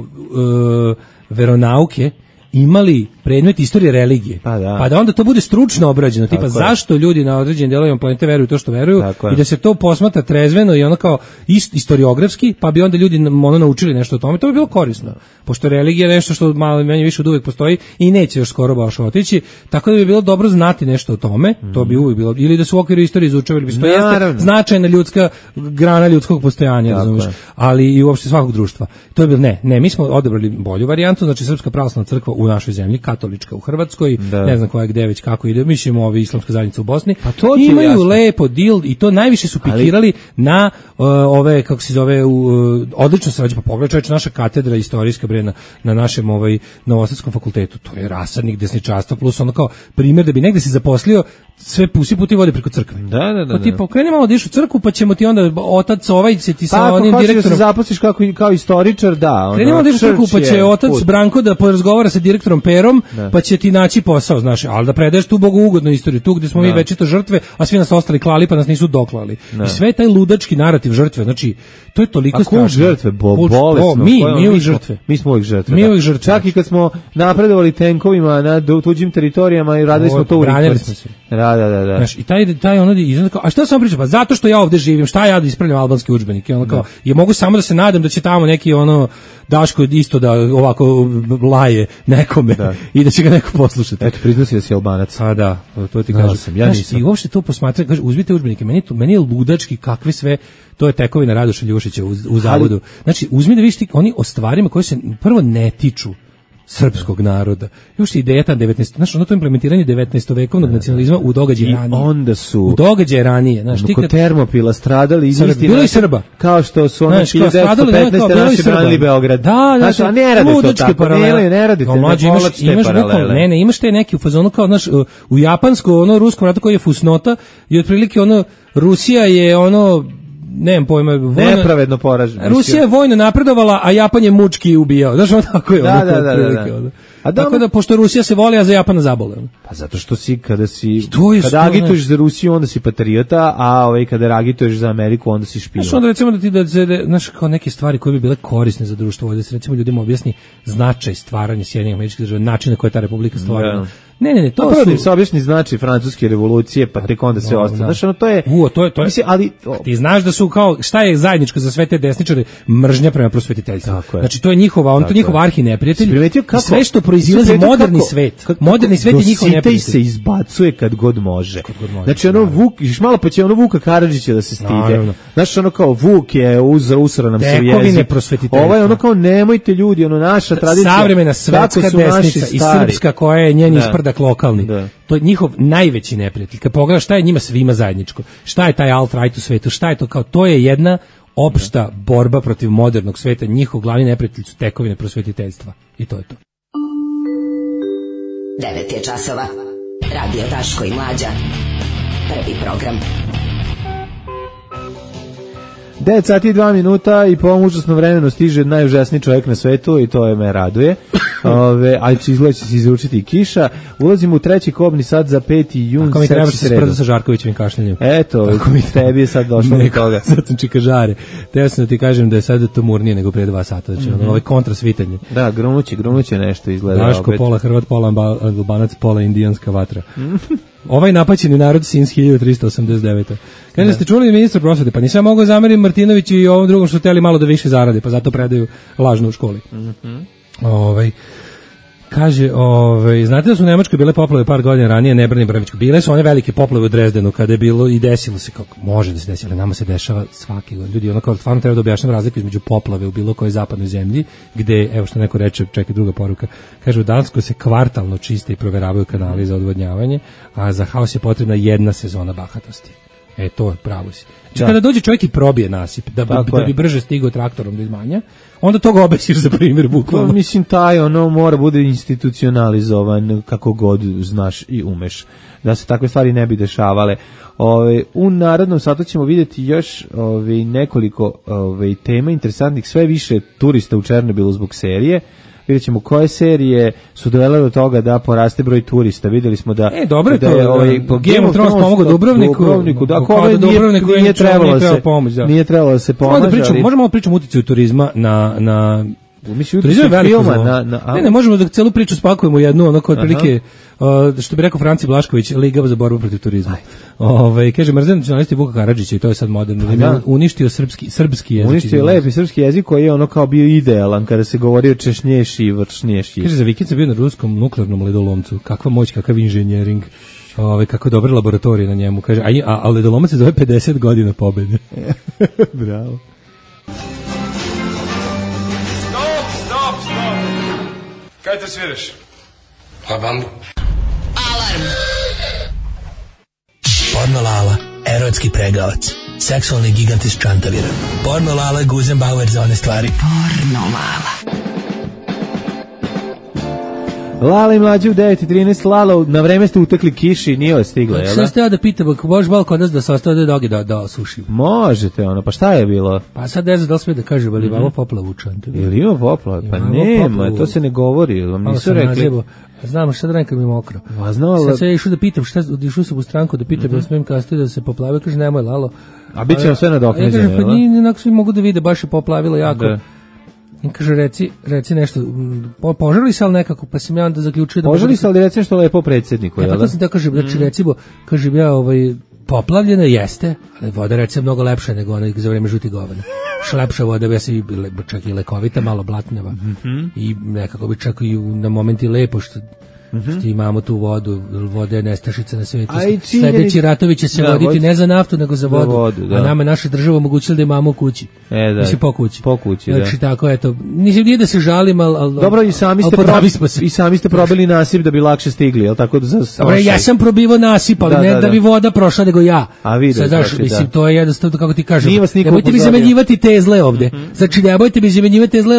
S5: veronauke imali predmet istorije religije, pa da onda to bude stručno obrađeno, tipa zašto ljudi na određenim delovima planete veruju to što veruju i da se to posmatra trezveno i ono kao historiografski, pa bi onda ljudi naučili nešto o tome, to bi bilo korisno, pošto religija je nešto što malo manje više od uvek postoji i neće još skoro baš otići, tako da bi bilo dobro znati nešto o tome, to bi uvek bilo, ili da su u okviru istorije izučavali, to jeste značajna ljudska grana ljudskog postojanja, razumiješ, ali i uopšte svakog društva. To je bilo, ne, mi smo odabrali bolju varijantu, znači Srpska pravoslavna crkva u našoj zemlji, katolička u Hrvatskoj, ne znam koja gde već kako ide, mislimo islamska zajednica u Bosni, imaju lepo deal i to najviše su pikirali na ove, kako se zove, odlično se rađe, pa pogledaj naša katedra istorijska na našem Novosadskom fakultetu, to je rasadnik desničarstva plus ono kao primjer da bi negde se zaposlio, sve puti vode preko crkve.
S6: Da.
S5: Ti pokreni malo da ideš u crkvu, pa ćemo ti onda otac će ti sa onim
S6: direktorom.
S5: direktorom.
S6: Da se zaposliš kao istoričar, da.
S5: Kreni malo da ideš u crkvu, pa će otac Branko da porazgovara sa direktorom Perom, pa će ti naći posao, znaš, ali da predaješ tu bogougodnu istoriju, tu gde smo mi večito žrtve, a svi nas ostali klali, pa nas nisu doklali. I sve taj ludački narativ žrtve, znači, to je toliko strašno.
S6: Žrtve, bolesno.
S5: Mi uvijek žrtve.
S6: Mi smo uvijek žrtve. Čak i kad smo napredovali tenkovima na tuđim teritorijama i radili smo to u rikvrci. Da.
S5: Znaš, i taj ono kao, a šta sam pričao? Pa zato što ja ovde živim, šta ja da ispravljam albanski udžbenike? Ono kao, je mogu samo da se nadam da će tamo neki Daško isto da ovako laje nekome i da će ga neko poslušati.
S6: Eto, priznao si da si Albanac.
S5: A da, to ti kažem.
S6: Ja nisam.
S5: I uopšte to posmatraj, kaže, uzmite udžbenike, meni je ludački kakve sve, to je tekovina Radoša Ljušića u zavodu. Znači, uzmi da vidiš oni o stvarima koje se prvo ne tiču srpskog naroda. Još ideja ta 19. Znaš, to implementiranje 19-vekovnog nacionalizma u događaje ranije.
S6: Onda su
S5: u događaje ranije. Znaš,
S6: kod Termopila stradali isti
S5: bilo i Srba.
S6: Kao što su oni 1915. naši branili Beograd.
S5: Da,
S6: znači, a ne radi to tako. Ne radite.
S5: Imaš te neki u fazonu kao, znaš, u japansko, ruskom ratu koji je fusnota i otprilike Rusija je nemam pojma,
S6: nepravedno poražena.
S5: Rusija je vojno napredovala, a Japan je mučki ubijao. Znaš, tako je.
S6: Da.
S5: Tako da, pošto Rusija se voli, a za Japana zabole.
S6: Pa zato što kada agituješ za Rusiju, onda si patriota, a kada agituješ za Ameriku, onda si špijun.
S5: Znaš, onda recimo znaš, kao neke stvari koje bi bile korisne za društvo, da se recimo ljudima objasni značaj stvaranja Sjedinjenih Američkih Država, način na koji je ta republika stvarana. Ne, to
S6: prvo se objasni znači francuske revolucije, pa tek onda sve ostalo. Znaš, to je. Mislim, ali
S5: ti znaš da su kao šta je zajedničko za sve te desničare, mržnja prema prosvetiteljstvu. Znači to je njihov arhineprijatelj. Sve što proizilazi moderni svet. Moderni svet je njihov neprijatelj.
S6: Se izbacuje kad god može. Znači Vuk, malo pa će Vuka Karadžića da se stide. Znaš, kao Vuk je usrao nam se jezik. Ovo kao nemojte ljudi, naša tradicija.
S5: Savremena svetska desnica i srpska koja je njen isprdak lokalni. To je njihov najveći neprijatelj. Kad pogledaš šta je njima svima zajedničko, šta je taj alt-right u svetu, šta je to kao, to je jedna opšta borba protiv modernog sveta, njihov glavni neprijatelj su tekovine prosvetiteljstva. I to je to.
S7: 9 je časova. Radio Daško i Mlađa. Prvi program.
S6: 9 sati i 2 minuta i po ovom užasnom vremenu stiže najužasniji čovjek na svetu i to me raduje. Ali će izgleda će se izručiti i kiša. Ulazimo u treći kobni sat za 5. jun.
S5: Ako mi treba se sprda sa Žarkovićevim kašljanjem.
S6: Eto, tebi je sad došlo do toga.
S5: Sad sam čikažare. Teo sam da ti kažem da je sad tumurnije nego pre 2 sata. Znači, ovaj kontrasvitanje.
S6: Da, grunuće nešto izgleda.
S5: Daško, pola Hrvat, pola Albanac, pola indijanska vatra. Ovaj napaćeni narod since 1389. Kaže, ste čuli ministra prosvete, pa nisam mogao zamerim Martinović i ovom drugom što hteli malo da više zarade, pa zato predaju lažno u školi. Kaže, znate da su u Nemačkoj bile poplave par godina ranije, Nebrani Brvičko. Bile su one velike poplave u Drezdenu kada je bilo i desilo se, kako može da se desi, ali nama se dešava svaki godin. Ljudi, onako, stvarno treba da objašnjam razliku između poplave u bilo kojoj zapadnoj zemlji, gde, evo što neko reče, čekaj druga poruka, kaže, u Danskoj se kvartalno čiste i proveravaju kanali za odvodnjavanje, a za haos je potrebna 1 sezona bahatosti. To je pravo si. Znači, kada dođe čovjek i probije nasip, da bi brže stigao traktorom do izmanja, onda to ga obesiš za primjer, bukvalno.
S6: Mislim, mora bude institucionalizovan kako god znaš i umeš, da se takve stvari ne bi dešavale. U narednom satu ćemo vidjeti još nekoliko tema interesantnih, sve više turista u Černobilu zbog serije. Vidjet ćemo koje serije su dovele do toga da poraste broj turista. Vidjeli smo da
S5: dobro je to. Game of Thrones pomogao Dubrovniku.
S6: Nije trebalo da se pomaže.
S5: Možemo pričati o uticaju turizma na
S6: turizam
S5: filma. Ne, možemo da celu priču spakujemo u jednu, onako otprilike, što bi rekao Franci Blašković, Liga za borbu protiv turizma. Kaže, mrzem nacionalisti Vuka Karadžića i to je sad moderno. Uništio srpski jezik.
S6: Uništio je lepi srpski jezik koji je ono kao bio idealan kada se govori o češnješi i vršnješi.
S5: Kaže, za vikend sam bio na ruskom nuklearnom ledolomcu. Kakva moć, kakav inženjering. Kako dobre laboratorije na njemu. Kaže, a ledolomac se zove 50 godina pobede.
S6: Bravo.
S13: Kaj te sviraš?
S14: Pa bambu.
S15: Alarm! Porno Lala, erotski pregavac, seksualni gigant iz Čantavira. Porno Lala, Guzenbauer za one stvari. Porno Lala.
S6: Lala i mlađe u 9:13, Lala, na vreme ste utekli kiši, nije vas stigla, jel da?
S5: Šta ste ja da pitam, ako možeš malo kod nas da se ostave dogi da osušimo?
S6: Možete, pa šta je bilo?
S5: Pa sad ne znam da li sve da kažem, ali imamo poplavu u Čantaviru.
S6: Ili ima poplavu? Pa nema, to se ne govori, vam nisu rekli.
S5: Znam, šta da nekad mi mokro. Sad se išao da pitam, išao sam u stranku da pitam da smijem kasnije da se poplavio, kaže nemoj Lalo.
S6: A bit će vam sve nadoknađeno,
S5: jel da? Pa nije, onako svi mogu da vide, baš je poplavilo jako. I kaže, reci nešto, požali se ali nekako, pa sam ja onda zaključio da...
S6: Požali se ali reci nešto lepo predsjedniku, jel da?
S5: Pa to sam da kažem, znači recimo, kažem ja, poplavljena jeste, ali voda recimo mnogo lepša nego ona za vreme žuti govana. Šlepša voda, ja se čak i lekovita, malo blatnjava. I nekako bi čak i na momenti lepo što imamo tu vodu, voda je nestašica na svijetu. Sljedeći ratovi će se voditi ne za naftu, nego za vodu. A nama naša država omogućila da imamo u kući. Mislim, po kući. Znači, tako, eto, nije da se žalim, ali
S6: dobro, i sami ste probili nasip da bi lakše stigli, jel tako?
S5: Dobro, ja sam probivao nasip, ali ne da bi voda prošla, nego ja.
S6: A vidio,
S5: mislim, to je jednostavno, kako ti kažem, nemojte mi zamenjivati tezle ovde. Znači, nemojte mi zamenjivati tezle,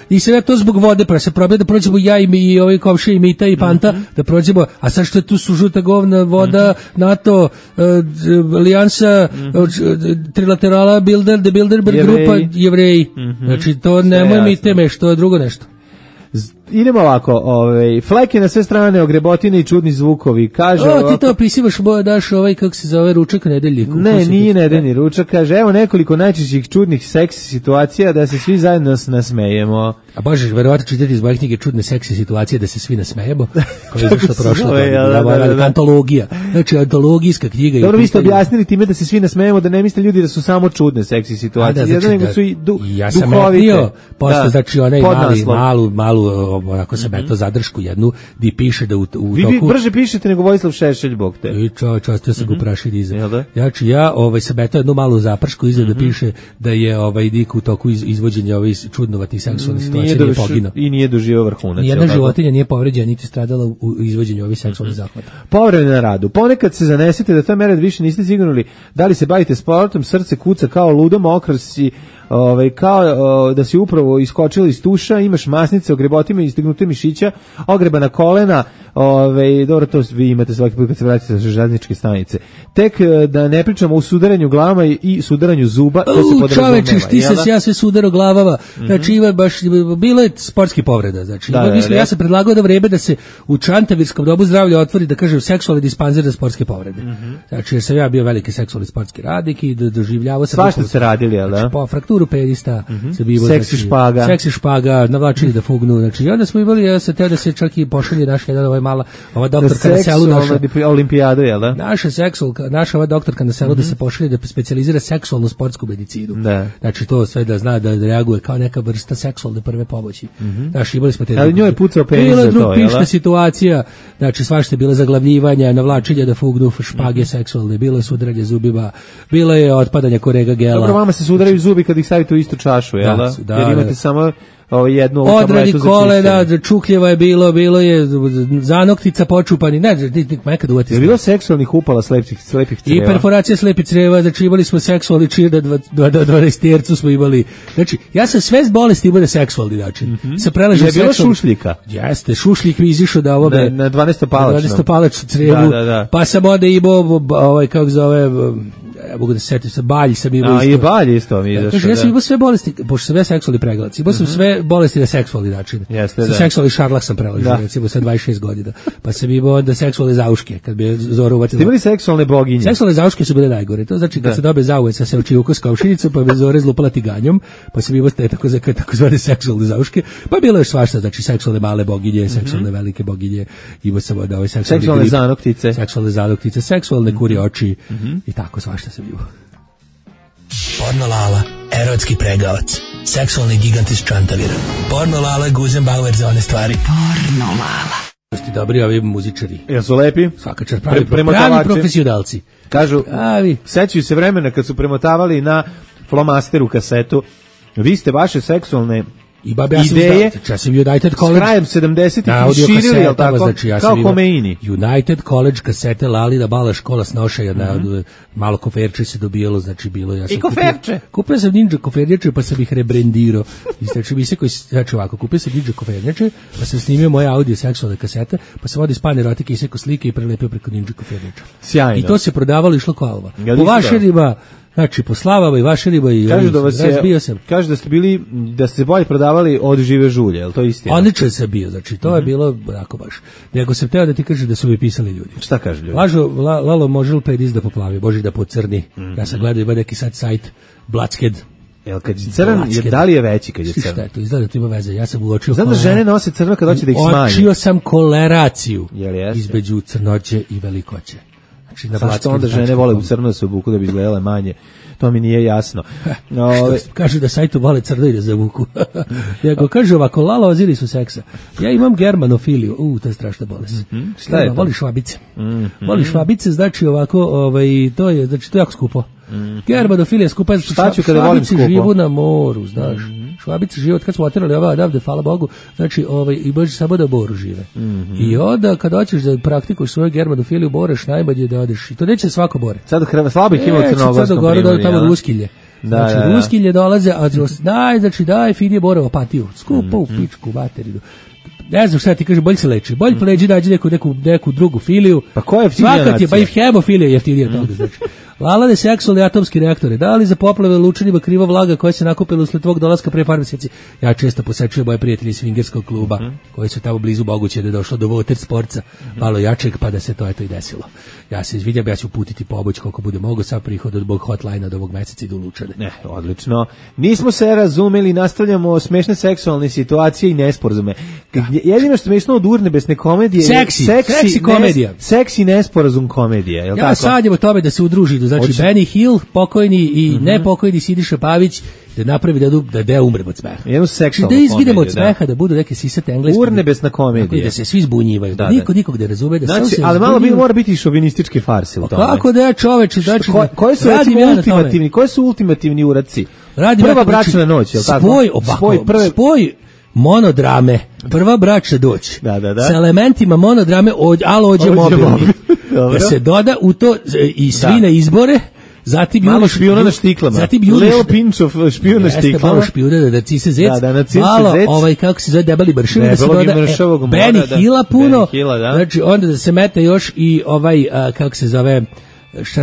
S5: jer sam ja to zbog vode, pa se probio da prođemo ja i ovi komšije i Mita i Panta, da prođemo, a sad što je tu su žuta govna, voda, NATO, alijansa, trilaterala, Bilderberg grupa, Jevreji. Znači, to nemoj mi teme, što je drugo nešto.
S6: Idemo ovako, fleke na sve strane, ogrebotine i čudni zvukovi, kaže...
S5: ti to opisivaš, daš kako se zove, ručak nedeljniku.
S6: Ne, nije nedeljni ručak, kaže, evo nekoliko najčešćih čudnih seksi situacija da se svi zajedno nasmejemo.
S5: A možeš verovatno čitati iz moje knjige čudne seksi situacije da se svi nasmejemo, koja je izašla prošla godina. Antologija, znači antologijska knjiga.
S6: Dobro, vi ste objasnili time da se svi nasmejemo, da ne misle ljudi da su samo čudne seksi situacije, nego su i duhovite.
S5: Ja sam etnio, posle, znači onaj malu onako sam eto zadršku jednu di piše da u toku...
S6: Vi brže pišete nego Vojislav Šešelj, bog te.
S5: I častio sam ga uprašili iza. Znači ja sam eto jednu malu zapršku iza da piše da je dik u toku izvođenja ovih čudnovatih seksualnih situacija nije poginuo.
S6: I nije doživio vrhunac.
S5: Nijedna životinja nije povređena niti stradala u izvođenju ovih seksualnih zahvata.
S6: Povremeno na radu. Ponekad se zanesete da ta mera više niste sigurni da li se bavite sportom, srce kuca kao ludo, mokar si, kao da si upravo iskočili iz tuša, imaš masnice, ogrebotima i istignute mišića, ogrebana kolena, Dobro, to vi imate svaki put kad se vratite sa željezničke stanice. Tek da ne pričamo o sudaranju glavama i sudaranju zuba, to se podrazumeva.
S5: Čoveče, ti se ja sve sudaro glavama. Znači, bilo je sportski povreda. Znači, ja sam predlagao da vreme da se u Čantavirskom domu zdravlja otvori, da kažem, seksualni dispanzer za sportske povrede. Znači, jer sam ja bio veliki seksualni sportski radnik i doživljavao sam...
S6: Svašta ste radili, jel da?
S5: Znači, po frakturu penista,
S6: seksi
S5: špaga, navlačili da fugnu. Znači, i onda smo imali, ja sam teo da se čak i pošalje naš jedan ova doktorka na selu naša
S6: olimpijadu, jel da?
S5: Naša ova doktorka na selu da se pošalje da specijalizira seksualnu sportsku medicinu. Znači to sve da zna da reaguje kao neka vrsta seksualne prve pomoći. Znači imali smo te.
S6: Ali njoj je pucao penis za to,
S5: jel da? Situacija, znači svašta je bilo zaglavljivanja, navlačenja da fugnu, špage seksualne, bilo je sudaranje zubima, bilo je otpadanje korega gela.
S6: Dobro, vama se sudaraju zubi kad ih stavite u istu čašu, jel da? Jer imate samo jednu
S5: odradi kolena, čukljeva je bilo je zanoktica počupani, nekad uvati.
S6: Je bilo seksualnih upala slepih creva?
S5: I perforacija slepih creva, znači imali smo seksualni čir na 12 smo imali. Znači, ja sam sve bolesti imao na seksualni način.
S6: Je bilo šušljika?
S5: Jeste, šušljik mi izišao da ovome...
S6: Na 12-palačnom
S5: crevu, pa sam onda imao, kako zove... Ja mogu da se setim, balj sam imao isto.
S6: I balj isto mi izašao.
S5: Kaže, ja sam imao sve bolesti, pošto sam ja seksualni pregledac, imao sam sve bolesti na seksualni način. Sa seksualni šarlak sam prelažio, recimo sa 26 godina. Pa sam imao onda seksualne zauške, kad bi je Zora uvatila.
S6: Ste imali seksualne boginje?
S5: Seksualne zauške su bile najgore. To znači kad se dobe zauveć sa sevčijuko s kaušinicom, pa bi Zora izlupala tiganjom, pa sam imao te takozvane seksualne zauške. Pa bilo je svašta, znači seksualne male boginje, seksualne velike boginje, imao sam onda ove
S6: seksualne
S5: zanoktice, seksualne kurje oči i tako svašta sam imao.
S15: Porno Lala, erotski pregavac, seksualni gigant iz Čantavira. Porno Lala, Guzenbauer za one stvari. Porno Lala.
S5: Ste dobri ovi muzičari.
S6: Jesu lepi?
S5: Svaka čast, pravi profesionalci.
S6: Kažu, sećaju se vremena kad su premotavali na flomasteru kasetu. Vi ste vaše seksualne ideje
S5: s krajem
S6: 70-ih širili, jel tako?
S5: Znači,
S6: kao Homeini.
S5: United College kasete Lalina Bala škola snošaja, malo koferče se dobijalo, znači bilo ja sam.
S6: I koferče?
S5: Kupio sam ninja koferče, pa sam ih rebrendirao. Znači, mi se koji, znači ovako, kupio sam ninja koferče, pa sam snimio moje audio seksualne kasete, pa sam odio span erotike i seko slike i prelepio preko ninja koferče.
S6: Sjajno.
S5: I to se prodavalo, išlo kao po vašerima. Znači, po Slavama i Vašerima i razbio sam.
S6: Kažu da ste bili, da ste bolje prodavali od Žive žulje, je li to istina?
S5: Odličan sam bio, znači, to je bilo onako baš. Nego sam teo da ti kažem da su mi pisali ljudi.
S6: Šta kažu ljudi?
S5: Lalo može li pedis da poplavi, Boži da pocrni. Ja sam gledao, ima neki sad sajt, Blackhead.
S6: Jel kad je crn, da li je veći kad je crn?
S5: Šta je to, izgleda da to ima veze, ja sam uočio...
S6: Znam da žene nose crno kad hoće da ih smanji.
S5: Uočio sam koleraciju između crnoće i velikoće.
S6: Zašto onda žene vole u crno da se obuku da bi izgledale manje? To mi nije jasno.
S5: Kažu da sajtu vole crno i da zavuku. Nego kaže ovako, Lala oziri su seksa. Ja imam germanofiliju. To je strašna bolest.
S6: Šta je to?
S5: Voli švabice. Voli švabice, znači ovako, to je jako skupo. Germanofilija skupa.
S6: Šta ću kada volim skupo?
S5: Švabice živu na moru, znaš. Švabice žive, od kad smo oterali odavde, hvala Bogu, znači i može samo da u moru žive. I onda kad hoćeš da praktikuš svoju germanofiliju, boreš najbolje da odeš. I to neće svako bore.
S6: Sad slabih ima u Crnogorskom primorju.
S5: Tamo Ruskilje. Znači, Ruskilje dolaze, a daj finije borovo patiju. Skupo u pičku materinu. Ne znam šta ti kaže, bolje se leči. Bolje pleđi nađi neku drugu filiju.
S6: Pa ko je jeftinija nacija?
S5: Pa i hemofilija je jeftinija toga, znači. Lalane seksualni atomski reaktore, da li za poplave lučanima kriva vlaga koja se nakupila usled tvog dolaska pre par mjeseci? Ja često posečujem moje prijatelje iz swingerskog kluba, koji su tamo blizu moguće da je došlo do water sportsa, malo jačeg, pa da se to eto i desilo. Ja se izvinjam, ja ću uputiti pomoć koliko bude mogo, sad prihod od bog hotline od ovog meseca idu lučane.
S6: Odlično. Nismo se razumeli, nastavljamo smešne seksualne situacije i nesporazume. Jedino što smešno od urnebesne komedije je
S5: seksi komedija.
S6: Seksi nesporazum komedija, je li tako?
S5: Ja sanjam o tome da se udruži, znači Benny Hill, pokojni i nepokojni Siniša Pavić, da napravi da umrem od smeha.
S6: Jednu seksualnu
S5: komediju. Da izginemo od smeha, da budu neke sisate engleske.
S6: Urnebesna komedija.
S5: Da se svi zbunjivaju. Nikog ne razume.
S6: Znači, ali malo mora biti i šovinistički farse u tome.
S5: Kako da je čoveče? Znači,
S6: koji su ultimativni uradci? Prva bračna noć, je li tako?
S5: Spoj monodrame, prva bračna doć. Sa elementima monodrame, alo ođe mobilni. Da se doda u to i svi na izbore, zatim
S6: malo špijuna na štiklama. Leo Pinčov špijun na štiklama.
S5: Malo špijuna da Cise Zec. Malo kako se zove debeli bršin, da se doda Benny Hilla puno. Znači onda da se mete još i kako se zove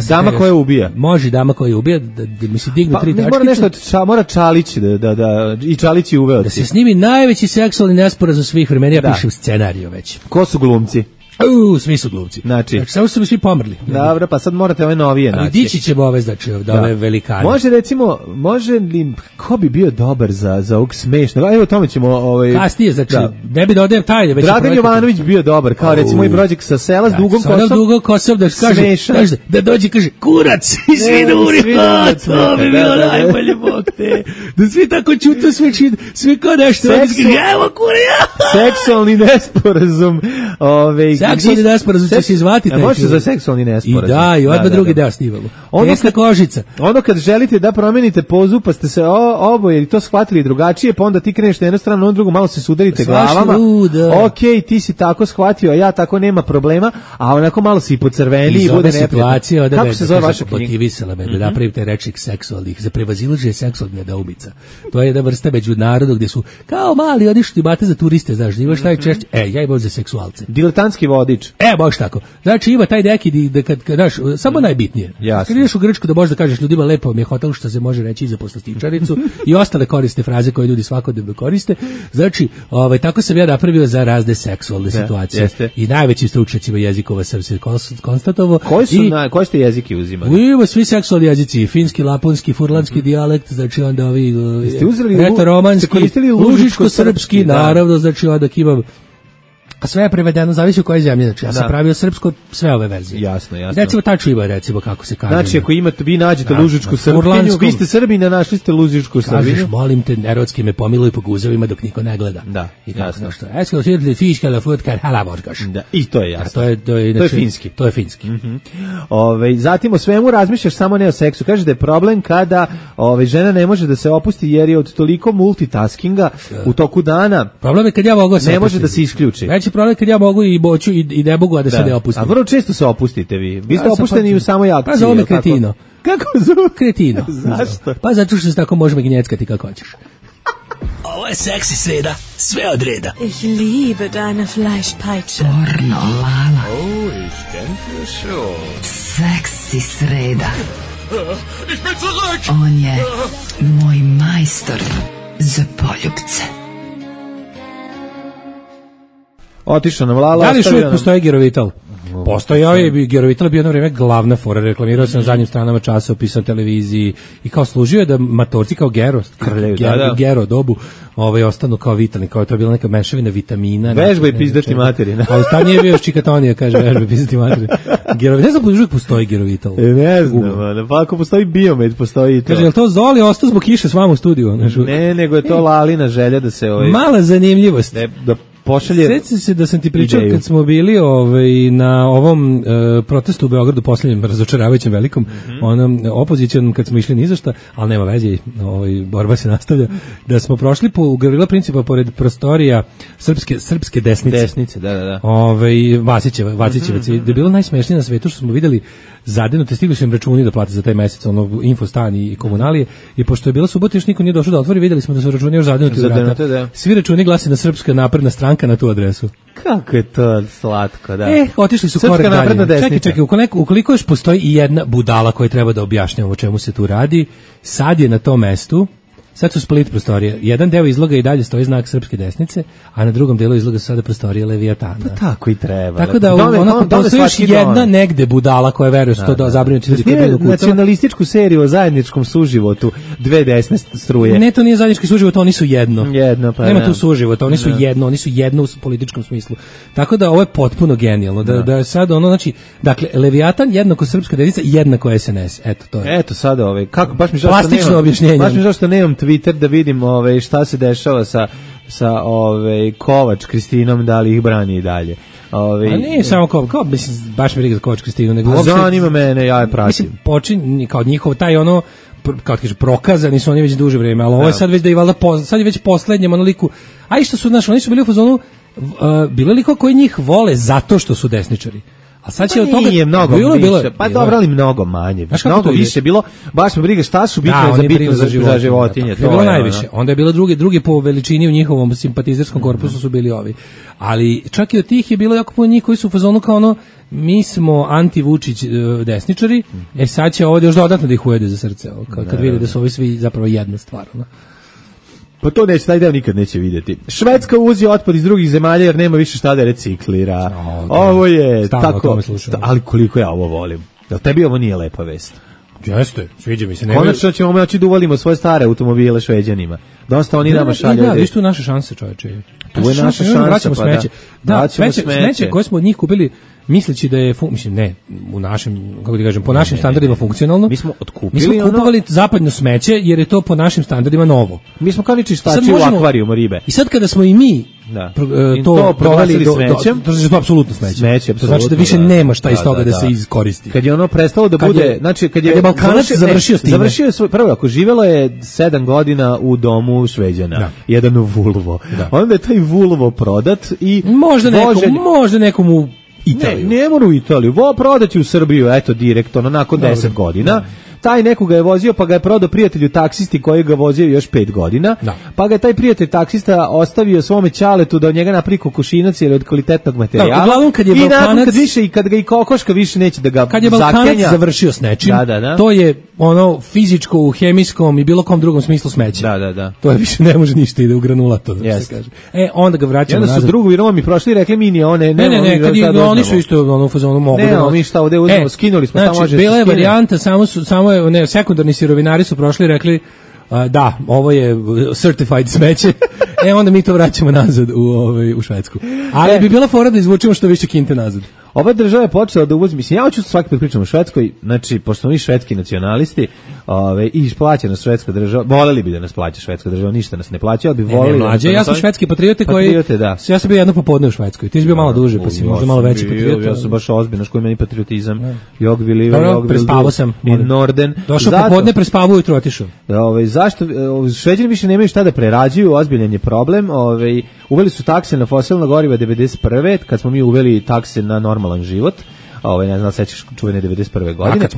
S6: dama koja ubija.
S5: Može dama koja ubija, da mi se dignu 3 tačkice.
S6: Mora nešto, mora Čalić da i Čalić je uveo.
S5: Da se snimi najveći seksualni nesporazum svih vremena, ja pišem scenariju već.
S6: Ko su glumci?
S5: Svi su glumci.
S6: Znači
S5: samo su svi pomrli.
S6: Dobro, pa sad morate ove novije naći.
S5: Dići ćemo ove, znači, ove velikane.
S6: Može li, ko bi bio dobar za ovog smešnog? Evo tome ćemo...
S5: Kasnije, znači, ne bi da odajem tajne.
S6: Dragan Jovanović bio dobar, kao recimo i Brođek sa sela s dugom kosom.
S5: Sa dugom kosom da kaže, da dođe kaže, kurac i svi duri, to bi bilo najbolje, bog te. Da svi tako čutu, svi kao nešto. Evo kurija!
S6: Seksualni nesporazum.
S5: Seksualni nesporazum će se izvati.
S6: Može za seksualni nesporazum.
S5: I odmah drugi deo snimamo. Tesna kožica.
S6: Ono kad želite da promenite pozu, pa ste se oboje i to shvatili drugačije, pa onda ti kreneš na jednu stranu, na drugu, malo se sudarite glavama. Ok, ti si tako shvatio, a ja tako, nema problema, a onako malo si pocrveni i bude neprijatno.
S5: Kako se zove vaša knjiga? Motivisala me da napravite rečnik seksualnih, za prevazilaženje seksualnih nedoumica. To je jedna vrsta međunarodnog gdje su kao mali odišli bate za turiste, znaš, imaš najčešće, ja imam za seksualce.
S6: Diletantski vodič.
S5: Baš tako. Znači ima taj neki da kad znaš, samo najbitnije. Kad ideš u Grčku da možeš da kažeš ljudima lepo mi je hotel, što se može reći i za poslastičaricu i ostale koriste fraze koje ljudi svakodnevno koriste. Znači, tako sam ja napravio za razne seksualne situacije. I najveći stručnjacima jezikova sam se konstatovao.
S6: Koji ste jeziki uzimali?
S5: Ima svi seksualni jezici, finski, laponski, furlanski dijalekt, znači onda ovi retoromanski, lužičko-srpski, naravno, znači onda imam. A sve je prevedeno, zavisi u kojoj zemlji. Znači, ja sam pravio srpsko, sve ove verzije.
S6: Jasno.
S5: Recimo, taču ima, recimo, kako se kaže.
S6: Znači, ako vi nađete lužičku Srbinju, vi ste Srbina, našli ste lužičku Srbinju.
S5: Kažeš, molim te, erotski me pomiluj po guzovima dok niko ne gleda.
S6: Da, jasno.
S5: Esko svidjeli fiška la futkar halavorkaš.
S6: Da, i to je jasno.
S5: To je
S6: finski.
S5: To je finski.
S6: Zatim, o svemu razmišljaš, samo ne o seksu. Kaže da je problem kada žena ne može da se opusti jer je od toliko multitaskinga u toku dana.
S5: Problem je kad ja mogu
S6: ne može da se isključi.
S5: Problem kad ja mogu i boću i ne mogu, a da se ne opustim.
S6: A vrlo često se opustite vi. Vi ste opušteni u samoj akciji.
S5: Pa zove me kretino.
S6: Kako zove?
S5: Kretino.
S6: Zašto?
S5: Pa zato što se tako možemo gnjeckati kako hoćeš.
S15: Ovo je seksi sreda, sve od reda.
S14: Ich liebe deine Fleischpeitsche.
S3: Pornolala.
S11: Oh, ich denke schon.
S3: Seksi sreda.
S11: Ich bin zurück!
S3: On je moj majstor za poljubce.
S6: Otišao nam Lala.
S5: Da li još uvijek postoji Gerovital? Postojao je, Gerovital je bio jedno vrijeme glavna fora, reklamirao se na zadnjim stranama časopisa, televiziji i kao služio je da matorci kao Gero dobu ostanu kao vitalni, kao to je bila neka mešavina vitamina.
S6: Vežba i pizdati materina.
S5: Ali ta nije bio Čikatonija, kaže vežba i pizdati materina. Ne znam, uvijek postoji Gerovital.
S6: Ne znam, pa ako postoji Biomed, postoji i to.
S5: Kaže, je li to Zoli ostao zbog kiše s vama u studiju?
S6: Ne, nego je to Lalina želja da se...
S5: Mala zanimljivost.
S6: Da pošalje...
S5: Sjećam se da sam ti pričao kad smo bili na ovom protestu u Beogradu, posljednjem razočaravajućem velikom, onom opozicionom kad smo išli ni za šta, ali nema veze, borba se nastavlja, da smo prošli po Gavrila Principa pored prostorija srpske desnice.
S6: Desnice, da.
S5: Vasićevac. Da je bilo najsmešnije na svetu što smo videli zadenute, stigli su im računi da plate za taj mesec, infostan i komunalije, i pošto je bila subota još niko nije došao da otvori, videli smo da su računi još zadenuti u vrata. Svi računi glasi na Srpska napredna stranka na tu adresu.
S6: Kako je to slatko, da.
S5: Otišli su korak dalje. Čekaj, ukoliko još postoji i jedna budala koja treba da objašnjava o čemu se tu radi, sad je na tom mestu. Sad su split prostorije. Jedan deo izloga i dalje stoji znak srpske desnice, a na drugom delu izloga su sada prostorije Leviatana.
S6: Pa tako i treba.
S5: Tako da postoji još jedna negde budala koja veruje su to zabrinuti ljudi koji budu kucala.
S6: Nacionalističku seriju o zajedničkom suživotu, dve desne struje.
S5: Ne, to nije zajednički suživot, oni su jedno. Nema tu suživota, oni su jedno u političkom smislu. Tako da ovo je potpuno genijalno. Da je sad znači, dakle, Leviatan jednako srpska desnica, jednako SNS. Eto, to je.
S6: Eto sad kako, baš mi
S5: plastično objašnjenje.
S6: Baš mi zašto nemam Twitter da vidim šta se dešava sa Kovač Kristinom, da li ih brani i dalje.
S5: A nije samo kao mislim, baš mi briga za Kovač Kristinu, nego
S6: zanima mene, ja je pratim.
S5: Mislim, počin kao njihov taj kao kaže prokazani su oni već duže vrijeme, ali ovo je sad već da je valjda sad je već poslednjem liku. A i što su oni su bili u fazonu, bili liko koji njih vole zato što su desničari. A sad će
S6: od toga nije mnogo više. Pa dobro, ali mnogo manje. Mnogo više bilo. Baš me briga šta su bitne za bitno za životinje.
S5: To je bilo najviše. Onda je bilo drugi po veličini u njihovom simpatizerskom korpusu su bili ovi. Ali čak i od tih je bilo jako puno njih koji su u fazonu kao ono, mi smo anti-Vučić desničari, sad će ovdje još dodatno da ih ujede za srce, kad vide da su ovi svi zapravo jedna stvar.
S6: Pa to neće, taj deo nikad neće vidjeti. Švedska uvozi otpad iz drugih zemalja jer nema više šta da reciklira. Ovo je tako, ali koliko ja ovo volim. Jel tebi ovo nije lepa vest?
S5: Jeste, sviđa mi se.
S6: Konačno ćemo moći da uvalimo svoje stare automobile Šveđanima. Dosta oni nama šalju.
S5: Da, viš tu naše šanse, čoveče.
S6: Tu je naša šansa.
S5: Vraćamo smeće. Da, smeće koje smo od njih kupili misleći da je, mislim, ne, u našem, kako ti kažem, po našim standardima funkcionalno.
S6: Mi smo otkupili.
S5: Mi smo kupovali zapadno smeće jer je to po našim standardima novo.
S6: Mi smo kao ni čistači u akvarijumu ribe.
S5: I sad kada smo i mi to proveli
S6: smećem,
S5: to je apsolutno smeće. To znači da više nema šta iz toga da se iskoristi.
S6: Kad je ono prestalo da bude, znači kad je
S5: Balkanac
S6: završio je svoj, prvo ako živelo je 7 godina u domu Šveđana, jedan Vulvo. Onda je taj Vulvo prodat i
S5: možda nekomu Italiju.
S6: Ne mora u Italiju, prodaći u Srbiju, eto direktno, nakon 10 godina. Taj nekoga je vozio, pa ga je prodao prijatelju taksisti koji ga vozio još 5 godina, pa ga je taj prijatelj taksista ostavio svome ćaletu da od njega napravi kokošinac jer je od kvalitetnog materijala.
S5: Uglavnom kad je Balkanac,
S6: kad ga i kokoška više neće da ga
S5: kad je Balkanac završio s nečim, to je ono fizičko u hemijskom i bilo kom drugom smislu smeće.
S6: Da.
S5: To je više ne može ništa ide u granulato, da se kaže. Onda ga vraćamo nazad.
S6: Onda su drugovi Romi prošli i rekli mi ni one,
S5: ne, kad oni su isto ono u fazonu mogu da.
S6: Ne, mi šta ovde uzmemo, skinuli smo tamo može.
S5: Bila je varijanta samo sekundarni sirovinari su prošli i rekli da, ovo je certified smeće, onda mi to vraćamo nazad u Švedsku. Ali bi bila fora da izvučemo što više kinte nazad.
S6: Ova država je počela da uvozi, mislim, ja hoću svaki put pričam o Švedskoj, znači, pošto smo mi švedski nacionalisti i plaća nas švedska država, voleli bi da nas plaća švedska država, ništa nas ne plaća, ali bi voleli...
S5: Mlađe, ja sam švedski patriote koji... Ja sam bio jedno popodne u Švedskoj, ti si bio malo duže, pa si možda malo veći patriot.
S6: Ja sam baš ozbiljno, koji meni patriotizam, Jogvili,
S5: prespavao sam
S6: i Norden.
S5: Došao popodne, prespavao ujutro otišao.
S6: Zašto? Šveđani više nemaju šta da prerađuju, ozbiljan je problem. Uveli su takse na fosilna goriva 91. kad smo mi uveli takse na normalan život. Ne znam, sećaš čuvene 91. godine.
S5: Kad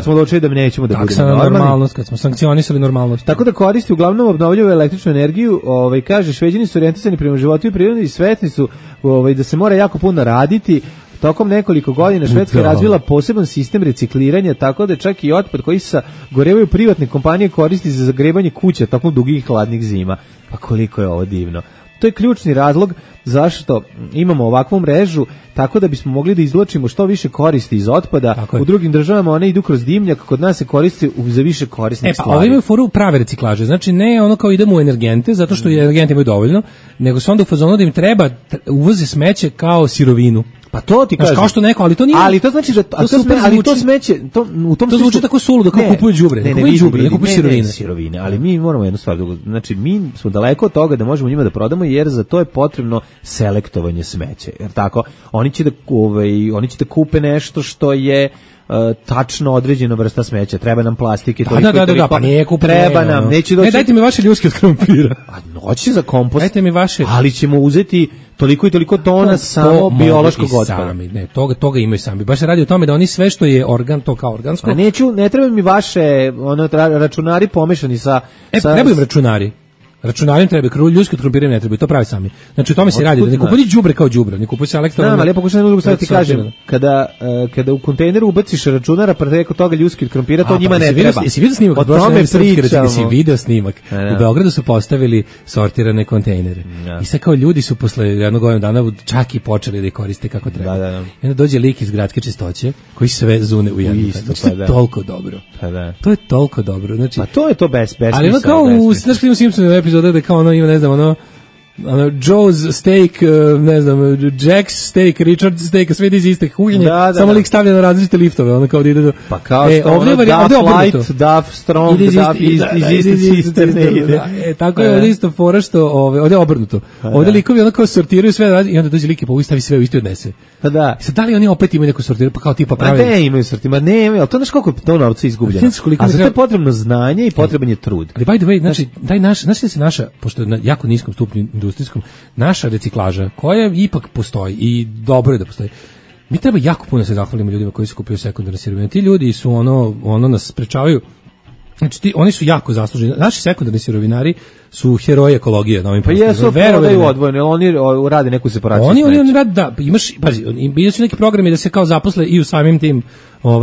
S5: smo
S6: odlučili da nećemo da budemo
S5: normalnost, kad smo sankcionisali normalnost.
S6: Tako da koristi uglavnom obnovljivu električnu energiju, kaže Šveđani su orijentisani prema životu i prirodi i svesni su da se mora jako puno raditi. Tokom nekoliko godina Švedska je razvila poseban sistem recikliranja, tako da čak i otpad koji se sagorevaju privatne kompanije koristi za zagrevanje kuća tokom dugih hladnih zima. Pa koliko je ovo divno. To je ključni razlog zašto imamo ovakvu mrežu, tako da bismo mogli da izvlačimo što više koristi iz otpada. U drugim državama one idu kroz dimnjak, kod nas se koristi za više korisnih stvari.
S5: Ovi imaju foru prave reciklaže, znači ne ono kao idemo u energente, zato što energenti imaju dovoljno, nego se onda u fazonu da im treba uvoze smeće kao sirovinu.
S6: Pa to ti kažeš.
S5: Kao što neko, ali to nije.
S6: Ali to znači da to smeće, u tom
S5: to zvuči tako suludo kao kupuju đubre. Ne kupuju đubre, ne kupuju
S6: sirovine. Ali mi moramo jednu stvar, znači mi smo daleko od toga da možemo njima da prodamo, jer za to je potrebno selektovanje smeća. Jer tako, oni će da kupe nešto što je tačno određena vrsta smeća. Treba nam plastike,
S5: da, pa nije kupno.
S6: Treba nam, neće doći.
S5: Ne, dajte mi vaše ljuske od krompira.
S6: A noći za kompost.
S5: Dajte mi vaše.
S6: Ali ćemo uzeti toliko i toliko tona samo biološkog otpada.
S5: Ne, toga imaju sami. Baš se radi o tome da oni sve što je organ, to kao organsko.
S6: A ne treba mi vaše računari pomešani sa...
S5: Trebaju im računari. Računarima treba, ljudski krompirima ne treba, to pravi sami. Znači o tome se radi, da ne kupuju đubre kao đubre, ne kupuju selektorne.
S6: Ali ja pokušam drugu stvar ti kažem, kada u kontejneru ubaciš računara preko toga ljudski krompira, to njima ne treba.
S5: Jesi vidio snimak? Jesi video snimak? U Beogradu su postavili sortirane kontejnere. I sad kao ljudi su posle jednog godina dana čak i počeli da ih koriste kako treba. I onda dođe lik iz gradske čistoće koji sve zune u jednu. To je toliko dobro. To je toliko dobro.
S6: Pa to je to besmisao.
S5: Ali ono kao u Simpsonu epizoda da kao ono ima, ne znam, ono Joe's steak, ne znam, Jack's steak, Richard's steak, sve iz iste kuhinje, samo lik stavlja na različite liftove, ono kao da ide do...
S6: Pa kao što ono Duff Light, Duff Strong, Duff iz iste cisterne ide.
S5: Tako je ovdje isto fora što, ovdje je obrnuto. Ovdje likovi ono kao sortiraju sve i onda dođe lik i povući stavi sve u isti odnese.
S6: Pa da.
S5: I sad da li oni opet imaju neku sortiru, pa kao tipa pravi?
S6: Ne imaju sortiru, ne imaju, ali to znaš koliko je to novca izgubljeno. A za to je potrebno znanje i potreban je trud.
S5: Ali by the way, znači, znači da se naša, pošto je na jako niskom stupnju industrijskom, naša reciklaža, koja ipak postoji i dobro je da postoji, Mi treba jako puno se zahvalimo ljudima koji su kupili sekundarne sirovine. Ti ljudi su ono nas sprečavaju. Znači oni su jako zasluženi. Naši sekundarni sirovinari su heroji ekologije na ovim prostorima.
S6: Pa jesu prodaju odvojeno, oni rade neku separaciju.
S5: Oni rade, da, imaš, pazi, bili su neki programi da se kao zaposle i u samim tim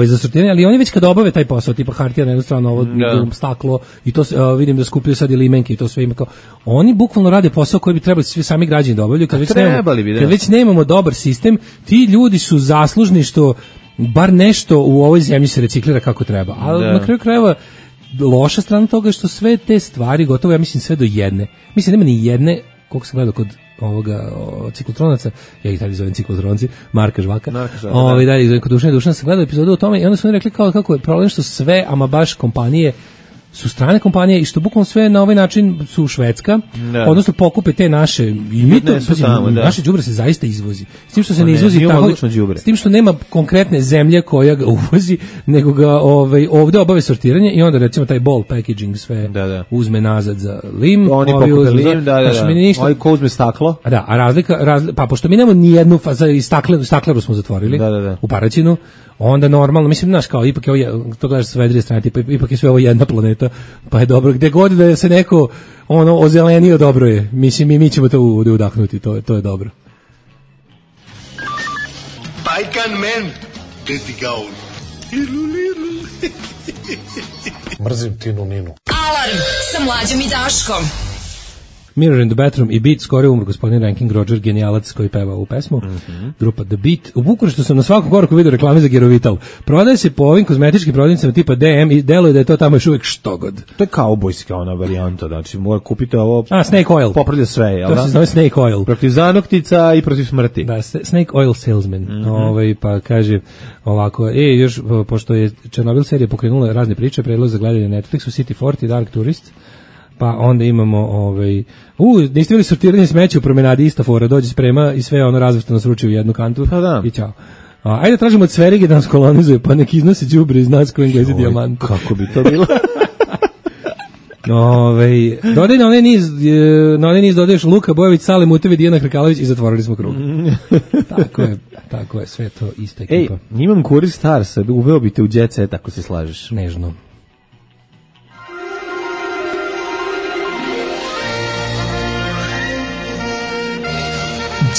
S5: za sortiranje, ali oni već kada obave taj posao, tipa hartija na jednu stranu, ovo staklo, i to vidim da skupljaju sad i limenke i to sve ima kao, oni bukvalno rade posao koji bi trebali svi sami građani da obavljaju, kad već nemamo dobar sistem, ti ljudi su zaslužni što bar nešto u ovoj zemlji se reciklira kako treba, ali na kraju krajeva loša strana toga je što sve te stvari, gotovo ja mislim sve do jedne, mislim nema ni jedne, koliko sam gledao kod ovoga ciklotronaca, ja ih tada zovem ciklotronci, Marka Žvaka, da, kod Dušana sam gledao epizodu o tome i onda su oni rekli kao kako je problem što sve, ama baš kompanije su strane kompanije i što bukvalno sve na ovaj način su Švedska, odnosno pokupe te naše i mi to, naše đubre se zaista izvozi. S tim što se ne izvozi tako, s tim što nema konkretne zemlje koja ga uvozi, nego ga ovde obave sortiranje i onda recimo taj bulk packaging sve uzme nazad za lim,
S6: oni pokupe lim, oni ko uzme staklo.
S5: Da, a razlika, pa pošto mi nemamo ni jednu stakleru smo zatvorili u Paraćinu, onda normalno, mislim, znaš, kao, ipak je ovo, to gledaš sa vedrije strane, ipak je sve ovo jedna planeta, pa je dobro, gde god da se neko, ozelenio, dobro je, mislim, mi ćemo to udahnuti, to je dobro.
S16: Pajkan men, deti gaun. Mrzim Tinu Ninu.
S7: Alarm sa Mlađom i Daškom.
S5: Mirror in the Bathroom i Beat, skoro umro gospodin Ranking Roger, genijalac koji peva ovu pesmu. Grupa The Beat. U Bukureštu sam na svakom koraku vidio reklame za Gerovital. Prodaje se po ovim kozmetičkim prodavnicama tipa DM i deluje da je to tamo još uvijek štogod.
S6: To je kaubojska ona varijanta, znači mora kupiti ovo.
S5: Snake Oil.
S6: Popravlja sve, jel da?
S5: To se zove Snake Oil.
S6: Protiv zanoktica i protiv smrti.
S5: Da, Snake Oil salesman. Pa kaže ovako, još, pošto je Černobil serija pokrenula razne priče, predlog za gledanje na Netflixu, City 40, Dark Tourist. Pa onda imamo niste vidjeli sortiranje smeća u promenadi, ista fora, dođe sprema i sve razvrstano sruči u jednu kantu. Pa da. I ćao. Ajde tražimo od Sverige da nas kolonizuje, pa nek iznose đubre iz nas koji Englezi dijamant.
S6: Kako bi to bilo?
S5: Dodaj na onaj niz dodaješ Luka Bojović, Sale Mutevi, Dijana Hrkalović i zatvorili smo krug. Tako je, sve to ista ekipa.
S6: Imam Kurir Starsa, uveo bi te u Jet Set ako se slažeš.
S5: Nežno.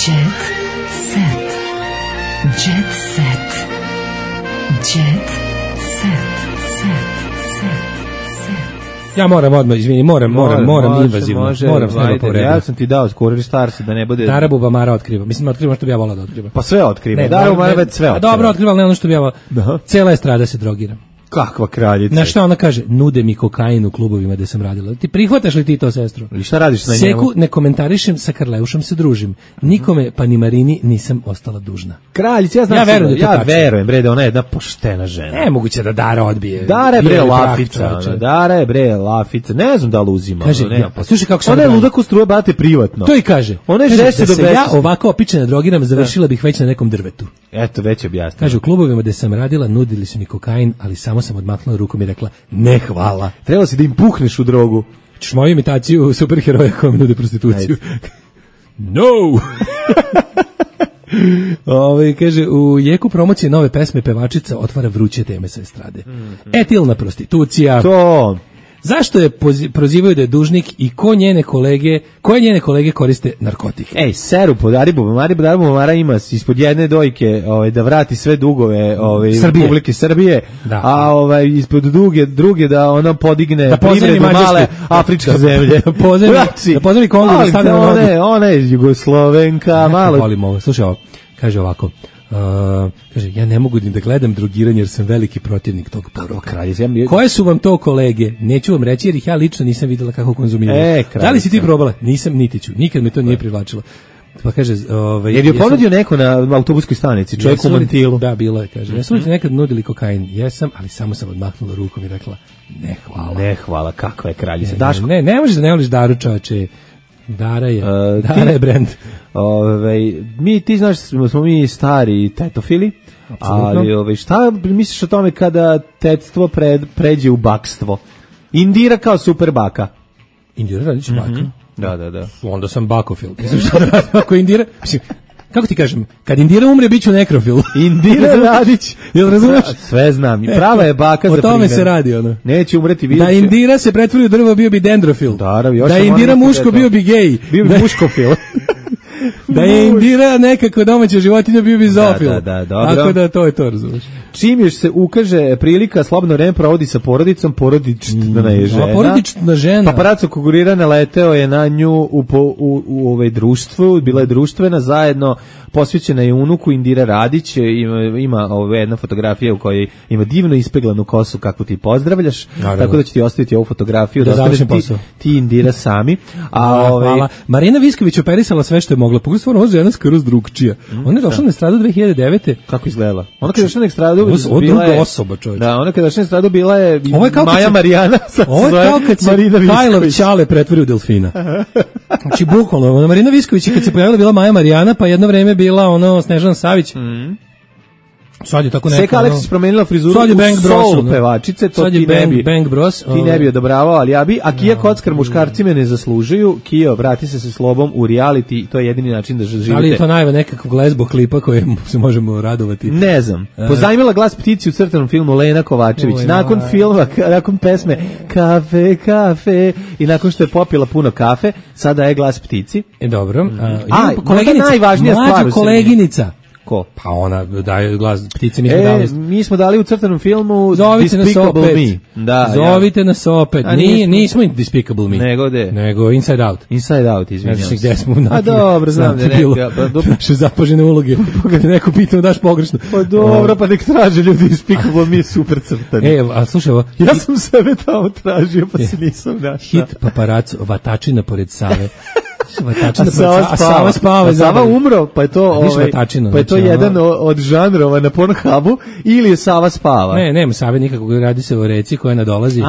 S3: Jet set. Jet set. Jet set.
S5: Ja moram odmah, izvini, moram invazivno. Moram s nema povredu.
S6: Ja sam ti dao Kurir Starsa da ne bude...
S5: Dara Bubamara otkriva. Mislim, otkriva što bi ja volao da otkriva.
S6: Pa sve otkriva. Dara Bubamara već sve otkriva.
S5: Dobro, otkriva, ali ne ono što bi ja volao. Cela estrada se drogira.
S6: Kakva kraljica.
S5: Na šta ona kaže? Nude mi kokain u klubovima gde sam radila. Ti prihvataš li ti to, sestro?
S6: I šta radiš na njemu?
S5: Seku ne komentarišem, sa Karleušom se družim. Nikome, pa ni Marini, nisam ostala dužna.
S6: Kraljica, ja verujem, bre, da ona je jedna poštena žena.
S5: Nemoguće da Dara odbije.
S6: Dara je bre lafica. Ne znam da li uzima.
S5: Kaže, pa slušaj kako se
S6: ona je ludak u struje, bate privatno.
S5: To i kaže.
S6: Ona je žešće do
S5: ja ovako opičena drogiram, završila bih već na nekom drvetu.
S6: Eto, već objasnila.
S5: Kaže, u klubovima gde sam radila, nudili su mi kokain, ali samo sam odmahnula rukom i rekla, ne hvala.
S6: Trebalo si da im puhneš u drogu.
S5: Češ moju imitaciju superheroja koja mi nude prostituciju. No! Kaže, u jeku promocije nove pesme pevačica otvara vruće teme sa estrade. Etilna prostitucija.
S6: To...
S5: Zašto je prozivaju da je dužnik i koje njene kolege koriste narkotik?
S6: Seru po Dari Bubamara ima ispod jedne dojke da vrati sve dugove Republike Srbije, a ispod druge da ona podigne privredu male afričke zemlje.
S5: Da pozemi Kongo da stavlja na nogu.
S6: Ona je Jugoslovenka, malo.
S5: Volim ovo, slušaj ovo, kaže ovako. Kaže, ja ne mogu da gledam drogiranje jer sam veliki protivnik tog poroka. Koje su vam to kolege? Neću vam reći jer ih ja lično nisam videla kako konzumiraju. Da li si ti probala? Nisam, niti ću. Nikad me to nije privlačilo. Pa kaže,
S6: jer je ponudio neko na autobuskoj stanici, čovjek u mantilu.
S5: Da, bilo je, kaže. Jesu li ti nekad nudili kokain? Jesam, ali samo sam odmahnula rukom i rekla, ne hvala.
S6: Ne hvala, kakva je kraljica.
S5: Ne možeš da ne voliš Daru, čoveče. Dara je brand.
S6: Ti znaš smo mi stari tetofili, ali šta misliš o tome kada tetstvo pređe u bakstvo? Indira kao super baka.
S5: Indira radići baka?
S6: Da.
S5: Onda sam bakofil. Mislim šta da radim ako Indira? Mislim, kako ti kažem, kad Indira umre, bit ću nekrofil.
S6: Indira Radić.
S5: Jel razumeš?
S6: Sve znam. Prava je baka za primjer.
S5: O tome se radi, ono.
S6: Neće umreti, vidjet će.
S5: Da Indira se pretvori u drvo, bio bi dendrofil. Da Indira muško, bio bi gej.
S6: Bio bi muškofil.
S5: Da je Indira nekako domaća životinja, bio bi zoofil.
S6: Da, dobro.
S5: Tako da to je to, razumiješ.
S6: Čim još se ukaže prilika, slobodno vreme provodi sa porodicom, porodična je žena.
S5: Porodična žena.
S6: Paparaco konkurirana leteo je na nju u ovaj društvu, bila je društvena, zajedno posvećena je unuku Indira Radić, ima jedna fotografija u kojoj ima divno ispeglanu kosu kakvu ti pozdravljaš, tako da ću ti ostaviti ovu fotografiju da
S5: završim posao.
S6: Ti Indira sami.
S5: Hvala. Marina Visković operisala sve što je mogla. Pogledaj, stvarno, ova žena skroz drugčija. Ona je došla na estradu 2009.
S6: Kako izgledala? Ona kada je došla na estradu
S5: bila je... druga osoba, čovječ.
S6: Da, ona kada je došla na estradu bila je Maja Marijana.
S5: Ovo je kao kad se Kajlov Ćale pretvori u delfina. Znači, bukvalno, Marina Visković kad se pojavila bila Maja Marijana, pa jedno vreme bila Snežana Savić. Sad je tako neko.
S6: Seka Aleksis promenila frizuru u soul pevačice, to ti ne bi odobravao, ali ja bi. A Kija Kockar, muškarci me ne zaslužuju. Kio, vrati se sa slobom u reality, to je jedini način da živite.
S5: Ali je to najva nekakvog lesbo klipa koje se možemo radovati.
S6: Ne znam. Pozajmila glas ptici u crtanom filmu Lena Kovačević. Nakon filma, nakon pesme Kafe i nakon što je popila puno kafe, sada je glas ptici.
S5: Dobro.
S6: Koleginica, najvažnija stvar.
S5: Koleginica.
S6: Ko?
S5: Pa ona daje glas ptice,
S6: mi smo dali u crtanom filmu
S5: Zovite
S6: Despicable Me.
S5: Da, zovite nas opet. Nismo Despicable Me. Nego Inside Out.
S6: Inside Out, izvinjam se.
S5: Gde smo
S6: dobro, znam da je
S5: naše zapažene uloge. Kad neko pitao daš pogrešno.
S6: Pa dobro, pa nek traže ljudi Despicable Me, super crtani.
S5: A slušaj ovo.
S6: Ja sam sebe tamo tražio, pa se nisam našao.
S5: Hit Paparaco, Vatačina pored Save.
S6: Sava umro, pa je to jedan od žanrova na Pornhubu, ili je Sava spava?
S5: Ne, nema Save nikakvog, radi se o reci koja nadolazi.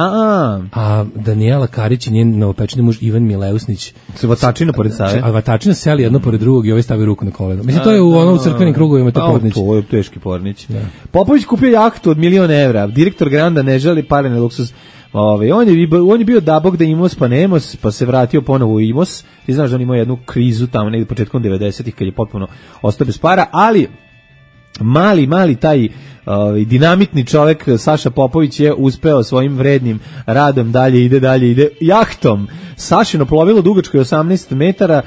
S5: A Danijela Karić i njen novopečeni muž Ivan Mileusnić.
S6: Vatačina pored Save?
S5: A Vatačina seli jedno pored drugog i ovaj stavi ruku na koleno. Mislim, to je u crkvenim krugovima to pornić.
S6: To je teški pornić. Popović kupio jahtu od 1.000.000 evra. Direktor Granda ne želi pare na luksuz. On je bio dabog da Imos pa Nemos, pa se vratio ponovo u Imos. Ti znaš da on imao jednu krizu tamo negdje početkom 90-ih kad je potpuno ostao bez para, ali mali taj dinamitni čovjek Saša Popović je uspeo svojim vrednim radom dalje ide jahtom. Sašino plovilo dugačko je 18 metara,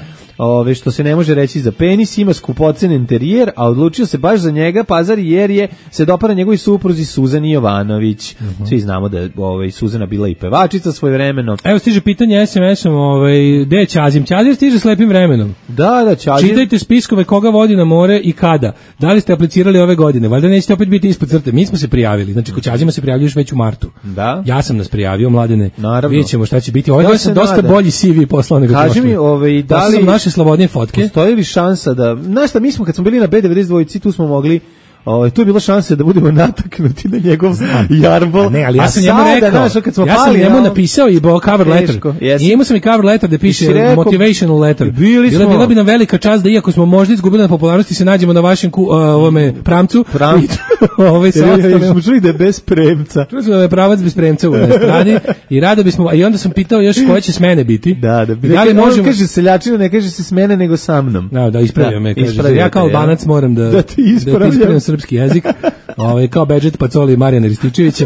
S6: što se ne može reći za penis, ima skupocen interijer, a odlučio se baš za njega Pazar jer se dopada njegovi supruzi Suzani Jovanović. Svi znamo da je Suzana bila i pevačica svojevremeno.
S5: Evo stiže pitanje SMS-om, gde je Ćazim? Ćazim stiže s lepim vremenom.
S6: Da, Ćazim.
S5: Čitajte spiskove koga vodi na more i kada. Da li ste aplicirali ove godine? Valjda nećete opet biti ispod crte. Mi smo se prijavili. Znači, kod Ćazima se prijavljuješ već u martu.
S6: Da.
S5: Ja sam nas prijavio, Mladene.
S6: Naravno.
S5: Vidjet ćemo šta će biti. Ovo sam dosta bolji CV poslao nego
S6: prošli. Kaži mi, da li
S5: naše slobodnije fotke?
S6: Postoji li šansa da, znaš šta, mi smo kad smo bili na B92, tu smo mogli, tu je bilo šanse da budemo nataknuti na njegov jarbol.
S5: Ne, ali ja sam njemu rekao, ja sam njemu napisao i cover letter. I imao sam i cover letter da piše motivational letter. Bila bi nam velika čast da iako smo možda izgubili na popularnosti se nađemo na vašem pramcu.
S6: Smo čuli da je bez premca.
S5: Čuli smo da je pravac bez premca u strani i rado bismo, i onda sam pitao još koje će smene biti.
S6: Da li možemo... kaže seljačina, ne kaže se smene nego sa mnom.
S5: Da, ispravio me. Ja kao Albanac moram da ti ispravljam srpski jezik, kao Bedžet Pacoli i Marijana Rističevića.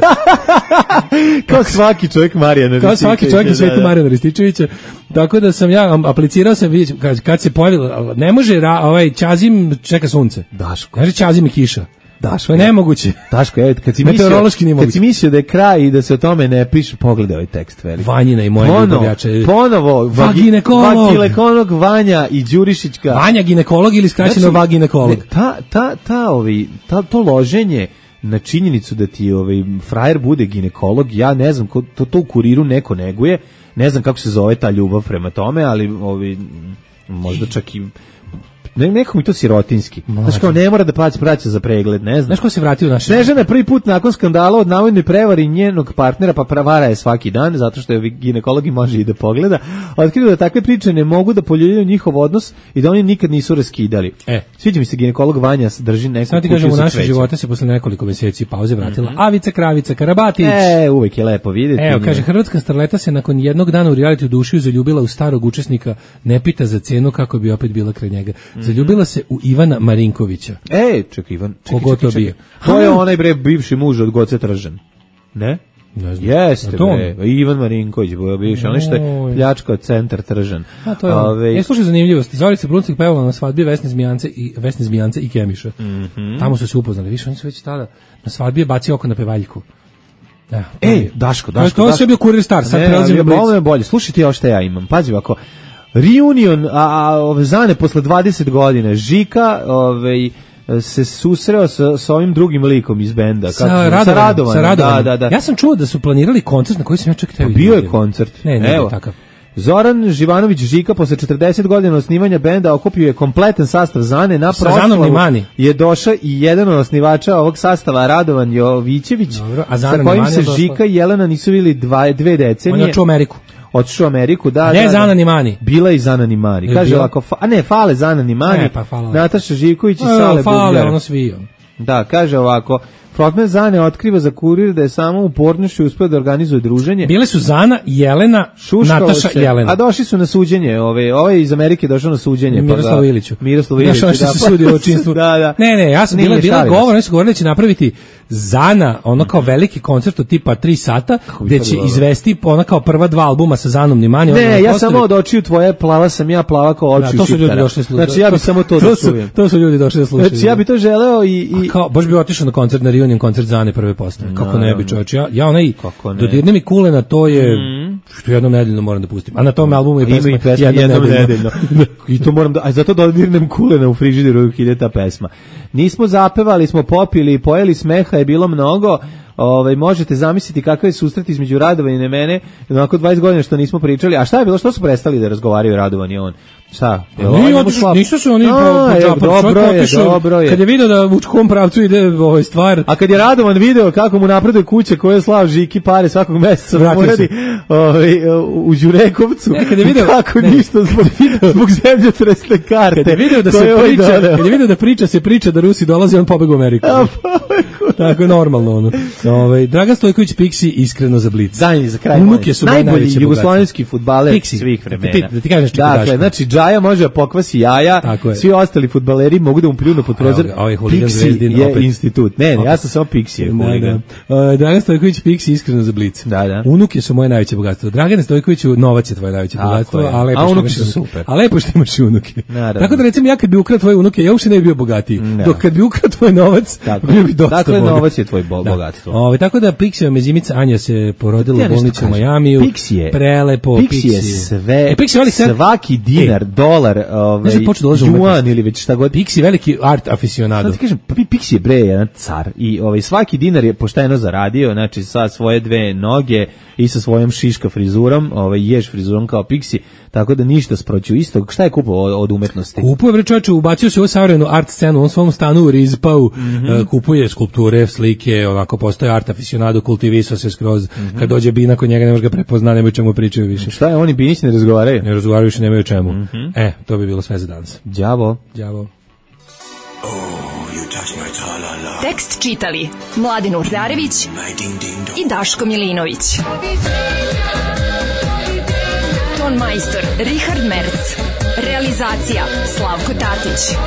S6: Kao svaki čovjek Marijana Rističevića.
S5: Kao svaki čovjek u svetu Marijana Rističevića. Tako da sam ja aplicirao sam, kad se pojavilo, ne može, Ćazim čeka sunce.
S6: Daško.
S5: Kaže Ćazim i kiša.
S6: Daško,
S5: je nemoguće.
S6: Daško, kad si mislio da je kraj i da se o tome ne piše, pogledaj ovaj tekst veliki.
S5: Vanjina i moja ljubavljača.
S6: Ponovo, vaginekolog Vanja i Đurišićka.
S5: Vanja ginekolog ili skraćeno vaginekolog.
S6: To loženje na činjenicu da ti frajer bude ginekolog, ja ne znam, to u Kuriru neko neguje, ne znam kako se zove ta ljubav prema tome, ali možda čak i nekako mi to sirotinski. Znaš kao ne mora da plaća za pregled, ne znam.
S5: Znaš ko se vratio u naše...
S6: Snežana prvi put nakon skandala od navodne prevari njenog partnera, pa pravara je svaki dan, zato što je ginekolog i može i da pogleda, otkrio da takve priče ne mogu da poljuljaju njihov odnos i da oni nikad nisu raskidali. Sviđa mi se ginekolog Vanja drži neku
S5: kuću sa cvećem. U naše živote se posle nekoliko mjeseci pauze vratila Avica Kravica Karabatić.
S6: Uvijek je lepo vidjeti.
S5: Evo, kaže, hrvatska starleta se nakon jednog dana u reality dušiju zaljubila u starog učesnika, ne pita za cenu kako bi opet bila kraj njega. Zaljubila se u Ivana Marinkovića.
S6: Čekaj, Ivan.
S5: Kogo to bio?
S6: To je onaj bivši muž od Goce Tržan. Ne?
S5: Ne znam.
S6: Jeste, Ivan Marinković, bivši, onaj što je pljačkao centar Tržan.
S5: To je. Slušaj zanimljivosti. Zorica Bruncik pevala na svadbi Vesne Zmijance i Kemiša. Tamo su se upoznali. Više, oni su već tada na svadbi je bacio oko na pevaljku.
S6: Daško.
S5: To je sve bio Kurir Star, sad prelazim na Blic.
S6: Ovo je bolje. Slušaj ti ovo što ja imam. Pazi ovako. Reunion, Zane posle 20 godina. Žika, se susreo sa ovim drugim likom iz benda.
S5: Sa Radovanom. Da. Ja sam čuo da su planirali koncert na koji sam ja čak teo.
S6: Bio je koncert.
S5: Ne, takav.
S6: Zoran Živanović Žika posle 40 godina osnivanja benda okupio je kompletan sastav Zane. Na proslavu je došao i jedan od osnivača ovog sastava, Radovan Jovićević, sa kojim se Žika i Jelena nisu vidjeli 2 decenije.
S5: On je otišao u Ameriku.
S6: Otišao u Ameriku, da.
S5: Ne, Zana ni Mani.
S6: Bila i Zana ni Mani. Kaže ovako, fale Zana ni Mani, Nataša Živković i Sale Bugler.
S5: Fale, ono svi.
S6: Da, kaže ovako, frontman Zane otkriva za Kurir da je samo u Pornišu uspeo da organizuje druženje.
S5: Bile su Zana, Jelena, Nataša i Jelena.
S6: A došli su na suđenje, ovaj iz Amerike došao na suđenje.
S5: Miroslav Iliću.
S6: Da,
S5: što se sudio o činstvu.
S6: Da.
S5: Ne, ja sam bila govor, oni su govorili da će napraviti Zana, ono kao veliki koncert od tipa 3 sata, gde će izvesti ona kao prva 2 albuma sa Zanom ni Mani.
S6: Ne, ja samo od očiju tvoje, plava sam ja, plava kao oči.
S5: To su ljudi došli slušati.
S6: Znači ja bih samo to da čujem.
S5: To su ljudi došli da slušaju.
S6: Znači ja bih to želeo i
S5: kao baš bi otišao na koncert, na reunion koncert Zane prve postave. Kako ne bi, čoveče. Ja onaj dodirne mi kulena, to je što jednom nedeljno moram da pustim. A na tom albumu je pesma jednom nedeljno.
S6: I to moram da, a zato dodirnem kulena u frižideru ide ta pesma. Nismo zapevali, smo popili, pojeli, smeha je bilo mnogo. Možete zamisliti kakav je susret između Radovana i mene, onako 20 godina što nismo pričali. A šta je bilo, što su prestali da razgovaraju Radovan i on? Šta?
S5: Nisu se oni
S6: dobro je.
S5: Kad je video da u kom pravcu ide stvar.
S6: A kad je Radovan video kako mu napreduje kuća koju je slao Žiki pare svakog meseca da uradi u Đurekovcu,
S5: kad je video
S6: kako ništa zbog zemljotresne karte.
S5: Kad je video da se priča da Rusi dolaze, on pobegao u Ameriku. Tako je normalno ono. Dragan Stojković Pixi iskreno za Blic.
S6: Dalje za kraj.
S5: Unuke su
S6: najbolji jugoslovenski fudbaler svih vremena.
S5: Da ti kažeš čega.
S6: Dakle, znači Džaja može da pokvasi jaja, svi ostali fudbaleri mogu da mu pljunu pod prozor. Pixi je institut. Ne, ja sam samo Pixi.
S5: Dragan Stojković Pixi iskreno za Blic. Unuke su moje najveće bogatstvo. Dragan Stojkoviću novac je tvoje najveće bogatstvo, a unuke su super. A lepo što imaš unuke. Tako da recimo ja kad bi ukrao tvoje unuke, ja uopšte ne bi bio bogatiji. Dok kad bi ukrao tvoj novac, bio bi dosta bogat.
S6: Dakle, novac je tvoj bogatstvo.
S5: Tako da Pixijeva mezimica Anja se porodila u bolnici u Majamiju. Prelepo.
S6: Pixi je sve, svaki dinar, dolar, juan ili već šta god.
S5: Pixi veliki art aficionado.
S6: Sad ti kažem, Pixi je bre jedan car i svaki dinar je pošteno zaradio, znači sa svoje 2 noge i sa svojom šiška frizurom, ješ frizurom kao Pixi, tako da ništa sproću istog. Šta je kupovao od umetnosti?
S5: Kupuje, bre čovječe, ubacio se u savremenu art scenu, on svom stanu u Rizpau, kupuje skulpture, slike, onako postoje art aficionado, kultivisao se skroz, kad dođe Bina kod njega ne može ga prepozna, nemaju čemu pričaju više.
S6: Šta je, oni Binić ne razgovaraju?
S5: Ne razgovaraju više, nemaju čemu. To bi bilo sve za danas.
S6: Đavo.
S3: Tekst čitali Mladin Urdarević i Daško Milinović. Ton majstor Richard Merc. Realizacija Slavko Tatić.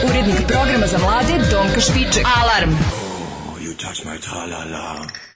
S3: Urednik programa za mlade Donka Špiček. Alarm! You touch my tra-la-la.